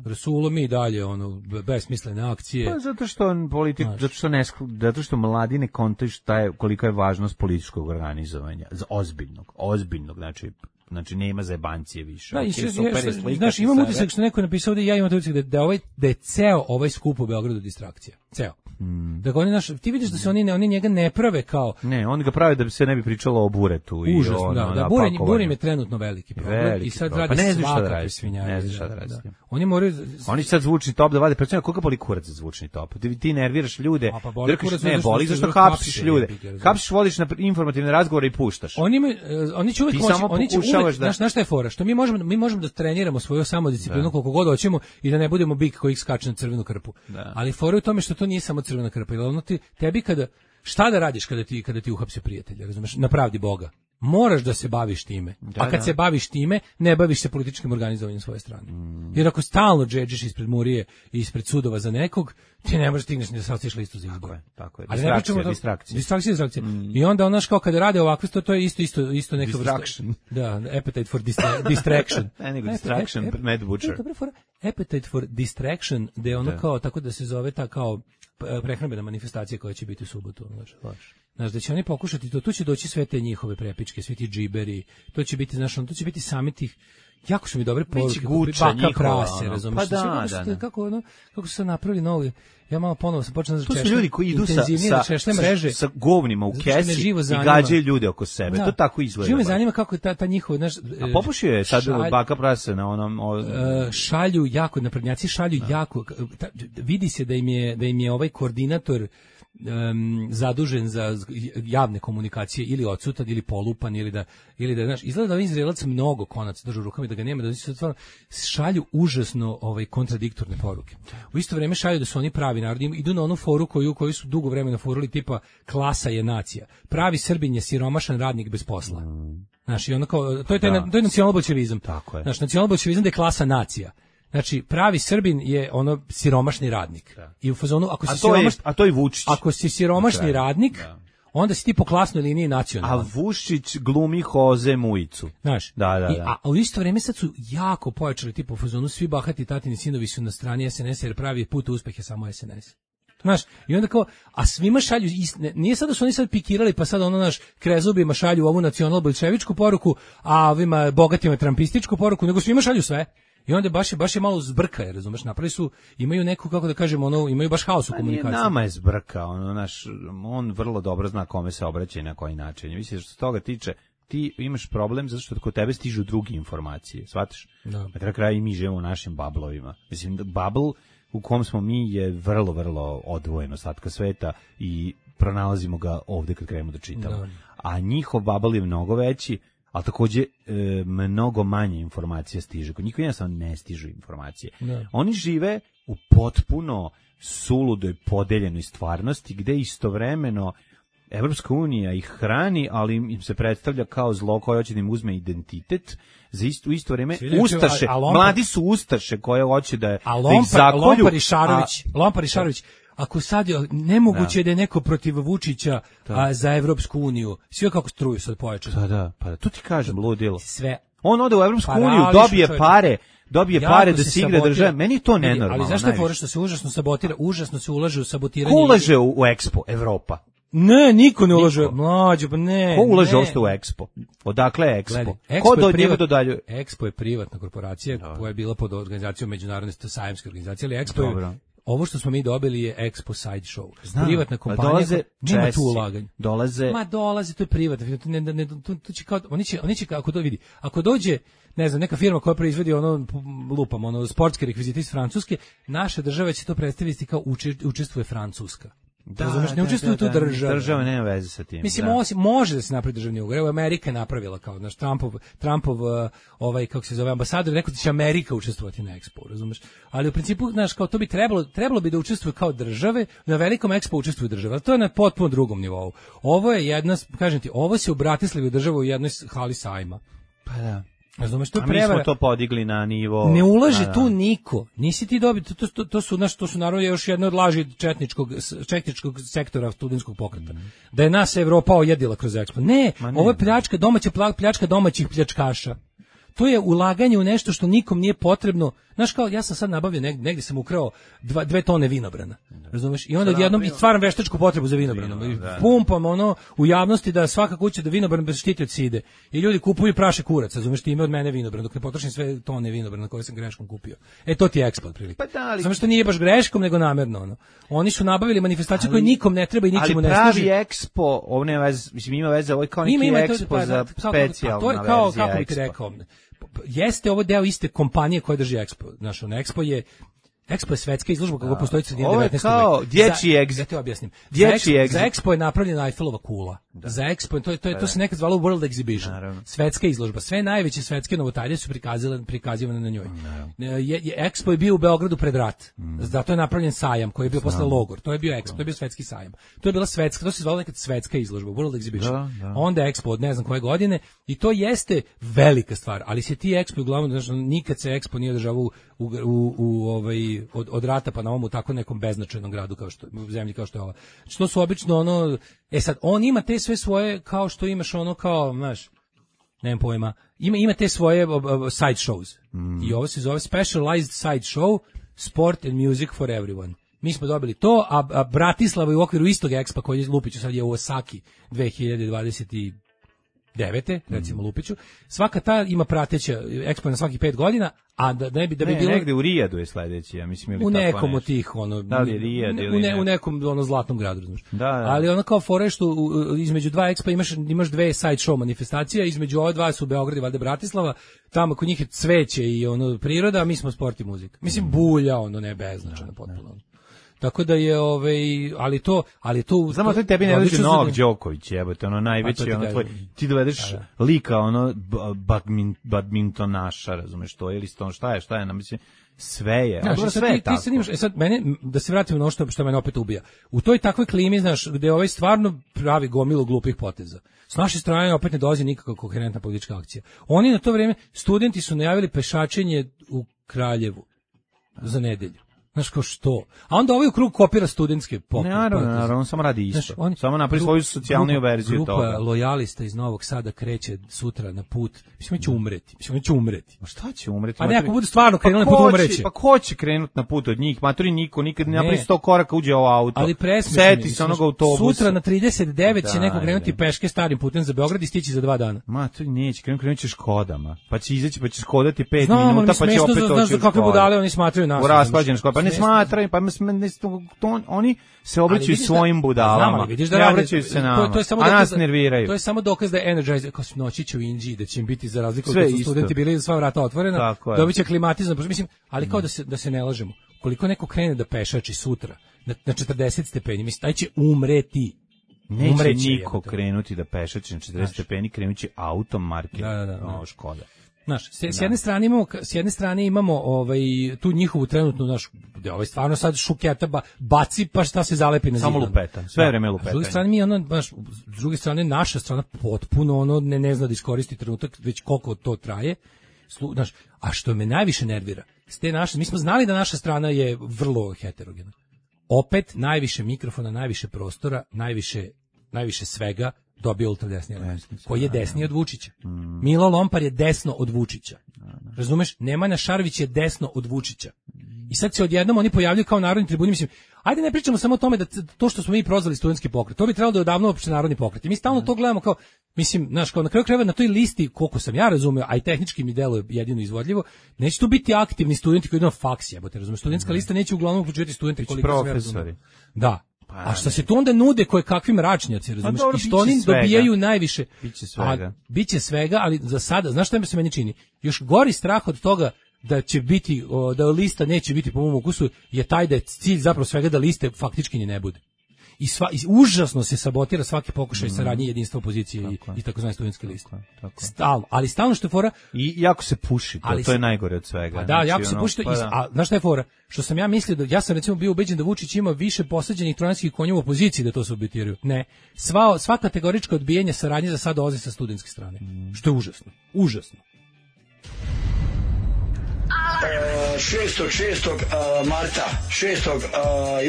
Rasulo, mi dalje, ono, besmislene akcije. Pa zato što on politik, znaš, zato što ne, zato što mladi ne kontaju šta je, kolika je važnost političkog organizovanja, ozbiljnog, ozbiljnog, znači, znači nema zajebancije više. Da, okay, i super, znaš, imam utisak što neko je napisao da ja imam utisak da, da, ovaj, da je ceo ovaj skup u Beogradu distrakcija. Ceo. Mm. Dakle, oni naš, ti vidiš da se oni, ne, oni njega ne prave kao... Ne, oni ga prave da bi se ne bi pričalo o buretu. Užasno, i o, da, ono, da, burenj, burenj je trenutno veliki problem. Veliki i sad problem. radi pa ne znaš šta da radi. svinjari. Ne znaš šta da radi. Da. Oni moraju... Oni sad zvučni top da vade, pretpostavljam koga boli kurac za zvučni top. Ti, ti nerviraš ljude, pa boli drkaš, ne, boli zašto hapsiš ljude. Hapsiš, vodiš na informativne razgovore i puštaš. Oni, oni će uvijek moći, oni će uvijek, znaš, znaš šta je fora, što mi možemo, mi možemo da treniramo svoju samodisciplinu koliko god hoćemo i da ne budemo bik koji skače na crvenu krpu. Da. Ali fora je u tome što to nije samo crvena krpa, jer ono ti, tebi kada, šta da radiš kada ti, kada ti uhapse prijatelja, razumeš, na pravdi Boga. Moraš da se baviš time. Da, a kad da. se baviš time, ne baviš se političkim organizovanjem svoje strane. Mm. Jer ako stalno džedžiš ispred Murije i ispred sudova za nekog, ti ne možeš stigneš ni da sastiš listu za izbor. Tako je, tako je. Ali distrakcija, ne da, distrakcija. Distrakcija, distrakcija. Mm. I onda onaš kao kada rade ovakve, to, to je isto, isto, isto neka distraction. Vrsta. Da, appetite for distra distraction. ne, nego distraction, ep, ep, Mad Butcher. Dobro fora. Appetite for distraction, da je ono da. kao, tako da se zove ta kao prehrambena manifestacija koja će biti u subotu. Znaš, znaš, da će oni pokušati to, tu će doći sve te njihove prepičke, svi ti džiberi, to će biti, znaš, to će biti sami tih, jako su mi dobre poruke, baka prase, razumiješ, pa da, kako, da, da. kako, ono, kako su se napravili novi, ja malo ponovo sam počeo da češljam, to su ljudi koji idu sa, sa, sa, mreže, sa govnima u kesi i gađaju ljude oko sebe, da, to tako izgleda. Živo me zanima kako je ta, ta njihova, znaš, a popušio je sad šalj, baka prase na onom... O, šalju jako, naprednjaci šalju da. jako, ta, vidi se da im je, da im je ovaj koordinator Um, zadužen za javne komunikacije ili odsutan ili polupan ili da ili da znaš, izgleda da ovaj Izraelac mnogo konaca drži u rukama i da ga nema, da se stvarno šalju užasno ovaj kontradiktorne poruke. U isto vrijeme šalju da su oni pravi narod, idu na onu foru koju koju su dugo vremena furali, tipa klasa je nacija. Pravi Srbin je siromašan radnik bez posla. Znaš, i ono kao, to je taj, to je nacionalbolševizam. Tako je. Znaš, nacionalbolševizam da je klasa nacija. Znači, pravi Srbin je ono siromašni radnik. Da. I u fazonu, ako si a to siromaš, je, a to je Vučić. Ako si siromašni da. radnik, da. onda si ti po klasnoj liniji nacionalan. A Vučić glumi Hoze Mujicu. Znaš, da, da, da. I, a, a u isto vrijeme sad su jako pojačali tipa u fazonu, svi bahati tatini sinovi su na strani es en es jer pravi put uspeh je samo es en es. Znaš, i onda kao, a svima šalju, istine, nije sad da su oni sad pikirali, pa sad ono naš krezubima šalju ovu nacionalbolševičku poruku, a ovima bogatima trampističku poruku, nego svima šalju sve. I onda baš je baš je malo zbrka, je, razumeš, napravili su, imaju neku, kako da kažemo, ono, imaju baš haos u komunikaciji. Nama je zbrka, ono, naš, on vrlo dobro zna kome se obraća i na koji način. Mislim, što se toga tiče, ti imaš problem zato što kod tebe stižu druge informacije, shvataš? Da. Na kraju kraja i mi živimo u našim bablovima. Mislim, bubble u kom smo mi je vrlo, vrlo odvojeno ostatka sveta i pronalazimo ga ovde kad krenemo da čitamo. Da. A njihov bubble je mnogo veći, ali takođe e, mnogo manje informacija stiže. Kod njih jednostavno ne stižu informacije. Da. Oni žive u potpuno suludoj podeljenoj stvarnosti gde istovremeno Evropska unija ih hrani, ali im se predstavlja kao zlo koje hoće da im uzme identitet. Za isto, u isto vreme ustaše, a, a Lompar, mladi su ustaše koje hoće da, a Lompar, da ih zakolju. Lompar i Šarović, a, Lompar i Šarović, ako sad je nemoguće da, da je neko protiv Vučića a, za Evropsku uniju, sve kako struju sad pojačaju. Da, da, pa da, to ti kažem, ludilo. Sve. On ode u Evropsku uniju, dobije čovječ. pare, dobije jako pare da se igra države. Meni je to nenormalno. Ali zašto je fora što se užasno sabotira, užasno se ulaže u sabotiranje. Ko ulaže u, u Expo, Evropa? Ne, niko ne ulaže. Mlađo, pa ne. Ko ulaže ne. Osto u Expo? Odakle je Expo? Gledaj, Expo Ko do privat, njega dodaljuje? Expo je privatna korporacija no. koja je bila pod organizacijom međunarodne sajamske organizacije, ali Expo Dobro. je, ovo što smo mi dobili je Expo side show. Znam, privatna kompanija, dolaze nema Česi, tu ulaganja. Dolaze. Ma dolaze, to je privatno. Ne, ne, ne, to, to će kao, oni će, oni će kako to vidi. Ako dođe, ne znam, neka firma koja proizvodi ono lupam, ono sportske rekvizite iz Francuske, naša država će to predstaviti kao uče, učestvuje Francuska. Da, razumeš, ne učestvuju tu država. Država nema veze sa tim. Mislim, da. osim, može da se napravi državni ugovor. Evo, Amerika je napravila kao, naš Trumpov, Trumpov ovaj, kako se zove, ambasador, neko da će Amerika učestvovati na Expo, razumeš? Ali u principu, znaš, kao to bi trebalo, trebalo bi da učestvuje kao države, na velikom Expo učestvuju države, ali to je na potpuno drugom nivou. Ovo je jedna, kažem ti, ovo se u Bratislavi država u jednoj hali sajma. Pa da. Razumeš, to a prevara. Mi smo to podigli na nivo. Ne ulaže da, tu da. niko. Nisi ti dobio, to, to, to su naš, to su naravno još jedno od laži četničkog četničkog sektora studentskog pokreta. Mm. Da je nas Evropa ojedila kroz Expo. Ne, ne ovo je pljačka domaća pljačka domaćih pljačkaša. To je ulaganje u nešto što nikom nije potrebno. Znaš, kao ja sam sad nabavio negdje, negdje sam ukrao dva, dve tone vinobrana. Razumeš? I onda odjednom stvaram veštačku potrebu za vinobranom. I pumpam ono u javnosti da svaka kuća da vinobran bez štiti od side. I ljudi kupuju praše kurac, razumeš, ti ime od mene vinobran, dok ne potrošim sve tone vinobrana koje sam greškom kupio. E to ti je Expo otprilike. Pa da, ali... Samo što nije baš greškom, nego namerno. Ono. Oni su nabavili manifestaciju koju nikom ne treba i ničemu ne služi. Ali pravi Expo, ovo nema veze, mislim ima veze, ovo je kao neki ima, ima Expo to, pa, za specijalna to je kao, kako bih ti rekao, jeste ovo deo iste kompanije koja drži Expo. Znaš, on Expo je Expo je svetska izložba kako postoji sredine devetnaestog veka. Ovo je kao dječji Expo. Da te objasnim. Dječji Expo, za Expo je napravljena Einfelova kula. Da. Za Expo, to, je, to, je, to se nekad zvalo World Exhibition. Naravno. Svetska izložba. Sve najveće svetske novotarije su prikazane, prikazivane na njoj. Je, je, Expo je bio u Beogradu pred rat. Mm. Zato je napravljen sajam koji je bio posle logor. To je bio Expo, to je bio svetski sajam. To je bila svetska, to se zvalo nekad svetska izložba, World Exhibition. Da, da. Onda Expo od ne znam koje godine i to jeste velika stvar, ali se ti Expo uglavnom, znači, nikad se Expo nije održavao u, u, u, u ovaj, od, od rata pa na ovom u tako nekom beznačajnom gradu kao što u zemlji kao što je ova. Znači to su obično ono, e sad on ima te sve svoje kao što imaš ono kao, znaš, nemam pojma, ima ima te svoje uh, side shows. Mm. I ovo se zove specialized side show, sport and music for everyone. Mi smo dobili to, a, a Bratislava je u okviru istog Expa koji je Lupiću sad je u Osaki dve hiljade dvadeset devete recimo mm. Lupiću. Svaka ta ima prateća Expo na svakih pet godina, a da ne bi da bi ne, bilo negde u Rijadu je sledeći, ja mislim ili u nekom od tih ono da li je Rijad ili u, ne, u nekom ono zlatnom gradu, znaš. Da, da. Ali ono kao fore što u, između dva Expa imaš imaš dve side show manifestacija, između ova dva su Beograd i valjda Bratislava, tamo kod njih je cveće i ono priroda, a mi smo sport i muzika. Mislim bulja, ono ne beznačajno potpuno. Tako da je ovaj ali to ali to znamo to tebi ne dođe Novak Đoković, jebote, ono najveći ono tvoj ti dovedeš da. lika ono badmintonaša, razumeš to ili sto šta je šta je na mislim sve je, znaš, ali sve ti, je tako. Ti se nimaš, e sad mene da se vratimo na ono što što mene opet ubija. U toj takvoj klimi, znaš, gde ovaj stvarno pravi gomilu glupih poteza. S naše strane opet ne dolazi nikakva koherentna politička akcija. Oni na to vreme studenti su najavili pešačenje u Kraljevu za nedelju. Znaš kao što? A onda ovaj u krug kopira studentske pokret. Naravno, naravno, on samo radi isto. Znaš, on, samo napravi svoju socijalniju verziju grupa toga. Grupa lojalista iz Novog Sada kreće sutra na put. Mislim, će umreti. Mislim, će umreti. Ma šta će umreti? Pa neko bude stvarno krenuo pa na put umreće. Pa ko će krenuti na put od njih? Maturi niko, nikad ne napravi sto koraka uđe u auto. Ali presmešno. Seti se onog autobusa. Sutra na trideset devet da, će neko krenuti peške starim putem za Beograd i stići za dva dana. Maturi neće, krenuti krenuti će Škodama. Pa će izaći, pa će Škodati pet Znam, minuta, pa će opet doći. Znaš za kakve budale oni smatraju nas. U raspađene Škode. Pa ne smatraju, pa ne, to, oni se obraćaju svojim budalama. Vidiš da ne rade, obraćaju se nama. To, to je samo a dokaz, nas nerviraju. To je samo dokaz da je Energizer kao noći će u Inđiji, da će im biti za razliku od kad su studenti bili za sva vrata otvorena, dobiće klimatizam. Mislim, ali kao da se da se ne lažemo. Koliko neko krene da pešači sutra na, na četrdeset stepeni, mislim taj će umreti. Neće Umreće, niko jebate. krenuti da pešači na četrdeset stepeni, krenući autom marke. Da, da, da, no, Škoda. Znaš, s, s jedne strane imamo s jedne strane imamo ovaj tu njihovu trenutnu naš da ovaj stvarno sad šuketa ba, baci pa šta se zalepi na zid. Samo lupeta, sve vreme lupeta. S druge strane mi ono baš s druge strane naša strana potpuno ono ne ne zna da iskoristi trenutak već koliko to traje. Slu, znaš, a što me najviše nervira, s te naše mi smo znali da naša strana je vrlo heterogena. Opet najviše mikrofona, najviše prostora, najviše najviše svega dobio ultradesni element, koji je desniji od Vučića. Mm. Milo Lompar je desno od Vučića. Razumeš? Nemanja Šarović je desno od Vučića. I sad se odjednom oni pojavljaju kao narodni tribuni, mislim, ajde ne pričamo samo o tome da to što smo mi prozvali studentski pokret, to bi trebalo da je odavno opšte narodni pokret. I mi stalno to gledamo kao, mislim, znaš, kao na kraju krajeva na toj listi, koliko sam ja razumeo, a i tehnički mi deluje jedino izvodljivo, neće tu biti aktivni studenti koji idu na faks, jebote, razumeš? Studentska lista neće uglavnom uključivati studente koliko se razumeo. Da. A što se tu onda nude koje kakvi mračnjaci, razumiješ? I što oni dobijaju najviše. Biće svega. A, biće svega, ali za sada, znaš šta mi se meni čini? Još gori strah od toga da će biti, o, da lista neće biti po mom ukusu, je taj da je cilj zapravo svega da liste faktički ni ne bude. I, sva, i užasno se sabotira svaki pokušaj mm. saradnje jedinstva opozicije tako i, i takozvane studentske liste. Stalno, ali stalno što je fora... I jako se puši, to, ali, to je najgore od svega. Pa da, znači, jako se ono, puši to, pa da. A znaš šta je fora? Što sam ja mislio, da, ja sam recimo bio ubeđen da Vučić ima više posađenih trojanskih konja u opoziciji da to se sabotiraju. Ne, sva, sva kategorička odbijanja saradnje za sad dolazi sa studentske strane. Mm. Što je užasno, užasno. šestog šestog marta, šestog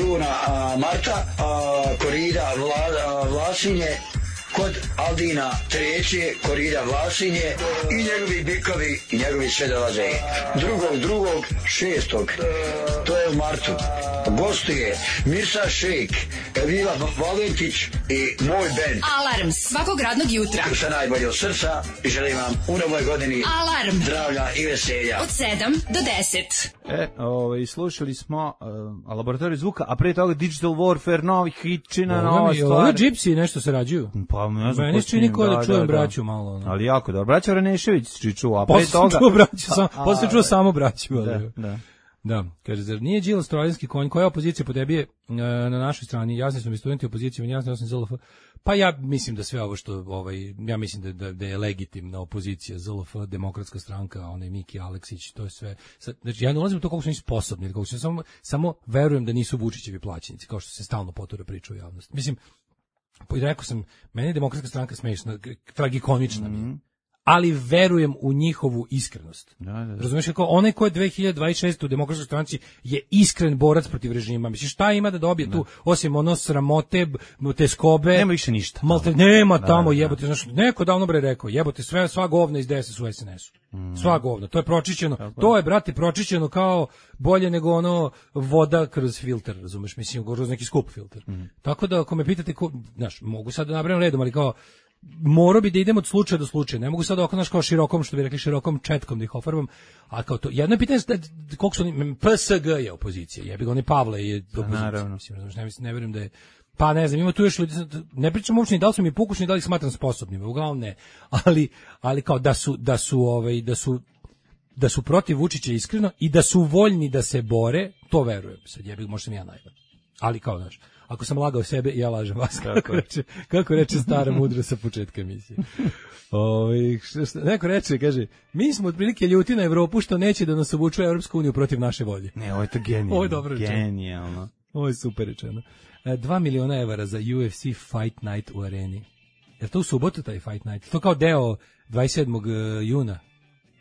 juna marta, korida Vla, Vlasinje, kod Aldina treće, korida Vlasinje i njegovi bikovi i njegovi sve dolaze. Drugog, drugog, šestog, to je u martu. Gostuje Mirsa Šejk, Evila Valentić i moj bend. Alarm svakog radnog jutra. Sa najbolje od srca i želim vam u novoj godini Alarm. Zdravlja i veselja. Od sedam do deset. E, ovaj, slušali smo uh, Laboratoriju zvuka, a pre toga Digital Warfare, novi hitčina, nova stvar. Ovo je Gypsy nešto se rađuju. Pa ne znam. Meni čini ko da, da čujem da, braću malo. Ne. Ali jako dobro. Braća Renešević si čuo, a pre toga... Čuo braću, sam, posle čuo samo braću. Da, da. Da, kaže, zar nije Đilas trojanski konj, koja opozicija po tebi je e, na našoj strani, jasni su mi studenti opozicije, meni jasni, ja sam Z L F. Pa ja mislim da sve ovo što, ovaj, ja mislim da, da, da je legitimna opozicija, Z L F, Demokratska stranka, onaj Miki Aleksić, to je sve. Sad, znači, ja ne ulazim u to koliko su oni sposobni, koliko su, samo, samo verujem da nisu Vučićevi plaćenici, kao što se stalno potura priča u javnosti. Mislim, rekao sam, meni je Demokratska stranka smešna, tragikomična mi mm-hmm. je. Ali verujem u njihovu iskrenost. Da, da, da. Razumiješ, kako onaj ko je dve hiljade dvadeset šeste u Demokratskoj stranci je iskren borac protiv režima. Misliš, šta ima da dobije da. tu, osim ono sramote, te skobe? Nema više ništa. Malte, nema da, tamo, da, jebote. Znaš, neko davno bre rekao, jebote, sve, sva govna iz D S S u S N S-u. Mm. Sva govna, to je pročišćeno. Tako. To je, brate, pročišćeno kao bolje nego ono voda kroz filter, razumeš, mislim, kroz neki skup filter. Mm. Tako da, ako me pitate, ko, znaš, mogu sad da nabrajam redom, ali kao, morao bi da idem od slučaja do slučaja. Ne mogu sad ovako, znaš, kao širokom, što bi rekli, širokom četkom da ih ofarbam. A kao to, jedno je pitanje, koliko su oni, P S G je opozicija, jebi ga, oni Pavle je opozicija. Naravno. Mislim, ne, ne verujem da je, pa ne znam, ima tu još ljudi, ne pričam uopšte ni da li su mi pokušni, da li ih smatram sposobnima, uglavnom ne. Ali, ali kao da su, da su, ovaj, da su, da su protiv Vučića iskreno i da su voljni da se bore, to verujem. Sad jebi ga, možda sam ja najvan. Ali kao, znaš, ako sam lagao sebe, ja lažem vas. Kako reče, kako reče stara mudra sa početka emisije. Ove, što, što, neko reče, kaže, mi smo otprilike ljuti na Evropu što neće da nas obučuje Evropsku uniju protiv naše volje. Ne, ovo je to genijalno. Ovo je dobro rečeno. Genijalno. Ovo je super rečeno. E, dva miliona evara za U F C Fight Night u areni. Je to u subotu taj Fight Night? To kao deo dvadeset sedmog juna?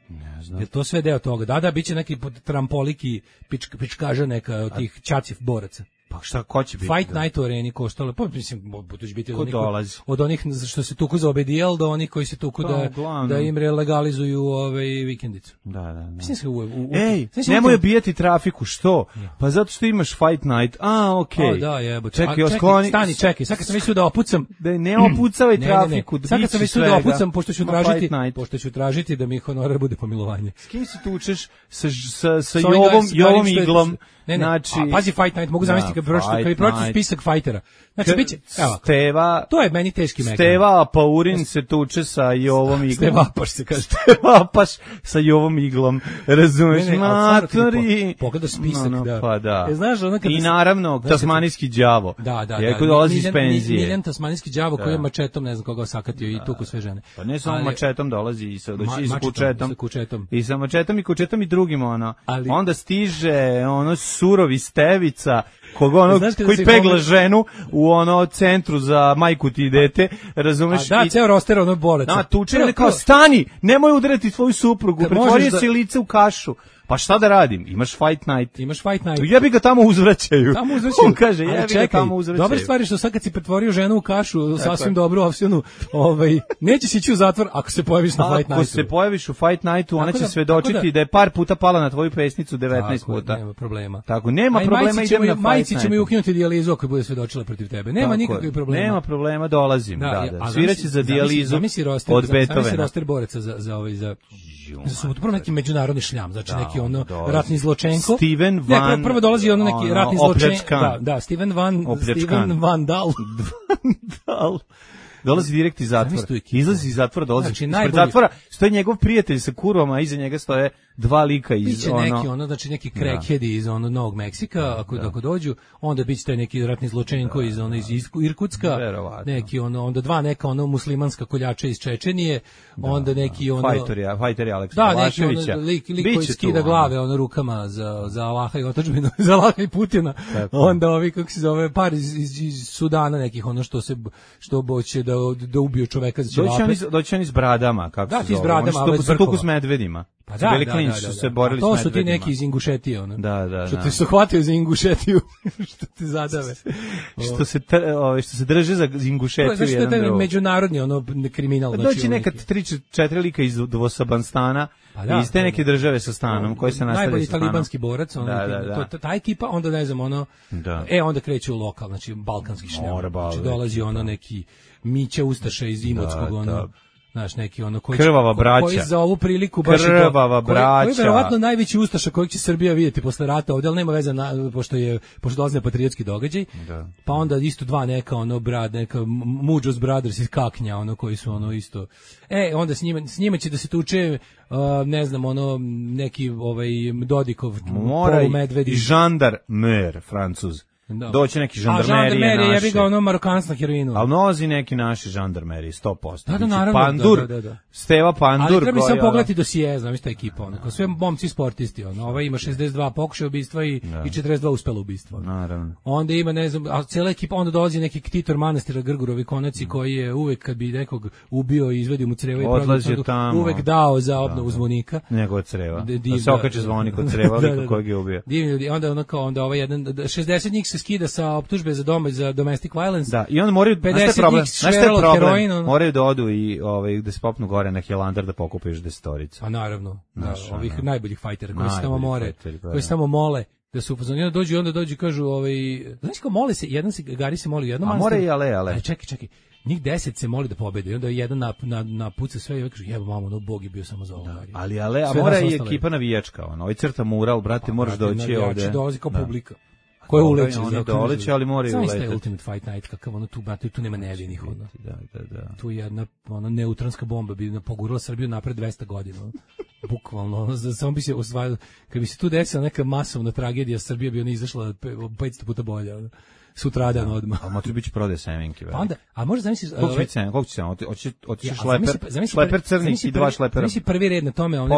Ne znam. Je to sve deo toga? Da, da, biće neki trampoliki pič, pičkaža neka od tih ćaciv boraca. Pa šta, ko će biti? Fight Night u areni koštalo, pa mislim, to će biti od onih, dolazi? od onih što se tuku za O B D L do onih koji se tuku Pa, da, uglavnom. da im legalizuju ovaj vikendicu. Da, da, da. Mislim se u, u, u, Ej, mislim, nemoj u, bijeti trafiku, što? Pa zato što imaš Fight Night, a, okej. Okay. Da, jebote. Čekaj, čekaj, skloni... stani, čekaj, sad kad sam mislio da opucam... Da ne opucavaj trafiku, ne, ne. Sad kad sam mislio da opucam, pošto ću, tražiti, pošto ću tražiti da mi honorar bude pomilovanje. S kim se tučeš? Sa, sa, sa Jovom, Jovom Iglom? Ne, ne, znači, a, pazi Fight Night, mogu zamisliti kad pročito, kad pročito spisak fajtera. Znači, biće, evo, Steva, to je meni teški mekan. Steva Paurin se tuče sa Jovom Iglom. Stevapaš se kaže. Stevapaš sa Jovom Iglom, razumeš? Ne, ne, matori. Po, pogleda spisak, no, no, da. Pa da. E, znaš, ono kada I naravno, tasmanijski đavo. Da, da, Jako da. dolazi iz penzije. Miljan tasmanijski đavo koji je mačetom, ne znam koga sakatio i tuku sve žene. Pa ne samo mačetom dolazi i sa, doći i sa kučetom. kučetom. I sa mačetom i kučetom i drugim, ono. Onda stiže, ono, surovi Stevica, koga ono, koji pegla ženu u ono centru za majku ti i dete, razumeš? A da, ceo roster ono boleca. Da, tuče je kao, stani, nemoj udarati tvoju suprugu, pretvorio si lice u kašu. Pa šta da radim? Imaš Fight Night. Imaš Fight Night. Jebi ga tamo uzvraćaju. Tamo uzvraćaju. On kaže, jebi ga tamo uzvraćaju. Dobra stvar je što sad kad si pretvorio ženu u kašu, sasvim dobru opsiju, ovaj, neće si ići u zatvor ako se pojaviš na Fight Nightu. Ako se pojaviš u Fight Nightu, ona će svedočiti da je par puta pala na tvoju pesnicu, devetnaest puta. Nema problema. Tako, nema problema, idem na Fight Night. Majici ćemo i ukinuti dijalizu ako bude svedočila protiv tebe. Nema nikakvih problema. Nema problema, dolazim. Da, da. Sviraće za dijalizu od Beethovena. Zamisli roster boraca za za ovaj za za subotu, prvo neki međunarodni šljam, znači da, neki ono dolazi. Ratni zločenko. Steven Van. Ne, prvo dolazi ono neki ono, ratni zločenko. Da, da, Steven Van, opljačkan. Steven Van Dal. Dal. Dolazi direkt iz zatvora. Izlazi iz zatvora, dolazi znači, ispred najbolji... zatvora. Stoji njegov prijatelj sa kurvama, a iza njega stoje dva lika iz biće ono... neki ono, znači neki crackheadi iz ono Novog Meksika, ako, da. ako dođu, onda biće taj neki ratni zločenko da, iz ono iz Irkutska, verovatno. Neki ono, onda dva neka ono muslimanska koljača iz Čečenije, da, onda neki da. ono... Fajteri, fajteri Aleksa Vlaševića. Da, neki ono, lik, lik koji skida glave ono rukama za, za Allaha i otadžbinu, za Allaha i Putina. Tako. Onda ovi, kako se zove, par iz, iz, iz Sudana nekih, ono što se, što boće da, da ubiju čoveka za ćevape. Doći oni s bradama, kako da, se zove. Da, ti s bradama, ali su tuku s medvedima. Pa da, bili da, klinci, da, da, su se da. borili to s su ti neki iz Ingušetije, ono. Da, da, što da. te su hvatio za Ingušetiju, što te zadave. što se ove, što se drže za Ingušetiju znači, jedan drugo. Znači, međunarodni ono kriminal. Pa doći nekad tri četiri lika iz Dvosabanstana, pa da, iz te neke države sa stanom, koji se nastavljaju najbolji sa stanom. talibanski borac, ono, da, da, da. To, ta ekipa, onda ne znam, ono, da. e, onda kreće u lokal, znači, balkanski šljam. Znači, dolazi ono neki Mića Ustaša iz Imotskog, ono, da. Znaš, neki ono koji, krvava braća. Koji za ovu priliku baš krvava to, braća. Koji je verovatno najveći ustaša kojeg će Srbija vidjeti posle rata ovdje, ali nema veze na, pošto je pošto dolazi na patriotski događaj. Da. Pa onda isto dva neka ono brat, neka Muđos Brothers iz Kaknja, ono koji su ono isto. E, onda s njima s njima će da se tuče uh, ne znam, ono neki ovaj Dodikov polumedvedi i žandar mer Francuz. Da. Doći neki žandarmerije naši. A žandarmerije, jebi ga ono Marokanac na heroinu. Ali nozi neki naši žandarmeriji, sto posto. Da, da, naravno. Pandur, da, da, da. Steva Pandur. Ali treba samo pogledati dosije, znam ista ekipa. Ono, ko sve momci sportisti. Ono. Ova ima šezdeset dva pokušaja ubistva i, da. i četrdeset dva uspela ubistva. Naravno. Onda ima, ne znam, a cijela ekipa, onda dolazi neki ktitor manastira Grgurovi konaci mm. koji je uvek kad bi nekog ubio i izvedio mu creva i odlazio tamo. Uvek dao za obnovu da, zvonika. Njegova creva. Da se okače zvonik od creva, lika kojeg je ubio. Divni ljudi. Onda, ono kao, onda ovaj jedan, šezdeset njih se skida sa optužbe za dom za domestic violence. Da, i onda moraju, pedeset problem, znaš šta je problem? Heroin, ono. Moraju da odu i ovaj, da se popnu gore na Hilandar da pokupiš desetoricu. A naravno, da, ovih ono. najboljih fajtera koji se tamo more, koji se tamo mole, da su upozorni, onda dođu i onda dođu i kažu, ovaj, znaš kao mole se, jedan se, Gari se moli u jednom a manstiru. more i ale, ale. Aj, čekaj, čekaj. Njih deset se moli da pobede i onda jedan na, na, na puca sve i kaže, jebo mamo, no Bog je bio samo za ovo. Da, ali ale, a mora i ekipa navijačka, ono, ovaj crta mural, brate, moraš doći ovde. Dolazi kao publika. Koje uleće, oni doleće, ali moraju uleteti. Znaš taj Ultimate Fight Night, kakav ono tu, brate, tu nema nevinih, ono. Da, da, da. Tu jedna, ona neutronska bomba bi pogurala Srbiju napred dvesta godina, ono. Bukvalno, ono, samo bi se osvajalo, kad bi se tu desila neka masovna tragedija, Srbija bi ona izašla petsto puta bolja, ono. Sutradan da, odmah. A moći biti prodaje semenke. Pa onda, a može zamisliš... Koliko će biti semenke? Koliko će semenke? Hoće, hoće ja, šleper, zamisli, šleper crni i dva šlepera. Zamisli prvi red na tome, one,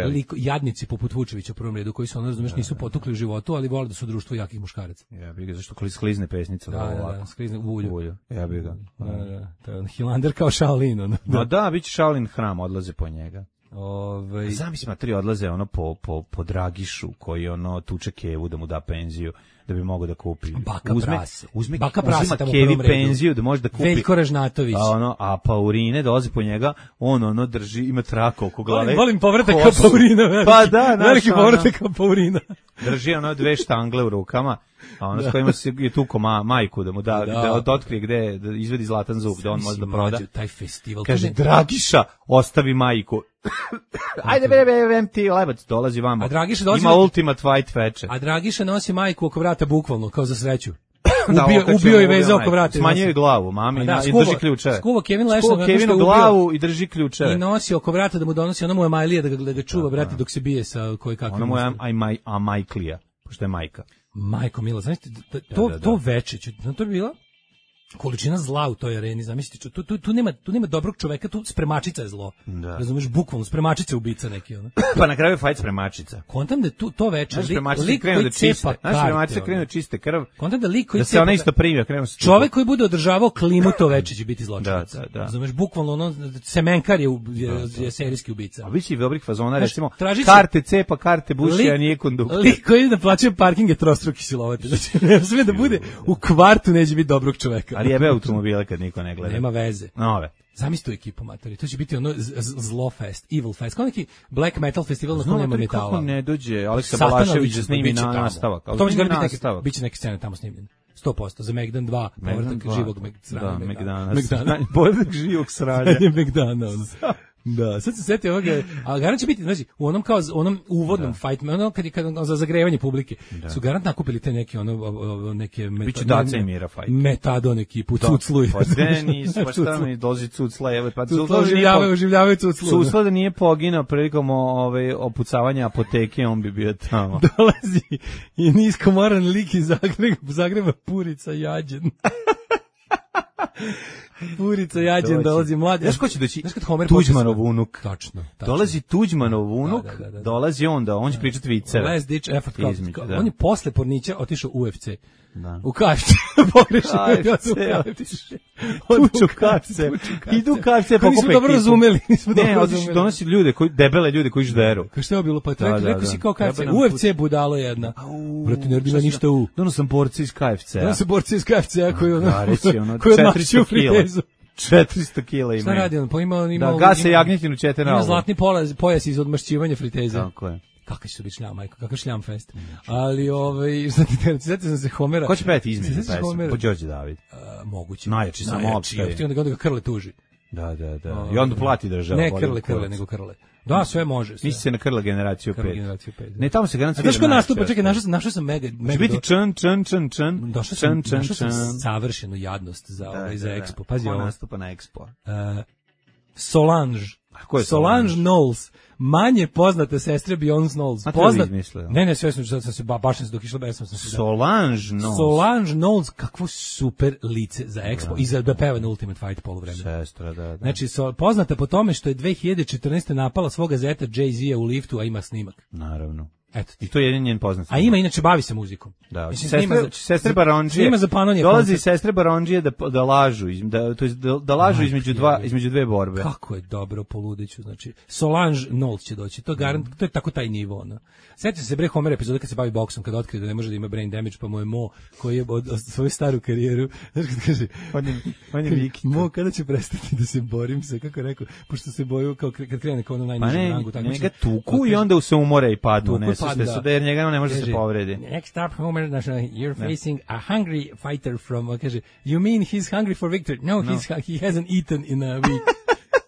oni jadnici poput Vučevića u prvom redu, koji su, ono, razumeš, nisu potukli u životu, ali vole da su društvo jakih muškaraca. Ja bih ga, zašto sklizne pesnica? Da, da, da, sklizne u ulju. ulju. Ja bih ga. Da, da, to je Hilander kao Shaolin. Ono. No da, bit će Shaolin hram, odlaze po njega. Ove... Zamisli, materi odlaze ono po, po, po Dragišu, koji ono tuče Kevu da mu da penziju, da bi mogao da kupi. Baka uzme, prase. Uzme, Baka prase uzima tamo Kevi u prvom redu. penziju da može da kupi. Veljko Ražnatović. A, ono, a Paurine dolazi po njega, on ono drži, ima traka oko glave. Volim, volim povratak ka Paurina. Veliki, pa da, naš, veliki ono, povratak ka Paurina. Drži ono dve štangle u rukama, a ono s kojima se je tuko ma, majku da mu da, da, da otkrije gde, da izvedi zlatan zub, da on može da proda. Taj festival. Kaže, Dragiša, ostavi majku. Ajde, be, be, be, ti lebac, dolazi vamo. A Dragiša dolazi... Ima ultimate white veče. A Dragiša nosi majku oko vrata bukvalno, kao za sreću. Da, ubio, okačio, ubio i vezao oko vrata. Smanjio je glavu, mami, da, i skuva, drži ključeve. Skuva Kevin Lešnog. Skuva Kevinu glavu i drži ključeve. I nosi oko vrata da mu donosi, ono mu je Majlija da ga, da ga čuva, brate, dok se bije sa koji kakvim. Ono mu je a, a Majklija, pošto je majka. Majko Mila, znaš, to, da, da, to da. veče, to bi bila količina zla u toj areni, zamislite, tu, tu, tu, nema, tu nema dobrog čoveka, tu spremačica je zlo. Da. Razumeš, bukvalno, spremačica je ubica neki. Ono. Pa na kraju je fajt spremačica. Kontam da tu, to veče, naš lik, lik koji da cepa karte. Naš spremačica krenu da čiste krv. Kontam da lik koji da se ona isto primi, krenu se čovek koji bude održavao klimu to veče će biti zločinac. Da, da, da. Razumeš, bukvalno, ono, semenkar je, je, je, je serijski ubica. A biće i dobrih fazona, recimo, traži karte cepa, karte buši, a nije konduktor. Lik koji da plaća parking je trostruki silovatelj. Znači, ne sve da bude u kvartu neće biti dobrog čoveka. Ali jebe automobile kad niko ne gleda. Nema veze. Nove. Zamisli tu ekipu, matori. To će biti ono zlo fest, evil fest. Kao neki black metal festival na kojem nema metala. Kako ne dođe Aleksa Balašević da snimi na nastavak. To će biti neke, biće neke scene tamo snimljene. sto posto za Megdan dva, povratak živog sranja. Da, Megdana. Megdana. Povratak živog sranja. Megdana, ono. Da, sad se setio ovoga, a garant će biti, znači, u onom kao onom uvodnom da. fight, ono kad je kad za zagrevanje publike, da. Su garant nakupili te neke ono neke biće Daca i Mira fight. Metadon ekipu Cuclu. Pa sve nisu, pa šta mi dozi Cucla, evo pa Cucla oživljavaju, oživljavaju Cuclu. Cucla da nije poginao prilikom ove opucavanja apoteke, on bi bio tamo. Dolazi i niskomoran lik iz Zagreba, Zagreba Purica Jađen. Purica Jađen dolazi mladi. Znaš ko će doći? Tuđmanov unuk. Tačno. Dolazi Tuđmanov unuk, da, da, da, da. Dolazi onda, on će pričati viceve. Last ditch effort. Izmić, da. On je posle Pornića otišao u U F C. Da. U K F C. Pogrešio. Tuču K F C. Idu K F C pa nismo dobro razumeli. Nismo ne, otiši donosi ljude, koji, debele ljude koji žderu. Kao što je bilo? Pa da, rekao si kao K F C. U F C budalo jedna. Brate, ne bila ništa u. Donosam borci iz K F C. Donosam borci iz K F C koji ono. Koji četiristo kila. četiristo kila ima. Šta radi on? Pa ima on ima. Da, gase jagnjetinu četiri. Ima zlatni pojas, pojas iz odmašćivanja friteze. Tako je. Kakav će to biti šljam, majko, kakav šljam fest. Ali, ovaj, znate, znate sam se Homera. Ko će pevati između pesma? Po Đorđe David. Uh, moguće. Najjači samo opšte. I onda ga Krle tuži. Da, da, da. I onda plati država. Ne Krle, Krle, nego Krle. Da, sve može. Sve. Misli se na Krle generaciju pet. Generaciju pet. Ne, tamo se garancija. Znaš ko nastupa? Čekaj, našao sam, našao sam mega, mega. Će biti čan, čan, čan, čan. Došao sam, našao sam savršenu jadnost za, ovaj, za Expo. Pazi ovo. Ko nastupa na Expo? Uh, Solange. Ko je Solange Knowles, manje poznate sestre Beyoncé Knowles. Poznat. Ne, ne, sve sam sam se ba, baš sam se dok išla besam sam se. Solange Knowles. Solange Knowles, kakvo super lice za Expo da, i za da peva na Ultimate Fight poluvremenu. Sestra, da, da. Znači, so, poznata po tome što je dve hiljade četrnaeste napala svoga zeta Jay-Z-a u liftu, a ima snimak. Naravno. Eto. I to je jedan njen poznat. A ima, inače bavi se muzikom. Da, mislim, sestre, sestre Baronđije. Ima za Panonije. Dolazi sestre Baronđije da da lažu, da to jest da, da lažu između dva između dve borbe. Kako je dobro poludeću, znači Solange Knowles će doći. To garant, to je tako taj nivo, ona. Sjetite se bre Homer epizode kad se bavi boksom, kad otkrije da ne može da ima brain damage, pa mu je Mo koji je od, od svoju staru karijeru, znači kad kaže, on je on je Vikita. Mo kada će prestati da se borim se, kako je rekao, pošto se boju kao kad krene kao na najnižem rangu, tako njega tuku i onda se umore i padnu, ne se da jer njega ne može se povredi. Next up, Homer, you're facing a hungry fighter from, kaže, you mean he's hungry for victory? No, no. He's, he hasn't eaten in a week.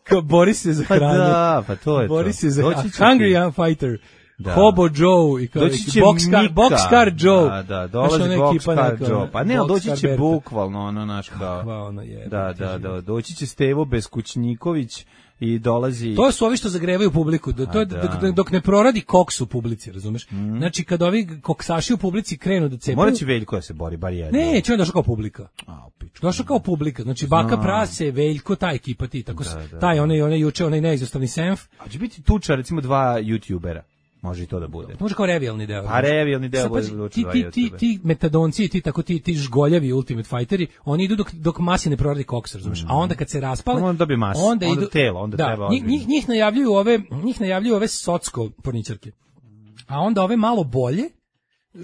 Kao bori se za hranu. Pa da, pa to je to. Bori se za hungry fighter. Da. Hobo Joe i kao Boxcar, Boxcar Joe. Da, da, dolazi Boxcar Joe. Pa ne, doći će bukvalno ono naš kao. Ono je. Da, da, da, doći će Stevo Beskućniković i dolazi. To su ovi što zagrevaju publiku. To je dok, dok ne proradi koks u publici, razumeš? Mm. Znači kad ovi koksaši u publici krenu da cepaju. Moraće Veljko da se bori bar jedno. Ne, će on došao kao publika. A, došao kao publika. Znači Baka Prase, Veljko, ta ekipa ti, tako da, da, taj onaj onaj juče onaj neizostavni senf. A će biti tuča recimo dva youtubera. Može i to da bude. Može kao revijalni deo. A revijalni deo bude pa, ti, ti, ti, ti metadonci, ti tako ti ti žgoljavi Ultimate Fighteri, oni idu dok dok masi ne proradi koks, razumeš? Mm. A onda kad se raspale, onda dobije masu, onda, onda idu telo, onda da, treba. Njih, njih, njih najavljuju ove, njih najavljuju ove socsko porničarke. A onda ove malo bolje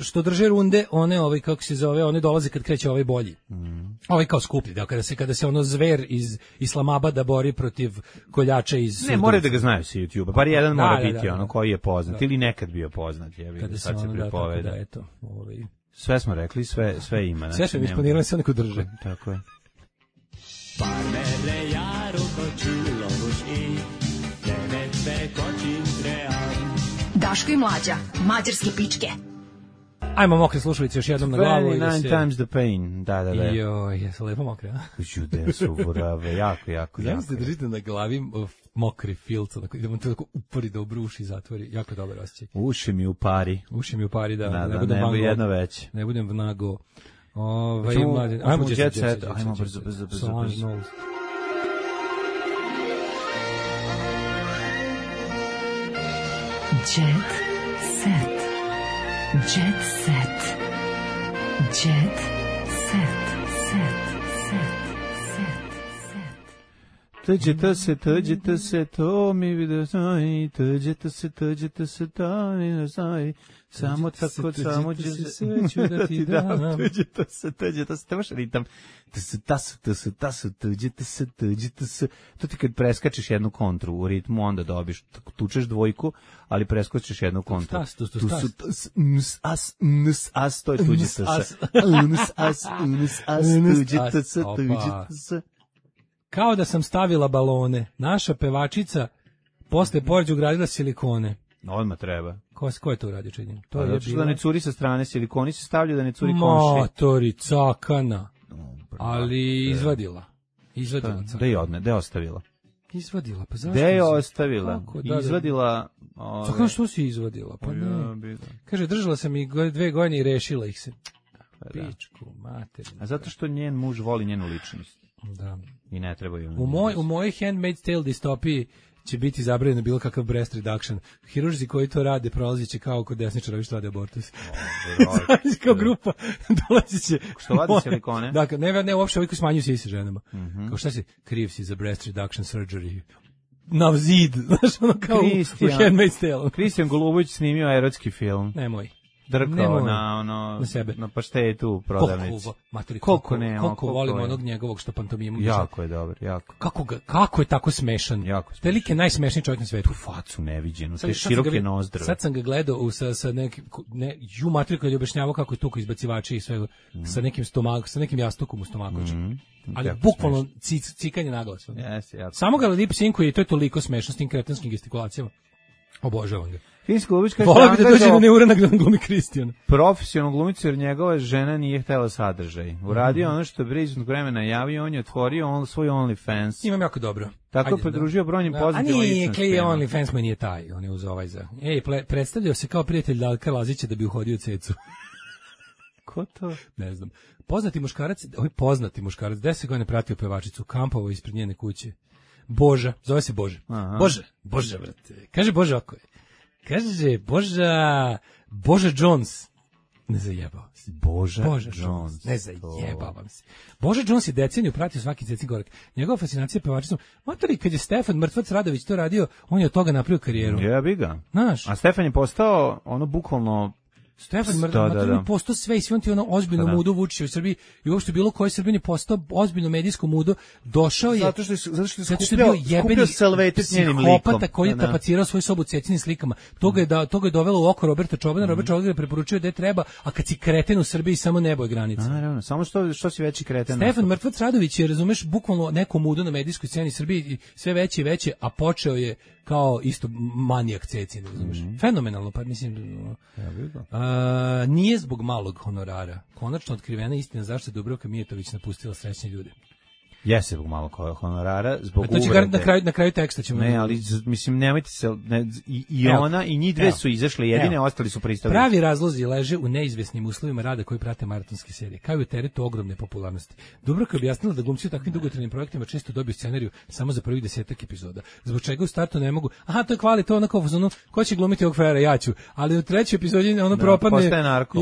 što drže runde, one ovaj kako se zove, one dolaze kad kreće ovaj bolji. Mm. Ovaj kao skuplji, da kada se kada se ono zver iz Islamabada bori protiv koljača iz Ne, mora da ga znaju sa YouTubea. Bar jedan da, mora da, biti da, da, ono koji je poznat da. ili nekad bio poznat, je kada sad se se pripoveda. Da, da, eto, ovaj. Sve smo rekli, sve sve ima, znači. Sve smo isplanirali, sve neko drže. Tako je. Daško i Mlađa, mađarske pičke. Ajmo mokre slušalice još jednom na glavu i da se... times the pain, da, da, da. Joj, jesu lepo mokre, a? Jude su vorave, jako, jako, ja jako. Ste držite na glavi mokri filc, onako, idemo to tako upori da obruši, zatvori, jako dobar osjećaj. Uši mi u pari. Uši mi u pari, da, da, ne da, budem ne vango. jedno već. Ne budem vnago. Ove, Čemo, mladen, ajmo jet jet set, set, ajmo brzo, brzo, brzo, brzo. Jet set. Jet set. Jet set. Set. Set. Tuđete se, tuđete se, to mi vidio znaj, tuđete se, tuđete se, to mi vidio znaj, samo tako, samo će se sveću da ti dam. Tuđete se, tuđete se, temaš ritam, to se, tasu, to se, tasu, tuđete se, tuđete se, to ti kad preskačeš jednu kontru u ritmu, onda dobiš, tučeš dvojku, ali preskočiš jednu kontru. Tas, tu su, tu su, ns, as, ns, as, to je tuđete se, ns, as, ns, as, tuđete se, tuđete se. Kao da sam stavila balone. Naša pevačica posle poređu ugradila silikone. Odmah treba. Ko, ko je to uradio činjenje? To pa, je bilo... da ne curi sa strane, silikoni se stavljaju da ne curi komši. Motori, cakana. Ali izvadila. Izvadila. Da je odne, da je ostavila. Izvadila, pa zašto? Gde je ostavila? Kako, da, izvadila... Ove... Cakana, što si izvadila? Pa ne. Ja, kaže, držala sam ih dve godine i rešila ih se. Pa, pičku, materinu. A zato što njen muž voli njenu ličnost. Da. I ne treba ju. U moj u mojoj Handmaid's Tale distopiji će biti zabranjeno bilo kakav breast reduction. Hirurzi koji to rade prolaziće kao kod desničara što rade abortus. Kao grupa dolaziće. Što vadi silikone? Dakle, ne ne uopšte ovi koji smanjuju sise ženama. Mm -hmm. Kao šta si kriv si za breast reduction surgery? Na zid, znaš, ono kao Christian, u Handmaid's Tale. Kristijan Golubović snimio erotski film. Nemoj. Drkao na ono na sebe. Na paštetu u prodavnici. Koliko, materi, koliko, koliko, ne, koliko koliko volimo je. onog njegovog što pantomimu. Jako je dobar, jako. Kako ga, kako je tako smešan? Jako. Veliki najsmešniji čovjek na svetu. Tu facu neviđenu, sad, te široke nozdrve. Sad sam ga gledao u, sa sa nekim ne ju materi kad je objašnjavao kako je tuko izbacivači i sve mm. sa nekim stomakom, sa nekim jastukom u stomaku. Mm. Ali jako bukvalno cic, cikanje na glas. Yes, jako. Samo ga lip sinkuje i to je toliko smešno s tim kretanskim gestikulacijama. Obožavam ga. Finski glumić kaže Volao bi da dođe na neuranak da glumi Kristijan. Profesionalno glumicu jer njegova žena nije htjela sadržaj. Uradio mm -hmm. ono što je priznog vremena javio, on je otvorio on, svoj OnlyFans. Imam jako dobro. Tako je pridružio brojnim pozitivnim ličnostima. A nije, OnlyFans mu nije taj, on je uz ovaj za... Ej, predstavljao se kao prijatelj Dalka Lazića da bi uhodio cecu. Ko to? Ne znam. Poznati muškarac, ovaj poznati muškarac, deset godina pratio pevačicu, kampovao ispred njene kuće. Boža, zove se Boža. Aha. Boža, Boža, brate. Kaže Boža ako je. Kaže Boža, Boža Jones. Ne zajebao se. Boža, Boža Jones. Jones. Ne zajebavam se. Boža Jones je deceniju pratio svaki cecin korak. Njegova fascinacija pevačicom. Matori, kad je Stefan Mrtvac Radović to radio, on je od toga napravio karijeru. Jebi ga. Znaš? A Stefan je postao ono bukvalno Stefan Mrtvac da, da, da. postao sve i svi on ti ono ozbiljno da, da. mudo Vučića u Srbiji i uopšte bilo koji Srbin je postao ozbiljno medijsko mudo, došao je zato što je, zato što je zato što je bio jebeni psihopata koji je da, da. tapacirao svoju sobu cecinim slikama. Toga je, da, toga je dovelo u oko Roberta Čobana, mm. Robert Čoban je preporučio gde treba, a kad si kreten u Srbiji samo nebo je granica. Naravno, samo što, što si veći kreten. Stefan Mrtvac Radović je, razumeš, bukvalno neko mudo na medijskoj sceni Srbiji, sve veće i veće, a počeo je kao isto manijak cecin, razumeš. Mm. Fenomenalno, pa mislim... Ja vidim. A, nije zbog malog honorara. Konačno otkrivena istina zašto je Dubravka Mijetović napustila srećne ljude. Jeste zbog malo honorara, zbog uvrede. To će na kraju, na kraju teksta ćemo... Ne, ali mislim, nemojte se... Ne, i, i evo, ona i njih dve evo, su izašle jedine, evo, ostali su pristali. Pravi razlozi leže u neizvesnim uslovima rada koji prate maratonske serije, kao i u teretu ogromne popularnosti. Dubravka je objasnila da glumci u takvim dugotrajnim projektima često dobiju scenariju samo za prvih desetak epizoda. Zbog čega u startu ne mogu... Aha, to je kvali, to onako, ono, ko će glumiti ovog frajera, ja ću. Ali u trećoj epizodi ono da, propadne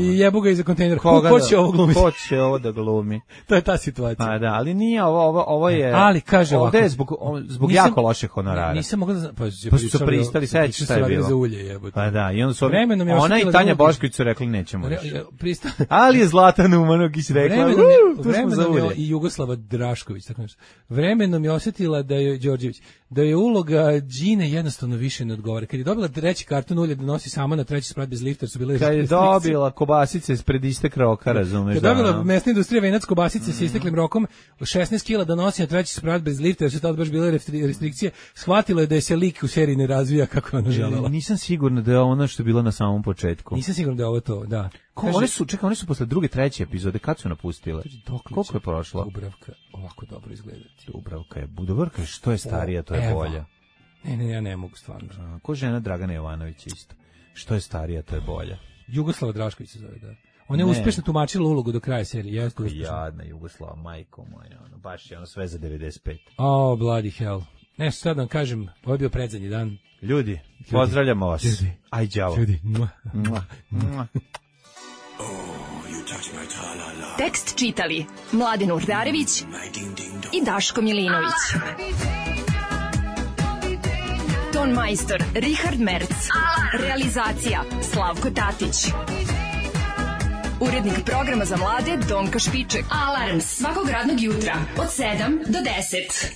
i jebu ga iza kontejnera. Koga ko će da, ovo glumiti? Ko će ovo da glumi? To je ta situacija. Pa da, ali nije ovo, ovo, ovo je... Ali kaže ovako, ovde je zbog, zbog nisam, jako loše honorara. Nisam mogla da... Pa, pa su se pristali, sad šta je bilo? Za ulje, jebote. Pa da, i onda su ona i Tanja Bošković su rekli nećemo više. Prista... Ali je Zlatan Umanović rekla, vremenom je, vremenom je i Jugoslava Drašković, tako nešto. Vremenom je osjetila da je Đorđević, da je uloga Đine jednostavno više ne odgovara. Kad je dobila treći karton ulje da nosi sama na treći sprat bez lifta, su bile... Kad je dobila kobasice ispred istek roka, razumeš? Kad je dobila mesna industrija venac kobasice sa isteklim rokom, šesnaest kila da nosi na treći sprat bez lifta, jer su tad baš bile restrikcije, shvatila je da je se lik u seriji ne razvija kako je ona želela. Nisam sigurna da je ono što je bilo na samom početku. Nisam sigurna da je ovo to, da. Ko, one su, čekaj, one su posle druge, treće epizode, kad su napustile? Koliko je prošlo? Dubravka ovako dobro izgledati. Dubravka je, Dubravka je što je starija, to je bolja. Ne, ne, ja ne mogu stvarno. A, ko žena Dragana Jovanović isto. Što je starija, to je bolja. Jugoslava Drašković se zove, da. Ona je ne. uspešno tumačila ulogu do kraja serije. Jeste uspešno. Jadna Jugoslava, majko moja, ono, baš je ono sve za devedeset pet. Oh, bloody hell. Ne, sad vam kažem, ovo je bio predzadnji dan. Ljudi, ljudi. Pozdravljamo vas. Ljudi. Aj, đavo. Ljudi. Mua. Mua. Mua. Tekst čitali Mladen Urdarević i Daško Milinović. Ton majstor Richard Merc. Realizacija Slavko Tatić. Urednik programa za mlade Donka Špiček. Alarms svakog radnog jutra od sedam do deset.